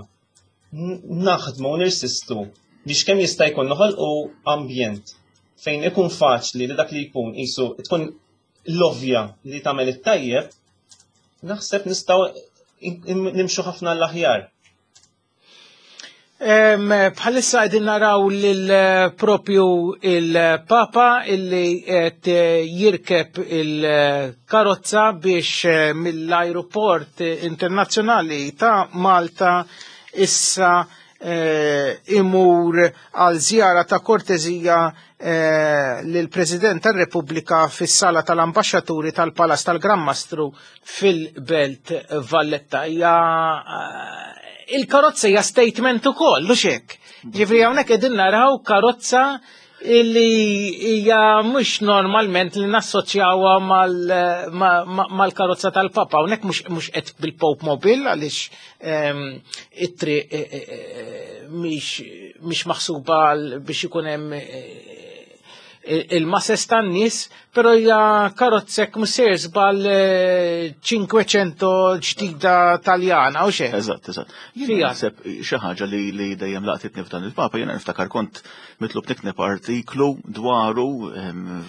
naħdmu u nirsistu biex kemm jista' jkun noħolqu ambjent fejn ikun faċli li dak li jkun qisu tkun l-ovvja li tagħmel it-tajjeb, naħseb nistgħu nimxu ħafna l-aħjar. Bħalissa qegħdin naraw lil propju il-Papa illi qed jirkeb il-karozza biex eh, mill-aeroport internazzjonali ta' Malta issa eh, imur għal żjara ta' kortezija eh, lill-President tar-Repubblika fis-sala tal-Ambaxxaturi tal-Palazz tal-Gran Mastru fil-Belt Valletta. Hija il-karozza hija statement ukoll, u hekk. Ġifieri hawnhekk qegħdin naraw karozza illi hija mhux normalment li nassoċjawha mal-karozza tal-Papa. Hawnhekk mhux qed bil-Pope Mobile għaliex ehm, it-triq eh, eh, eh, mhix maħsuba biex ikun hemm il-masses tan-nies, però hija karozzek mhux żball Cinquecento ġdida Taljana u xejn. Eżatt, eżatt. Jien naħseb xi ħaġa li li dejjem laqtitni f'dan il-Papa, jiena niftakar kont mitlub nikteb artiklu dwaru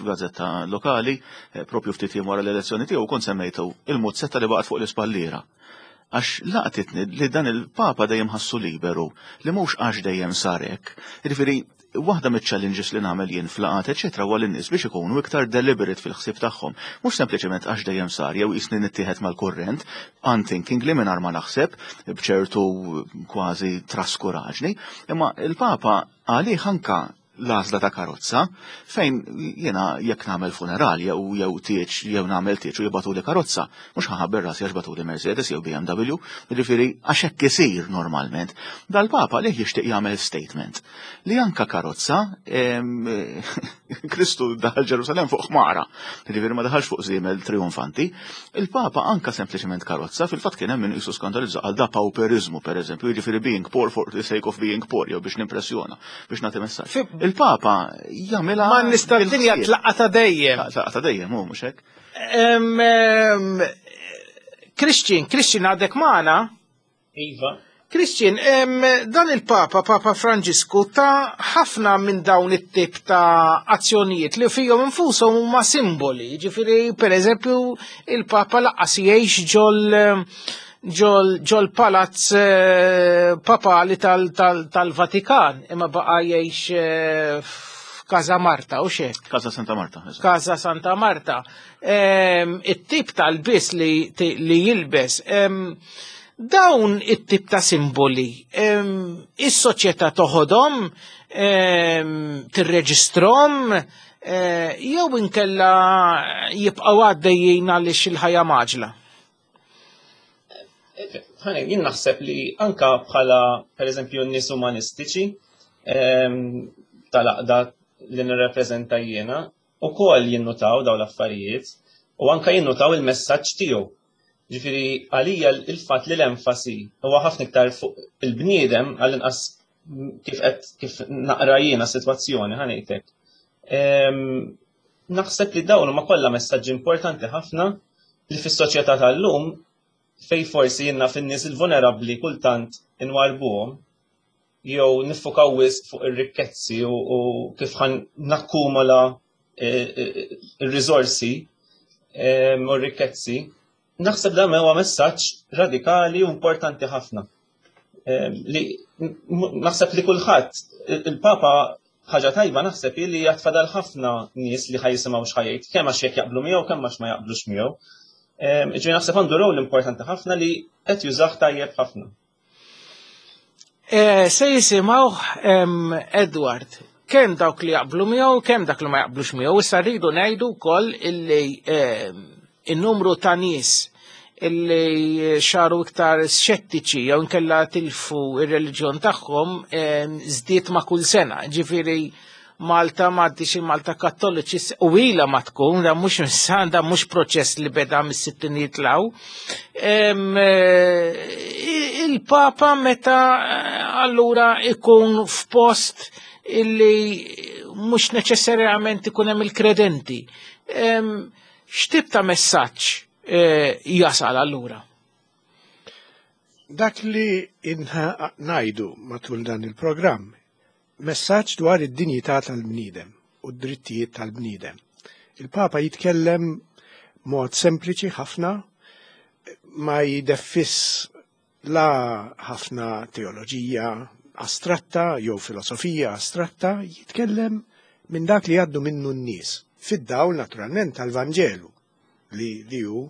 f'gazzetta lokali, eh, propju ftit jiem wara l-elezzjoni tiegħu kont semmejtu il-muzzetta li baqgħet fuq l-ispalliera. Għax laqtitni li dan il-Papa dejjem ħassu liberu, li mhux għax dejjem sarek. Jiġifieri waħda miċ-challenges li nagħmel jien f'laqgħat eċetera huwa lin-nies biex ikunu iktar deliberate fil-ħsieb tagħhom. Mhux sempliċement għax dejjem sar jew jisni nittieħed mal-kurrent, unthinking li mingħajr ma naħseb b'ċertu kważi traskuraġni, imma il-Papa għalih anka l-għażla ta' karozza fejn jiena jekk nagħmel funeral jew jew tieġ jew nagħmel tieġ u jibagħtuli karozza, mhux ħa nħabbel rasi għax bagħtuli Mercedes jew B M W, jiġifieri għax hekk isir normalment. Dal-Papa li jixtieq jagħmel statement li anka karozza, Kristu daħal Ġerusalem fuq ħmara, jiġifieri ma daħalx fuq żiemel trionfanti. Il-Papa anka sempliċement karozza, fil-fatt kien hemm min qisu skandalizza għal da pauperizmu pereżempju, jiġifieri being poor for the sake of being poor jew biex nimpressjona, biex nagħti messaġġ. Il-Papa jagħmilha Ma nista' dinja tlaqqa ta' dejjem. Tlaqqa ta' dejjem, hu mhux hekk. Christian, Christian għadek magħna? Iva. Christian, dan il-Papa, Papa Franġisku, ta' ħafna minn dawn it-tip ta' azzjonijiet li fihom infushom huma simboli. Ġifieri, per eżempju, il-Papa lanqas jgħix ġol ġol ġol palazz eh, papali tal-Vatikan, imma baqa jgħix eh, Casa Marta u xek. Casa Santa Marta. Casa Santa Marta. It-tip tal-bis li, li jilbes, dawn it-tip ta' simboli, is-soċjetà toħodhom, tirreġistrom, jew inkella jibqgħu għaddejjin għaliex il-ħajja maġla. Jien naħseb li anka bħala per eżempju n-nies umanistiċi tal-aqda li nirrepreżenta jiena, ukoll jinnutaw dawn l-affarijiet u anka jinnutaw il-messaġġ tiegħu. Ġifieri għalija il-fatt li l-enfasi huwa ħafna iktar fuq il-bniedem għall-inqas kif qed kif naqra jiena sitwazzjoni ħa ngħidlek. Naħseb li dawn huma kollha messaġġi importanti ħafna li fis-soċjetà tal-lum fej forsi jiena fin-nies il-vulnerabbli kultant inwarbuhom jew niffukaw wisq fuq ir-rikkezzi u kif ħan nakkumula ir-riżorsi u r-rikkezzi, naħseb dan huwa messaġġ radikali u importanti ħafna. Li naħseb li kulħadd, il-Papa ħaġa tajba naħseb li jatfadal ħafna nies li ħajjisimgħu x'ħajjt, kemm għax jekk jaqblu miegħu, kemm għax ma jaqblux miegħu. Ġifieri naħseb għandu rol importanti ħafna li qed jużah tajjeb ħafna. Se jisimgħu Edward, kemm dawk li jaqblu miegħu, kemm dak li ma jaqblux miegħu, issa rridu ngħidu wkoll illi in-numru ta' nies illi xaru iktar xettiċi jew inkella tilfu ir-reliġjon tagħhom żdied ma' kull sena. Ġifieri Malta m'għaddix il-Malta Kattoliċi u ilha ma tkun, da mhux dan mhux proċess li beda mis-sittinijiet law. Il-Papa meta allura ikun f'post illi mhux neċessarjament ikun hemm il-kredenti. X'tip ta' messaġġ jasal allura? Dak li inha ngħidu matul dan il-programm, messaġġ dwar id-dinjità tal-bniedem u d-drittijiet tal-bniedem. Il-Papa jitkellem mod sempliċi ħafna, ma jdeffis la ħafna teoloġija astratta jew filosofija astratta, jitkellem minn dak li għaddu minnu n-nies, fid-dawl naturalment tal-Vanġelu li li hu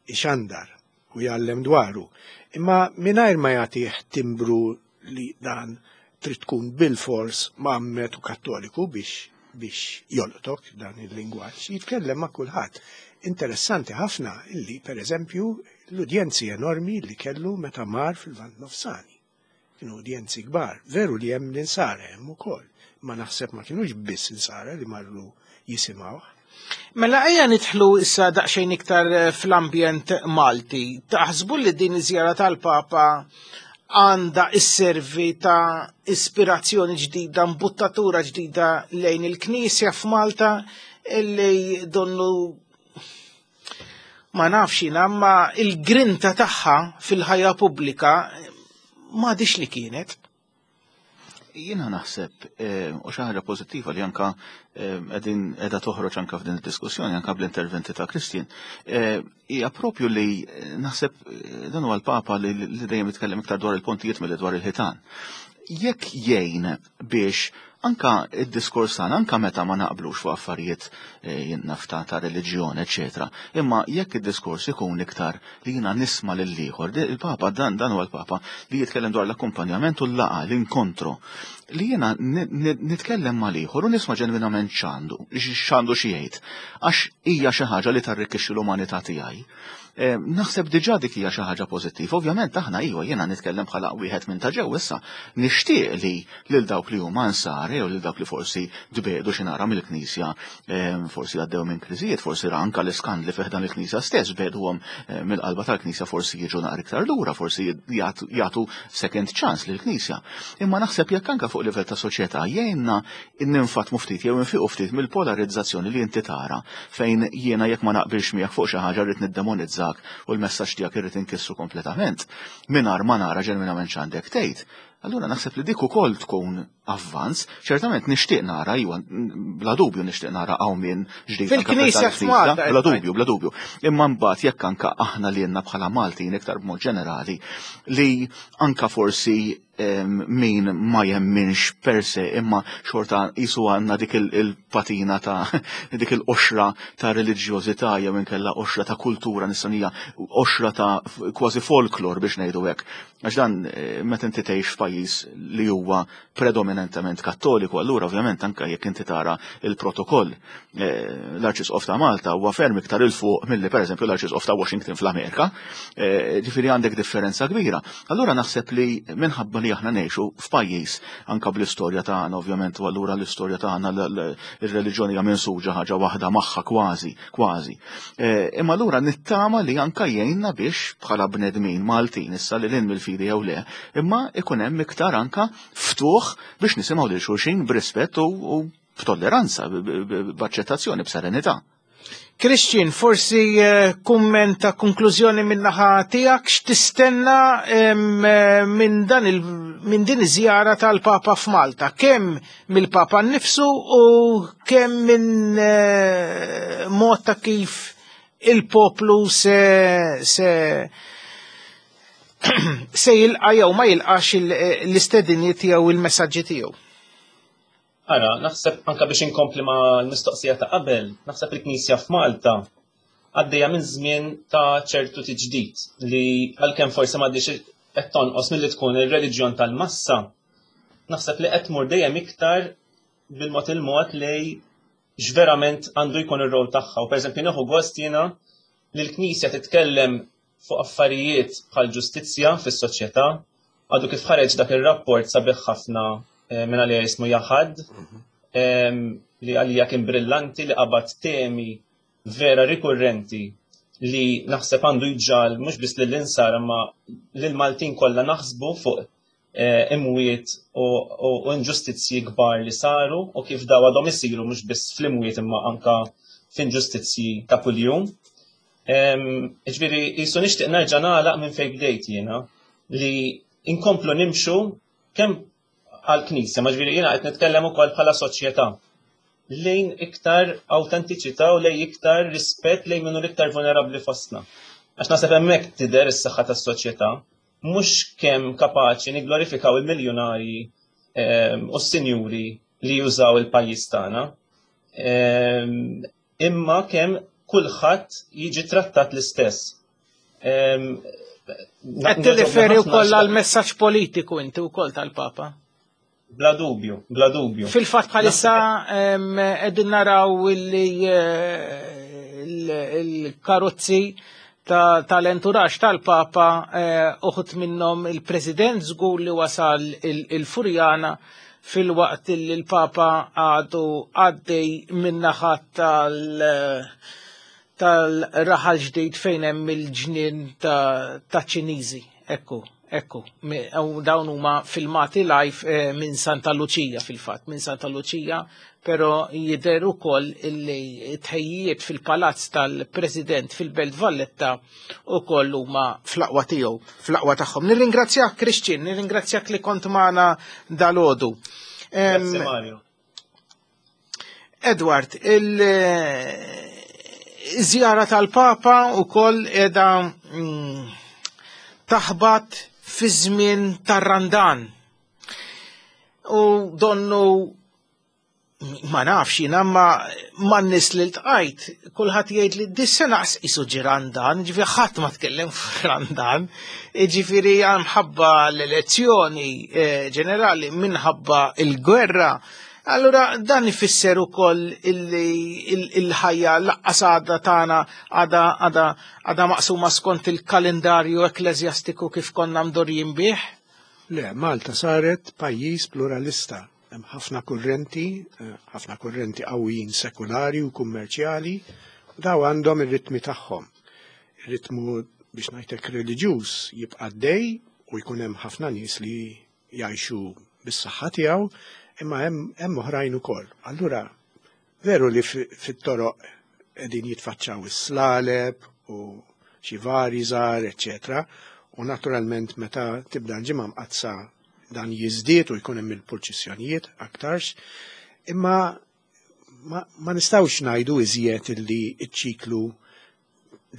ixandar u jgħallem dwaru. Imma mingħajr ma jagħtih timbru li dan trid tkun bil-fors mgħammed u kattoliku biex biex jolqtok dan il-lingwaġġ, jitkellem ma' kulħadd. Interessanti ħafna illi, per eżempju, l-udjenzi enormi li kellu meta mar fil-Lvant Nofsani. Kienu udjenzi kbar, veru li hemm l-insara hemm ukoll, ma naħseb ma kienux biss insara li marru jisimgħuh. Mela ejja nidħlu issa daqsxejn iktar fl-ambjent Malti. Taħsbu li din iż-żjara tal-Papa għandha isservi ta' ispirazzjoni ġdida, mbuttatura ġdida lejn il-Knisja f'Malta illi donnu ma nafx jiena, ma il-grinta tagħha fil-ħajja pubblika m'għadix li kienet. Jiena naħseb u xi ħaġa pożittiva li anka qegħdin qiegħda toħroġ anka f'din id-diskussjoni anka bl-interventi ta' Christian, hija propju li naħseb dan huwa l-Papa li dejjem jitkellem iktar dwar il-pontijiet milli dwar il-ħitan. Jekk jgħin biex anka id-diskors tagħna, anka meta ma naqblux fuq affarijiet nafta ta' reliġjon, eċetera, imma jekk id-diskors ikun iktar li jiena nisma' lil ieħor, il-Papa dan dan huwa l-Papa li jitkellem dwar l-akkumpanjament u l-laqgħa, l-inkontro, li jiena nitkellem mal-ieħor u nisma' ġenwinament x'għandu, x'għandu xi jgħid, għax hija xi ħaġa li tarrikkixxi l-umanità tiegħi. Naħseb diġà dik hija xi ħaġa pożittiva. Ovvjament aħna iva jiena nitkellem bħala wieħed minn ta' ġew issa, nixtieq li lil dawk li huma nsara jew lil dawk li forsi dbedu xi nara mill-Knisja, forsi għaddew minn kriżijiet, forsi anke l-iskandli fih dan il-Knisja stess beduhom mill-qalba tal-Knisja, forsi jiġu naqra iktar lura, forsi jagħtu second chance lill-Knisja. Imma naħseb jekk anke fuq livell ta' soċjetà jgħinna ninfatmu ftit jew infiqu ftit mill-polarizzazzjoni li inti tara fejn jiena jekk ma naqbilx miegħek fuq xi ħaġa rrid niddemonizza u l-messaġġ tiegħek irrid inkissu kompletament mingħajr ma nara ġenwinament x'għandek tgħid. Allura naħseb li dik ukoll tkun avvanz, ċertament nixtieq nara, iwa, bla dubju nixtieq nara qawmien ġdid fil-Knisja f'Malta, bla dubju, bla dubju. Imma mbagħad jekk anke aħna li għandna bħala Maltin iktar b'mod ġenerali li anka forsi min ma jemminx per se, imma xorta jisu għandna dik il-patina ta' dik il-qoxra ta' reliġjożità jew inkella qoxra ta' kultura nisranija, qoxra ta' kważi folklor biex ngħidu hekk. Għax dan meta inti tgħix f'pajjiż li huwa predominantement kattoliku, allura ovvjament anke jekk inti tara il-protokoll, l-Arċisqof ta' Malta huwa ferm iktar 'il fuq milli pereżempju l-Arċisqof ta' Washington fl-Amerika, ġifieri għandek differenza kbira. Allura naħseb li minħabba li aħna ngħixu f'pajjiż anke bl-istorja tagħna ovvjament, u allura l-istorja tagħna ir-reliġjoni hija minsuġa ħaġa waħda magħha kważi, kważi. Imma allura nittama li anke jgħinna biex bħala bnedmin Maltin issa li lil mill-fidi jew le, imma ikun hemm iktar anka ftuħ biex nisimgħu lil xulxin b'rispett u b'tolleranza, b'aċċettazzjoni, b'serenità. Christian, forsi kumment ta' konklużjoni min-naħa tiegħek, x'tistenna minn dan il minn din iż-żjara tal-Papa f'Malta, kemm mill-Papa nnifsu u kemm minn mod ta' kif il-poplu se se se jilqa' jew ma jilqax l-istediniet jew il-messaġġi tiegħu. Ara, naħseb anka biex inkompli ma' l-mistoqsija ta' qabel, naħseb il-Knisja f'Malta għaddejja minn żmien ta' ċertu tiġdid li għalkemm forsi m'għaddix qed tonqos milli tkun ir-reliġjon tal-massa, naħseb li qed tmur dejjem iktar bil-mod il-mod lej x'verament għandu jkun ir-rol tagħha. U pereżempju nieħu gost jiena li l-Knisja titkellem fuq affarijiet bħal ġustizzja fis-soċjetà, għadu kif ħareġ dak ir-rapport sabiħ ħafna minn għalija jismu Jaħad, li għalija kien brillanti, li qabad temi vera rikurrenti li naħseb għandu jġal mhux biss lill-insar imma lill-Maltin kollha naħsbu fuq imwiet u inġustizzji kbar li saru u kif daw għadhom isiru mhux biss fl-imwiet imma anka f'inġustizzji ta' kuljum. Ġifieri jisu nixtieq nerġa' nagħlaq minn fejn bdejt jiena li inkomplu nimxu kemm għall-Knisja, ma ġifieri jiena qed nitkellem ukoll bħala soċjetà lejn iktar awtentiċità u lejn iktar rispett lejn minnu l-iktar vulnerabbli fostna. Għax naħseb hemmhekk tidher is-saħħa tas-soċjetà, mhux kemm kapaċi nigglorifikaw il-miljunarji u s-sinjuri li jużaw il-pajjiż tagħna, imma kemm kulħadd jiġi trattat l-istess. Qed tirreferi wkoll għal messaġġ politiku inti wkoll tal-Papa? Bla dubju, bla dubju. Fil-fatt bħalissa qegħdin naraw li l-karozzi tal-enturaġġ tal-Papa, uħud minnhom il-President żgur li wasal il-Furjana fil-waqt li l-Papa għadu għaddej min-naħa tal-raħal ġdid fejn hemm il-ġnien ta' Ċiniżi. Ekku, ekku, dawn huma filmati live minn Santa Lucia fil-fatt, minn Santa Lucia, però jidher ukoll illi tħejjiet fil-palazz tal-President fil-Belt Valletta ukoll huma fl-aqwa tiegħu, fl-aqwa tagħhom. Nirringrazzjak Christian, nirringrazzjak li kont magħna dalgħodu. Grazzi Mario. Edward, il-żjara tal-Papa ukoll qiegħda taħbat fi żmien tar-Randan. U donnu ma nafx jiena ma man-nies li ltqajt, kulħadd jgħid li dis-sena qisu ġie Randan, ġifieri ħadd ma tkellem fuq Randan, ġifieri minħabba l-elezzjoni ġenerali, minħabba l-gwerra. Allura dan ifisser ukoll illi il-ħajja laqqas għadha tagħna għadha għadha għadha maqsuma skont il-kalendarju ekkleżjastiku kif konna mdorjin bih? Le, Malta saret pajjiż pluralista. Hemm ħafna kurrenti, ħafna kurrenti qawwijin sekulari u kummerċjali, u daw għandhom ir-ritmi tagħhom. Ir-ritmu biex ngħidlek reliġjuż jibqa' dej u jkun hemm ħafna nies li jgħixu bis-saħħa tiegħu, imma hemm oħrajn ukoll. Allura veru li fit-toroq qegħdin jitfaċċaw is-slaleb u xi vari żgħar, eċċetera. U naturalment meta tibda l-ġimgħa mqaddsa dan jiżdied u jkun hemm il-purċissjonijiet aktarx, imma ma, ma nistgħux ngħidu iżjed illi ċ-ċiklu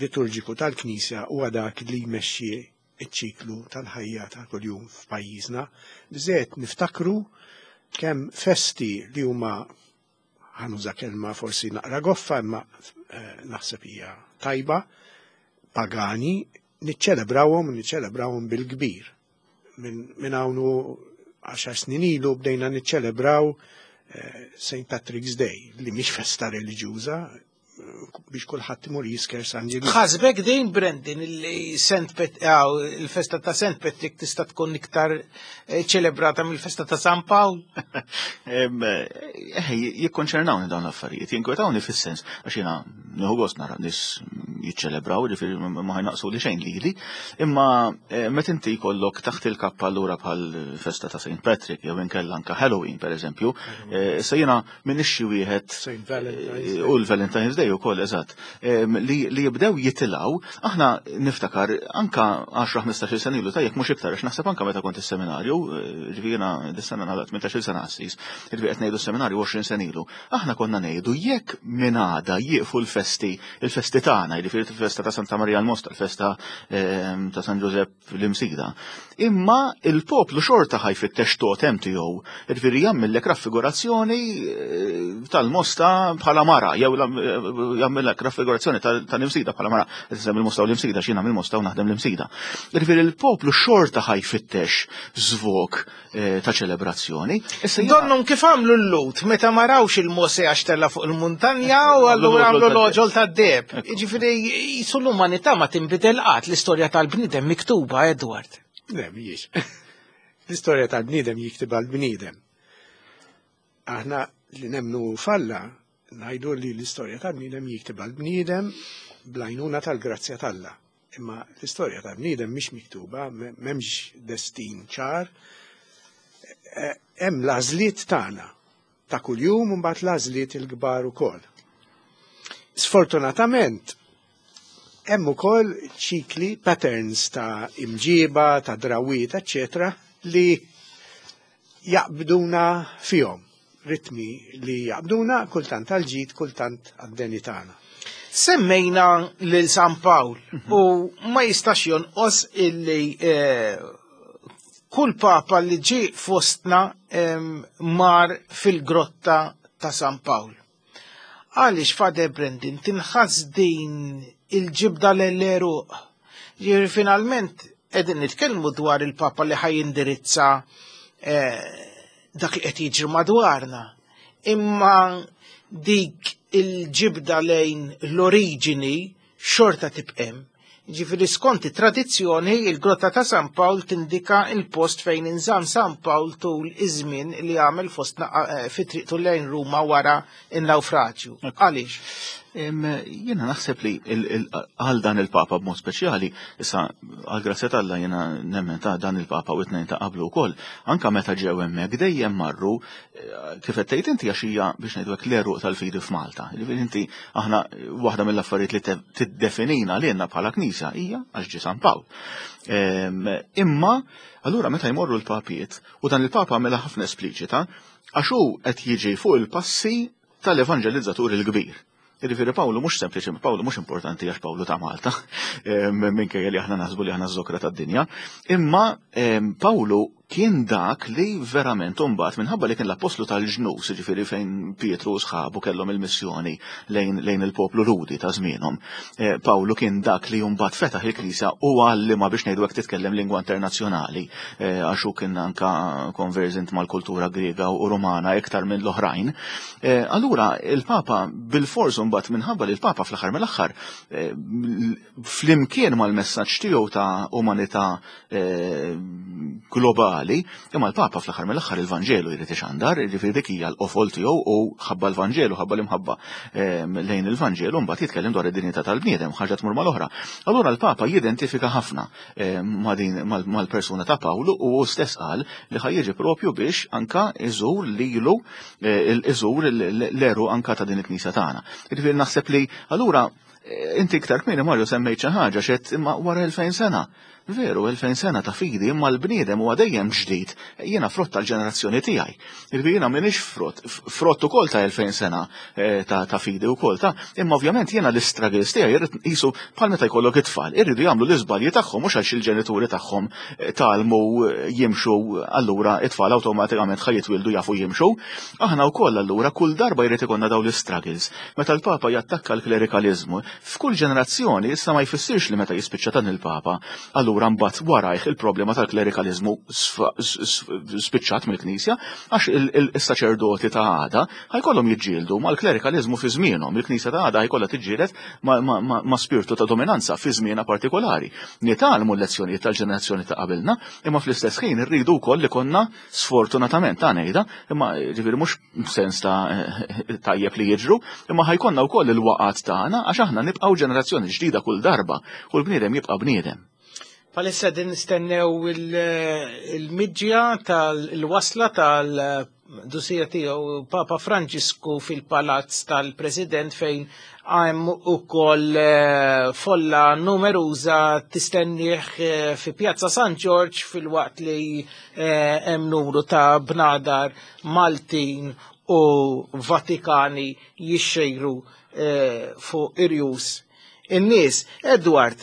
liturġiku tal-Knisja huwa dak li jmexxi iċ-ċiklu tal-ħajja ta' kuljum f'pajjiżna. Biżejjed niftakru kemm festi li huma, ħa nuża kelma forsi naqra goffa imma eh, naħseb hija tajba, pagani, niċċelebrawhom u niċċelebrawhom bil-kbir. Minn hawn għaxar snin ilu bdejna niċċelebraw eh, Saint Patrick's Day, li mhix festa reliġjuża, biex kulħadd imur jisker San Ġiljan. Ħasbek din, Brendan, li Saint Pat il-festa ta' Saint Patrick tista' tkun iktar eh, ċelebrata mill-festa ta' San Pawl? Eh, jikkonċernawni dawn l-affarijiet, jinkwetawni fis-sens, għax jiena nieħu gost nara nies jiċċelebraw, ġifieri ma ħa jnaqqsu li xejn lili, imma eh, meta inti jkollok taħt il-kappa allura bħal festa ta' Saint Patrick jew inkella anka Halloween pereżempju, issa jiena m'iniex xi wieħed Saint Valentine's u l-Valentine's Day ukoll, eżatt, li li jibdew jitilgħu. Aħna niftakar anka għaxra ħmistax-il sena ilu, tajjeb mhux iktar, għax naħseb anka meta kont is-seminarju, ġifieri jiena dis-sena nagħlaq tmintax-il sena qassis, ġifieri qed ngħidu s-seminarju għoxrin sena ilu. Aħna konna ngħidu jekk minn għada jieqfu l-festi, il-festi tagħna, jiġifieri il-festa ta' Santa Maria l-Mosta, il-festa ta' San Giuseppe l-Imsida. Imma il-poplu xorta ħa jfittex totem tiegħu, jiġifieri jagħmellek raffigurazzjoni tal-Mosta bħala mara, jew jagħmellek raffigurazzjoni tal-Imsida bħala mara, qed il-Mosta u l-Imsida, x'jiena mill-Mosta u naħdem l-Imsida. Jiġifieri il-poplu xorta ħa jfittex żvog ta' ċelebrazzjoni. Donnhom kif għamlu l-Lhud meta ma rawx il-Mose għax tella fuq il-muntanja u allura għamlu l-għoġol tad-deheb. Ġifieri jisu l-umanità ma tinbidel qatt, l-istorja tal-bniedem miktuba, Edward. Le, mhijiex. L-istorja tal-bniedem jiktibha l-bniedem. Aħna li nemmnu f'Alla ngħidu li l-istorja tal-bniedem jiktibha l-bniedem bl-għajnuna tal-grazzja t'Alla. Imma l-istorja tal-bniedem mhix miktuba, m'hemmx destin ċar. Hemm l-għażliet tagħna ta' kuljum u mbagħad l-għażliet il-kbar ukoll. Sfortunatament, hemm ukoll ċikli, patterns ta' imġiba, ta' drawiet, eccetera, li jaqbduna fihom, ritmi li jaqbduna kultant għal-ġid, kultant għad-deni tagħna. Semmejna lil San Pawl u ma jistax jonqos illi eh, kull papa li ġi fostna mar fil-grotta ta' San Pawl. Għaliex, Father Brendan, tinħass din il-ġibda l-għeruq? Ġifieri finalment qegħdin nitkellmu dwar il-papa li ħa jindirizza eh, dak li qed jiġri madwarna. Imma dik il-ġibda lejn l-oriġini xorta tibqa'. Ġifieri skont it-tradizzjoni, il-grotta ta' San Pawl tindika il-post fejn inżamm San Pawl tul iż-żmien li għamel fostna eh, fi triqtu lejn Ruma wara in-nawfraġju. Għaliex? Jiena naħseb li għal dan il-Papa b'mod speċjali, issa għal grazzja t'Alla jiena nemmen ta' dan il-Papa u it-tnejn ta' qablu wkoll, anka meta ġew hemmhekk dejjem marru eh, kif qed tgħid inti, għax hija biex ngħidu hekk l-għeruq tal-fidi f'Malta. Ġifieri inti aħna waħda mill-affarijiet li tiddefinina lilna bħala Knisja hija għax ġie San Pawl. Imma allura meta jmorru l-papiet, u dan il-Papa għamela ħafna espliċita, għax hu qed jiġi fuq il-passi tal-evangelizzatur il-kbir. Jiġifieri Pawlu mhux sempliċi, Pawlu mhux importanti għax Pawlu ta' Malta, minkejja li aħna naħsbu li aħna ż-żokra tad-dinja, imma Pawlu kien dak li verament imbagħad minħabba li kien l-apostlu tal-ġnus, ġifieri fejn Pietru u sħabu kellhom il-missjoni lejn, lejn il-poplu Lhudi ta' żmienhom. Eh, Pawlu kien dak li mbagħad fetaħ il-Knisja u għallima biex ngħidu hekk titkellem lingwa internazzjonali, eh, għax hu kien anka conversant mal-kultura Griega u Romana iktar minn l-oħrajn. Eh, allura il-Papa bil-fors mbagħad minħabba li l-Papa fl-aħħar mill-aħħar flimkien mal-messaġġ tiegħu ta' umanità globali, imma l-Papa fl-aħħar mill-aħħar il-Vanġelu jrid ixandar, jiġifieri dik hija l-qofol tiegħu u ħabba l-Vanġelu, ħabba l-imħabba lejn il-Vanġelu mbagħad jitkellem dwar id-dinjità tal-bniedem, ħaġa tmur mal-oħra. Allura l-Papa jidentifika ħafna ma' din mal-persuna ta' Pawlu u hu stess qal li ħa jiġi propju biex anka iżur lilu, iżur l-għeruq anka ta' din il-Knisja tagħna. Jiġifieri naħseb li allura inti iktar kmieni, Mario, semmejt xi ħaġa xed imma wara elfejn sena. Veru, elfejn sena ta' fidi, imma l-bniedem huwa dejjem ġdid. Jiena frott tal-ġenerazzjoni tiegħi. Jiġifieri jiena m'iniex frott, frott ukoll ta' elfejn sena eh, ta', ta fidi wkoll ta' imma ovvjament jiena l-istruggles tiegħi irrid qisu bħal meta jkollok it-tfal, irridu jagħmlu l-iżbalji tagħhom mhux għax il-ġenituri tagħhom eh, tgħallmu eh, jimxu allura it-tfal awtomatikament ħa jitwildu jafu jimxu. Aħna wkoll allura kull darba jrid ikollna dawn l-istruggles. Meta l-Papa jattakka l-klerikaliżmu, f'kull ġenerazzjoni issa ma jfissirx li meta jispiċċa dan il-Papa, allura mbagħad warajh il-problema tal-klerikaliżmu spiċċat mill-Knisja, għax il-saċerdoti ta' għada ħajkollhom jiġġieldu mal-klerikaliżmu fi żmienhom. Il-Knisja ta' għada ħajkollha tiġġieled ma' spirtu ta' dominanza fi żmienha partikolari. Nitgħallmu l-lezzjonijiet tal-ġenerazzjoni ta' qabilna, imma fl-istess ħin irridu wkoll li konna sfortunatament ta' ngħidha, imma ġifieri mhux sens ta' tajjeb li jiġru, imma ħajkonna wkoll il-waqgħat tagħna għax aħna nibqgħu ġenerazzjoni ġdida kull darba u l-bniedem jibqa' bniedem. Palissa din nistennew il-midġja tal-wasla tal-dusija tiegħu Papa Franġisku fil-palazz tal-President fejn hemm ukoll folla numeruża tistennieh fi Pjazza San Ġorġ fil-waqt li hemm numru ta' bnadar Maltin u Vatikani jixxejru fuq irjus in-nies. Edward,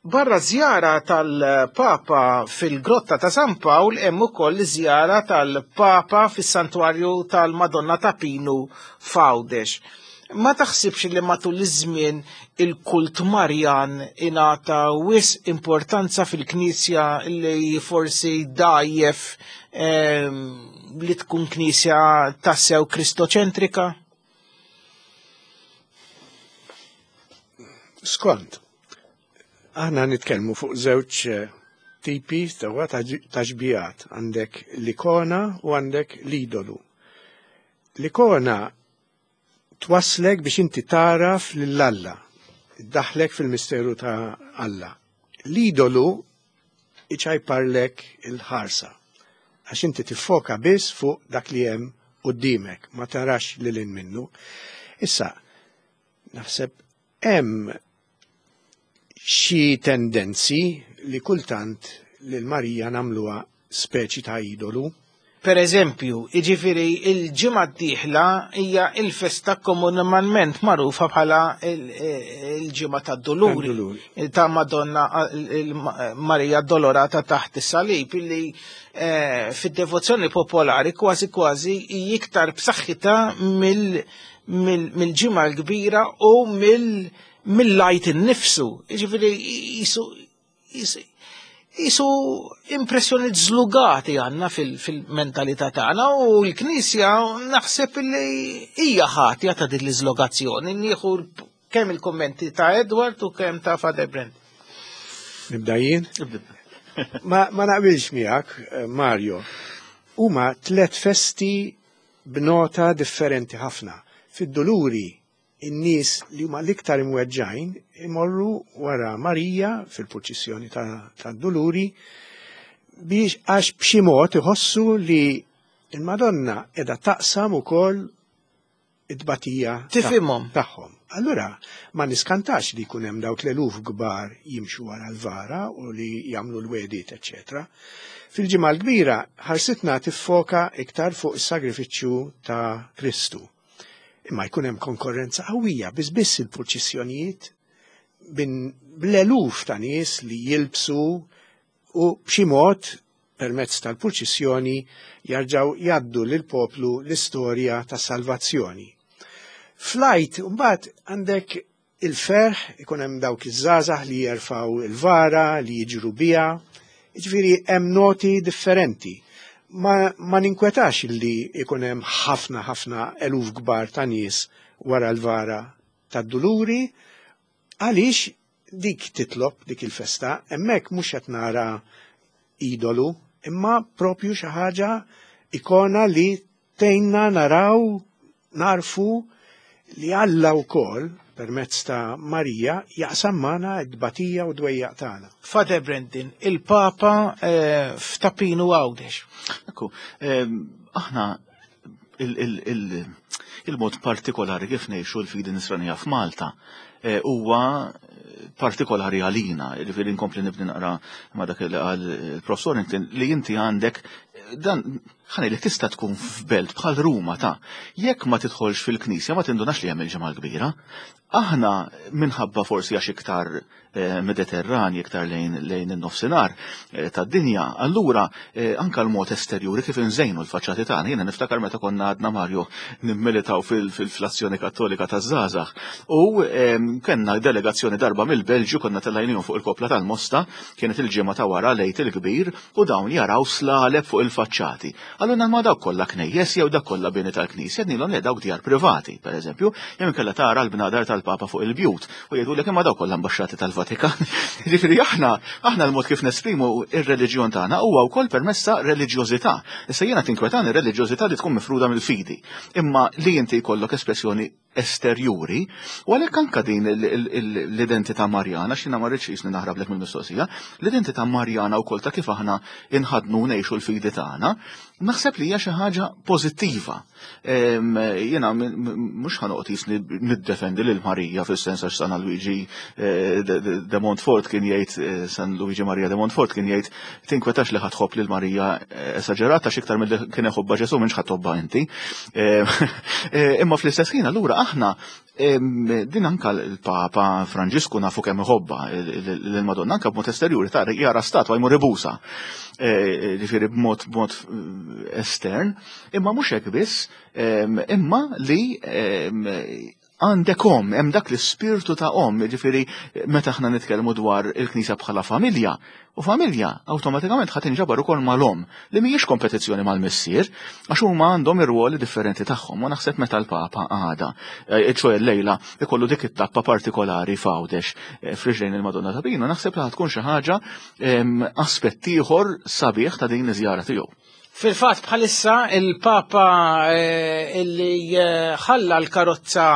barra żjara tal-Papa fil-Grotta ta' San Pawl hemm ukoll żjara tal-Papa fis-Santwarju tal-Madonna ta' Pinu f'Għawdex. Ma taħsibx li matul iż-żmien il-kult Marjan ingħata wisq importanza fil-Knisja li forsi dajjef li tkun Knisja tassew kristoċentrika? Skont, aħna nitkellmu fuq żewġ tipi ta' taxbijat, għandek l-ikona u għandek l-idolu. L-ikona twaslek biex inti taraf lil Alla, iddaħlek fil-misteru ta' Alla. L-idolu iċajparlek il-ħarsa, għax inti tiffoka biss fuq dak li hemm qudiemek, ma tarax lil hinn minnu. Issa, naħseb hemm xi tendenzi li kultant lil Marija nagħmluha speċi ta' idolu. Per eżempju, jiġifieri il-ġimgħa d-dieħla hija il-festa komunement magħrufa bħala il-ġimgħa tad-Duluri ta' Madonna Marija Dolorata taħt is-salib, illi fid-devozzjoni popolari kważi kważi iktar b'saħħitha mill-ġimgħa l-kbira u mill-lajt innifsu. Jiġifieri jisu Jisu impressjoni żlugati għandna fil-mentalità tagħna u l-Knisja naħseb li hija ħatja ta' din l-iżlogazzjoni. Nieħu kemm il-kummenti ta' Edward u kemm ta' Father Brent. Nibda jien? Ma, ma naqbilx miegħek, Mario. Huma tliet festi b'nota differenti ħafna. Fid-Duluri in-nies li huma l-iktar imweġġajn imorru wara Marija fil-purċissjoni tad-Duluri biex għax b'xi mod iħossu li il-Madonna qiegħda taqsam ukoll it-tbatija tifhimhom tagħhom. Allura ma niskantax li jkun hemm dawk l-eluf kbar jimxu wara l-vara u li jagħmlu l-wedit, eċċetera. Fil-ġimgħa l-kbira ħarsitna tiffoka iktar fuq is-sagrifiċċju ta' Kristu. Imma jkun hemm konkurrenza qawwija biss biss il-purċissjonijiet bl-eluf ta' nies li jilbsu u b'xi mod permezz tal-purċissjoni jarġgħu jgħaddu lill-poplu l-istorja tas-salvazzjoni. Flajt mbagħad għandek il-ferħ, ikun hemm dawk iż-żgħażagħ li jerfgħu il-vara, li jiġru biha, jiġifieri hemm noti differenti. Ma, ma ninkwetax li ikun hemm ħafna ħafna eluf kbar ta' nies wara l-vara tad-Duluri, għaliex dik titlob dik il-festa, hemmhekk mhux qed nara idolu, imma propju xi ħaġa ikona li tgħinna naraw, narfu li Alla wkoll permezz ta' Marija jaqsam magħna d-tbatija u d-dwejjaq tagħna. Father Brendan, il-Papa eh, f'Tapinu Għawdex. Ekku, aħna il-mod partikolari kif ngħixu l-fidi nisranija f'Malta huwa partikolari għalina, jiġifieri nkompli nibni naqra ma dak li qal il-professor li inti għandek dan ħani li tista' tkun f'belt bħal Ruma ta' jekk ma tidħolx fil-knisja ma tindunax li hemm il-ġimgħa kbira. Aħna minħabba forsi għax iktar Mediterranji, iktar lejn lejn in-nofsinhar tad-dinja, allura anka l-mod esterjuri kif inżejnu l-faċċati tagħna. Jiena niftakar meta konna għadna Mario nimmilitaw fil-Azzjoni Kattolika taż-żgħażagħ u kellna delegazzjoni darba mill-Belġju, konna tellajnihom fuq il-kopla tal-Mosta, kienet il-ġimgħa ta' wara lejt il-kbir u dawn jaraw slaleb fuq il-faċċati. Allura ma dawk kollha knejjes jew dak kollha bini tal-knisja, nilhom le dawk djar privati, pereżempju, jew inkella tara l-bnadar tal-Papa fuq il-bjut u jgħidulek imma dawk kollha ambaxxati tal-Vatikan. Jiġifieri aħna aħna l-mod kif nesprimu ir-reliġjon tagħna huwa wkoll permessa reliġjożità. Issa jiena tinkwetani r-reliġjożità li tkun mifruda mill-fidi, imma li inti jkollok espressjoni esterjuri, u għalhekk anka din l-identità Marjana, x'jiena ma rridx jisni naħrablek mill-mistoqsija, l-identità Marjana wkoll ta' kif aħna inħadnu ngħixu l-fidi tagħna, naħseb li hija xi ħaġa pożittiva. Jiena mhux ħanoqgħod jisni niddefendi lil Marija fis-sens għax San Luigi de Montfort kien jgħid, San Luigi Maria de Montfort kien jgħid tinkwetax li ħadħobb lil Marija esaġerata għax iktar milli kien iħobbha Ġesù m'intx ħadtobba inti. Imma fl-istess ħin allura aħna din anka l-Papa Franġisku nafu kemm iħobba l-Madonna anka b'mod esterjuri tara jara statwa jmur ibusa. Ġifieri b'mod b'mod estern, imma mhux hekk biss, imma li għandek om, hemm dak l-ispirtu ta' om, ġifieri meta aħna nitkellmu dwar il-Knisja bħala familja, u familja awtomatikament ħadd inġabar ukoll mal-om, li mhijiex kompetizzjoni mal-missier, għax huma għandhom ir-ruoli differenti tagħhom, u naħseb meta l-Papa għada, ċoe l-lejla, ikollu dik it-tappa partikolari f'Għawdex f'riġlejn il-Madonna ta' Pinu, naħseb li tkun xi ħaġa aspett ieħor sabiħ ta' din iż-żjara tiegħu. Fil-fatt bħalissa il-Papa illi ħalla l-karozza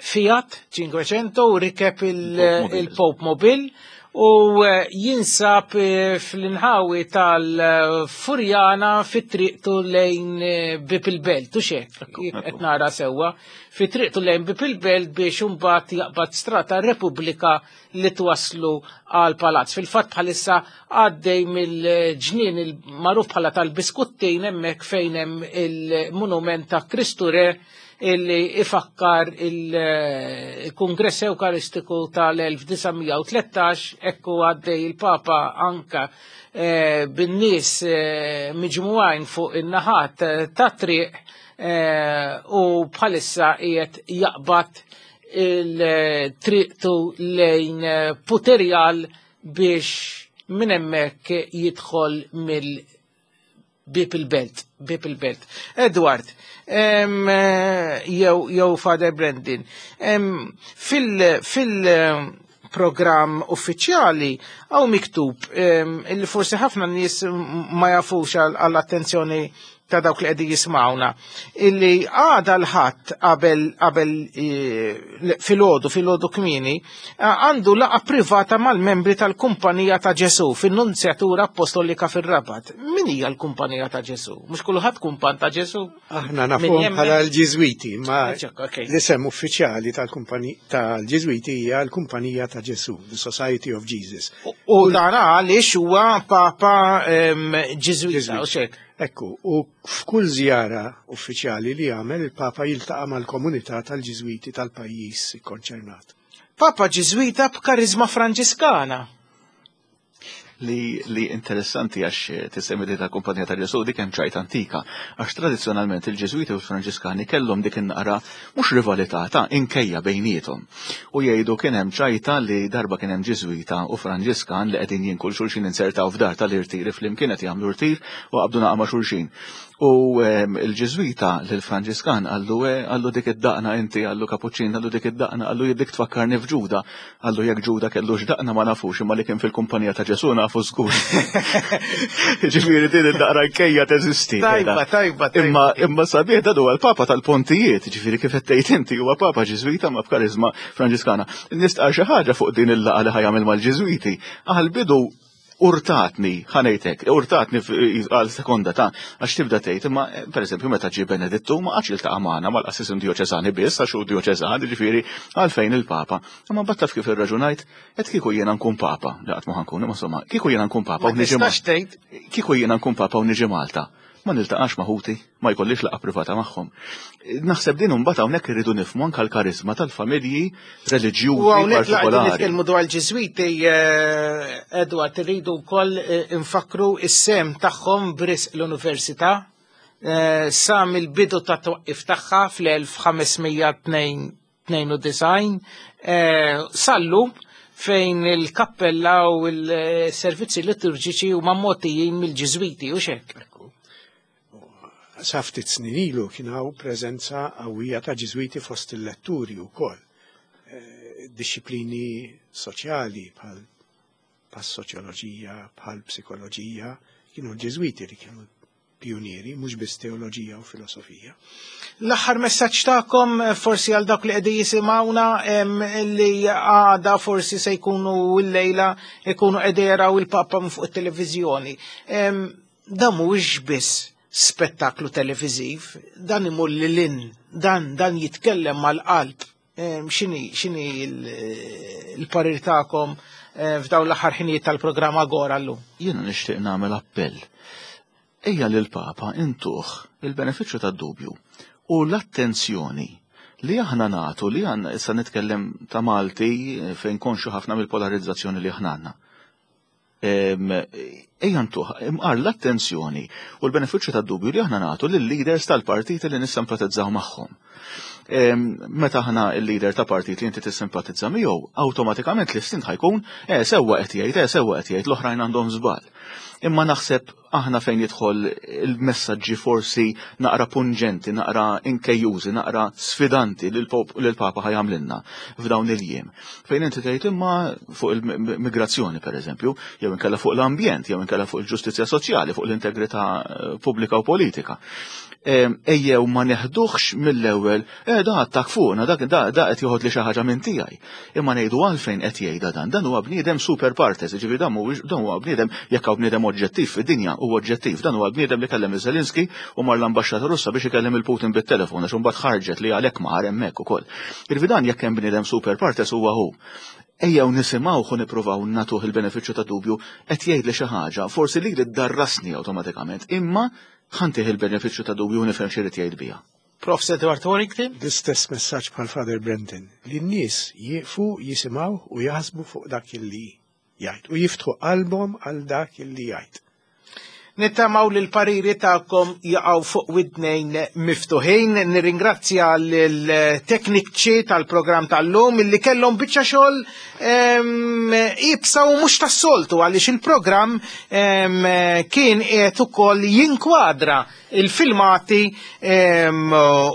Fiat Cinquecento u rikeb il-Pope Mobile u jinsab fl-inħawi tal-Furjana fit-triqtu lejn Bib il-Belt, u xek, qed nara sewwa, fit-triqtu lejn Bib il-Belt biex imbagħad jaqbad strata Repubblika li twaslu għal palazz. Fil-fatt bħalissa għaddej mill-ġnien il-magħruf bħala tal-Biskuttin hemmhekk fejn hemm il-monument ta' Kristu Re illi ifakkar il-Kungress Ewkaristiku tal-elf disa' mija u tlettax, ekku għaddej il-Papa anka bin-nies miġmugħin fuq in-naħat ta' triq u bħalissa qiegħed jaqbad il-triqtu lejn Puterjal biex minn hemmhekk jidħol mill Bib il-Belt, Bib il-Belt. Edward, jew jew Father Brendan, fil-programm uffiċjali hawn miktub illi forsi ħafna nies ma jafux għall-attenzjoni ta' dawk li qegħdin jismawna, illi għada l-ħadd qabel qabel filgħodu filgħodu kmieni għandu laqgħa privata mal-membri tal-Kumpanija ta' Ġesù fin-Nunzjatura Apostolika fir-Rabat. Min hija l-Kumpanija ta' Ġesù? Mhux kulħadd kumpan ta' Ġesù? Aħna nafuhom bħala l-Ġiżwiti, ma l-isem uffiċjali tal-Ġiżwiti hija l-Kumpanija ta' Ġesù, the Society of Jesus. U dan għaliex huwa Papa Ġiżwita, u xek. Ekku, u f'kull żjara uffiċjali li jagħmel il-Papa jiltaqa' mal-komunità tal-Ġiżwiti tal-pajjiż ikkonċernat. Papa Ġiżwita b'karizma Franġiskana. Li, li interessanti għax tissemmi li tal-Kumpanija ta' Ġesù dik hemm ċajt antika, għax tradizzjonalment il-Ġiżwiti u l-Franġiskani kellhom dik in-naqra mhux rivalità ta' inkejja bejniethom. U jgħidu kien hemm ċajta li darba kien hemm Ġiżwita u Franġiskan li qegħdin jinkul xulxin insertaw f'dar tal-irtiri flimkien qed jagħmlu rtir u qabdu naqa' ma' xulxin. U il-Ġiżwita lill-Franġiskan qallu qallu dik id-daqna inti, qallu kapuċċin, qallu dik id-daqna, qallu dik tfakkarni f'Ġuda, qallu jekk Ġuda kellux daqna ma nafux, imma li kien fil-kumpanija ta' Ġesù nafu żgur. Ġifieri din id-daqra nkejja teżisti. Tajba, tajba, tajba. Imma imma sabiħ dan huwa l-Papa tal-Pontijiet, ġifieri kif qed tgħid inti huwa Papa Ġiżwita ma b'karizma Franġiskana. Nistqar xi ħaġa fuq din il-laqgħa li ħajamel mal-Ġiżwiti. Għall-bidu Urtatni, ħa ngħidlek, urtatni għal sekonda ta' għax tibda tgħid, imma pereżempju meta ġie Benedittu ma qatx iltaqa' magħna mal-qassisin djoċeżani biss għax hu djoċeżan, jiġifieri għalfejn il-Papa. Imma mbagħad taf kif irraġunajt, qed kieku jiena nkun Papa, li qatt ma ħankun, imma insomma, kieku jiena nkun Papa u niġi Kieku jiena nkun Papa u niġi Malta. Ma niltaqax ma' ħuti, ma jkollix laqgħa privata magħhom. Naħseb din imbagħad hawnhekk irridu nifhmu anke l-karizma tal-familji reliġjużi. U hawnhekk laqgħu nitkellmu dwar il-Ġiżwiti, Edward, irridu wkoll infakru is-sem tagħhom b'risq l-Università sa mill-bidu ta' twaqqif tagħha fl-elf ħames mija tnejn u disgħin sallum fejn il-kappella u l-servizzi liturġiċi huma mogħtijin mill-Ġiżwiti u xek. Sa ftit snin ilu kien hawn preżenza qawwija ta' Ġiżwiti fost il-letturi wkoll. Disċiplini soċjali bħal soċjoloġija, bħal psikoloġija, kienu l-Ġiżwiti li kienu pionieri, mhux biss teoloġija u filosofija. L-aħħar messaġġ tagħkom forsi għal dawk li qegħdin jisimgħuna li għada forsi se jkunu l-lejla jkunu qegħdin jaraw il-Papa minn fuq it-televiżjoni. Dan mhuwiex biss spettaklu televiżiv, dan imur lil dan dan jitkellem mal-qalb. X'inhi x'inhi l-parir tagħkom f'dawn l-aħħar ħinijiet tal-programm Agora llum? Jiena nixtieq nagħmel appell. Ejja lil Papa intuh il-benefiċċju tad-dubju u l-attenzjoni li aħna nagħtu li għandna issa nitkellem ta' Malti fejn konxu ħafna mill-polarizzazzjoni li aħna għandna. Ejja ntuh imqar l-attenzjoni u l-benefiċċju tad-dubju li aħna nagħtu lill-leaders tal-partiti li nissimpatizzaw magħhom. Meta aħna l-leader ta' partit li inti tissimpatizza miegħu, awtomatikament l-istint ħajkun eh sewwa qed jgħid, eh sewwa qed jgħid, l-oħrajn għandhom żball. Imma naħseb aħna fejn jidħol il-messaġġi forsi naqra pungenti, naqra inkejjużi, naqra sfidanti li l-Papa ħajamlilna f'dawn il-jiem. Fejn inti tgħid imma fuq il-migrazzjoni pereżempju, jew inkella fuq l-ambjent, jew inkella fuq il-ġustizzja soċjali, fuq l-integrità pubblika u politika. Ejjew ma neħduħx mill-ewwel, eh da attak fuqna, dak da qed joħod li xi ħaġa minn tiegħi. Imma ngħidu għalfejn qed jgħidha dan, dan huwa bniedem super partes, jiġifieri dan mhuwiex dan huwa bniedem jekk hawn bniedem oġġettiv fid-dinja huwa oġġettiv, dan huwa bniedem li kellem iż-Zelenski u mar l-ambaxxata Russa biex ikellem il-Putin bit-telefon għax imbagħad ħarġet li għalhekk mar hemmhekk ukoll. Jiġifieri dan jekk hemm bniedem super partes huwa hu. Ejjew nisimgħuh u nippruvaw nagħtuh il-benefiċċju ta' dubju qed jgħid li xi ħaġa, forsi li ddarrasni awtomatikament, imma ħantih il-benefiċċju ta' dubju u nifhem x'irid jgħid biha. Professor Edward Warrington? L-istess messaġġ bħal Father Brendan, li n-nies jieqfu jisimgħu u jaħsbu fuq dak illi jgħid u jiftħu qalbhom għal dak illi jgħid. Nittamaw li l-pariri tagħkom jaqgħu fuq widnejn miftuħin. Nirringrazzja l-tekniċi tal-programm tal-lum illi kellhom biċċa xogħol iebsa u mhux tas-soltu għaliex il-programm kien qiegħed ukoll jinkwadra il-filmati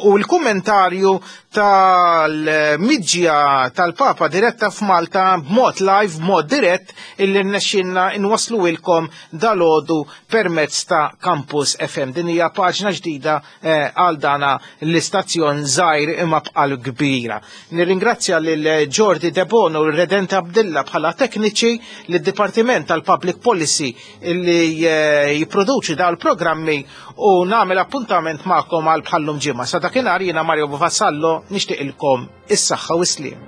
u l-kummentarju tal-miġja tal-Papa diretta f'Malta b'mod live, b'mod dirett illi rnexxinna inwaslu ilkom dalodu permezz ta' Campus F M. Din hija paġna ġdida għal dana l-istazzjon żgħir imma bqal kbira. Nirringrazzja lil Jordi Debono u Redent Abdilla bħala tekniċi lid-Dipartiment tal-Public Policy illi jipproduċi dawn il-programmi u nagħmel appuntament magħkom għal bħallum ġimgħa. Sa dakinhar jiena Mario Vassallo nixtieqilkom is-saħħa u s-sliem.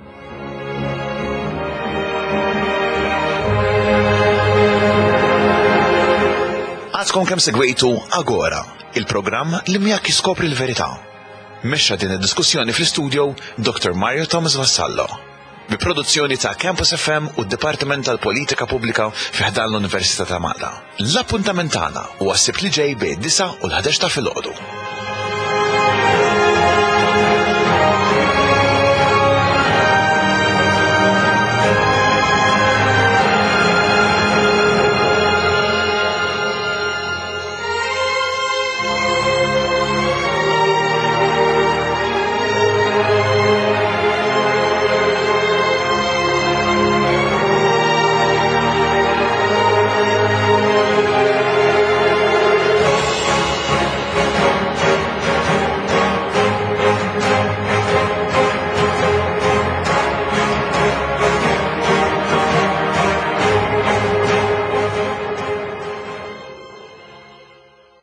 Għadkom kemm segwejtu Agora, il-programm li miegħek jiskopri l-verità. Mexxa din id-diskussjoni fl-istudio Doctor Mario Thomas Vassallo. Bi produzzjoni ta' Campus F M u d-Dipartiment tal-Politika Pubblika fi ħdan l-Università ta' Malta. L-appuntament tagħna huwa s-Sibt li ġej bejn disa' u l-ħdax ta' filgħodu.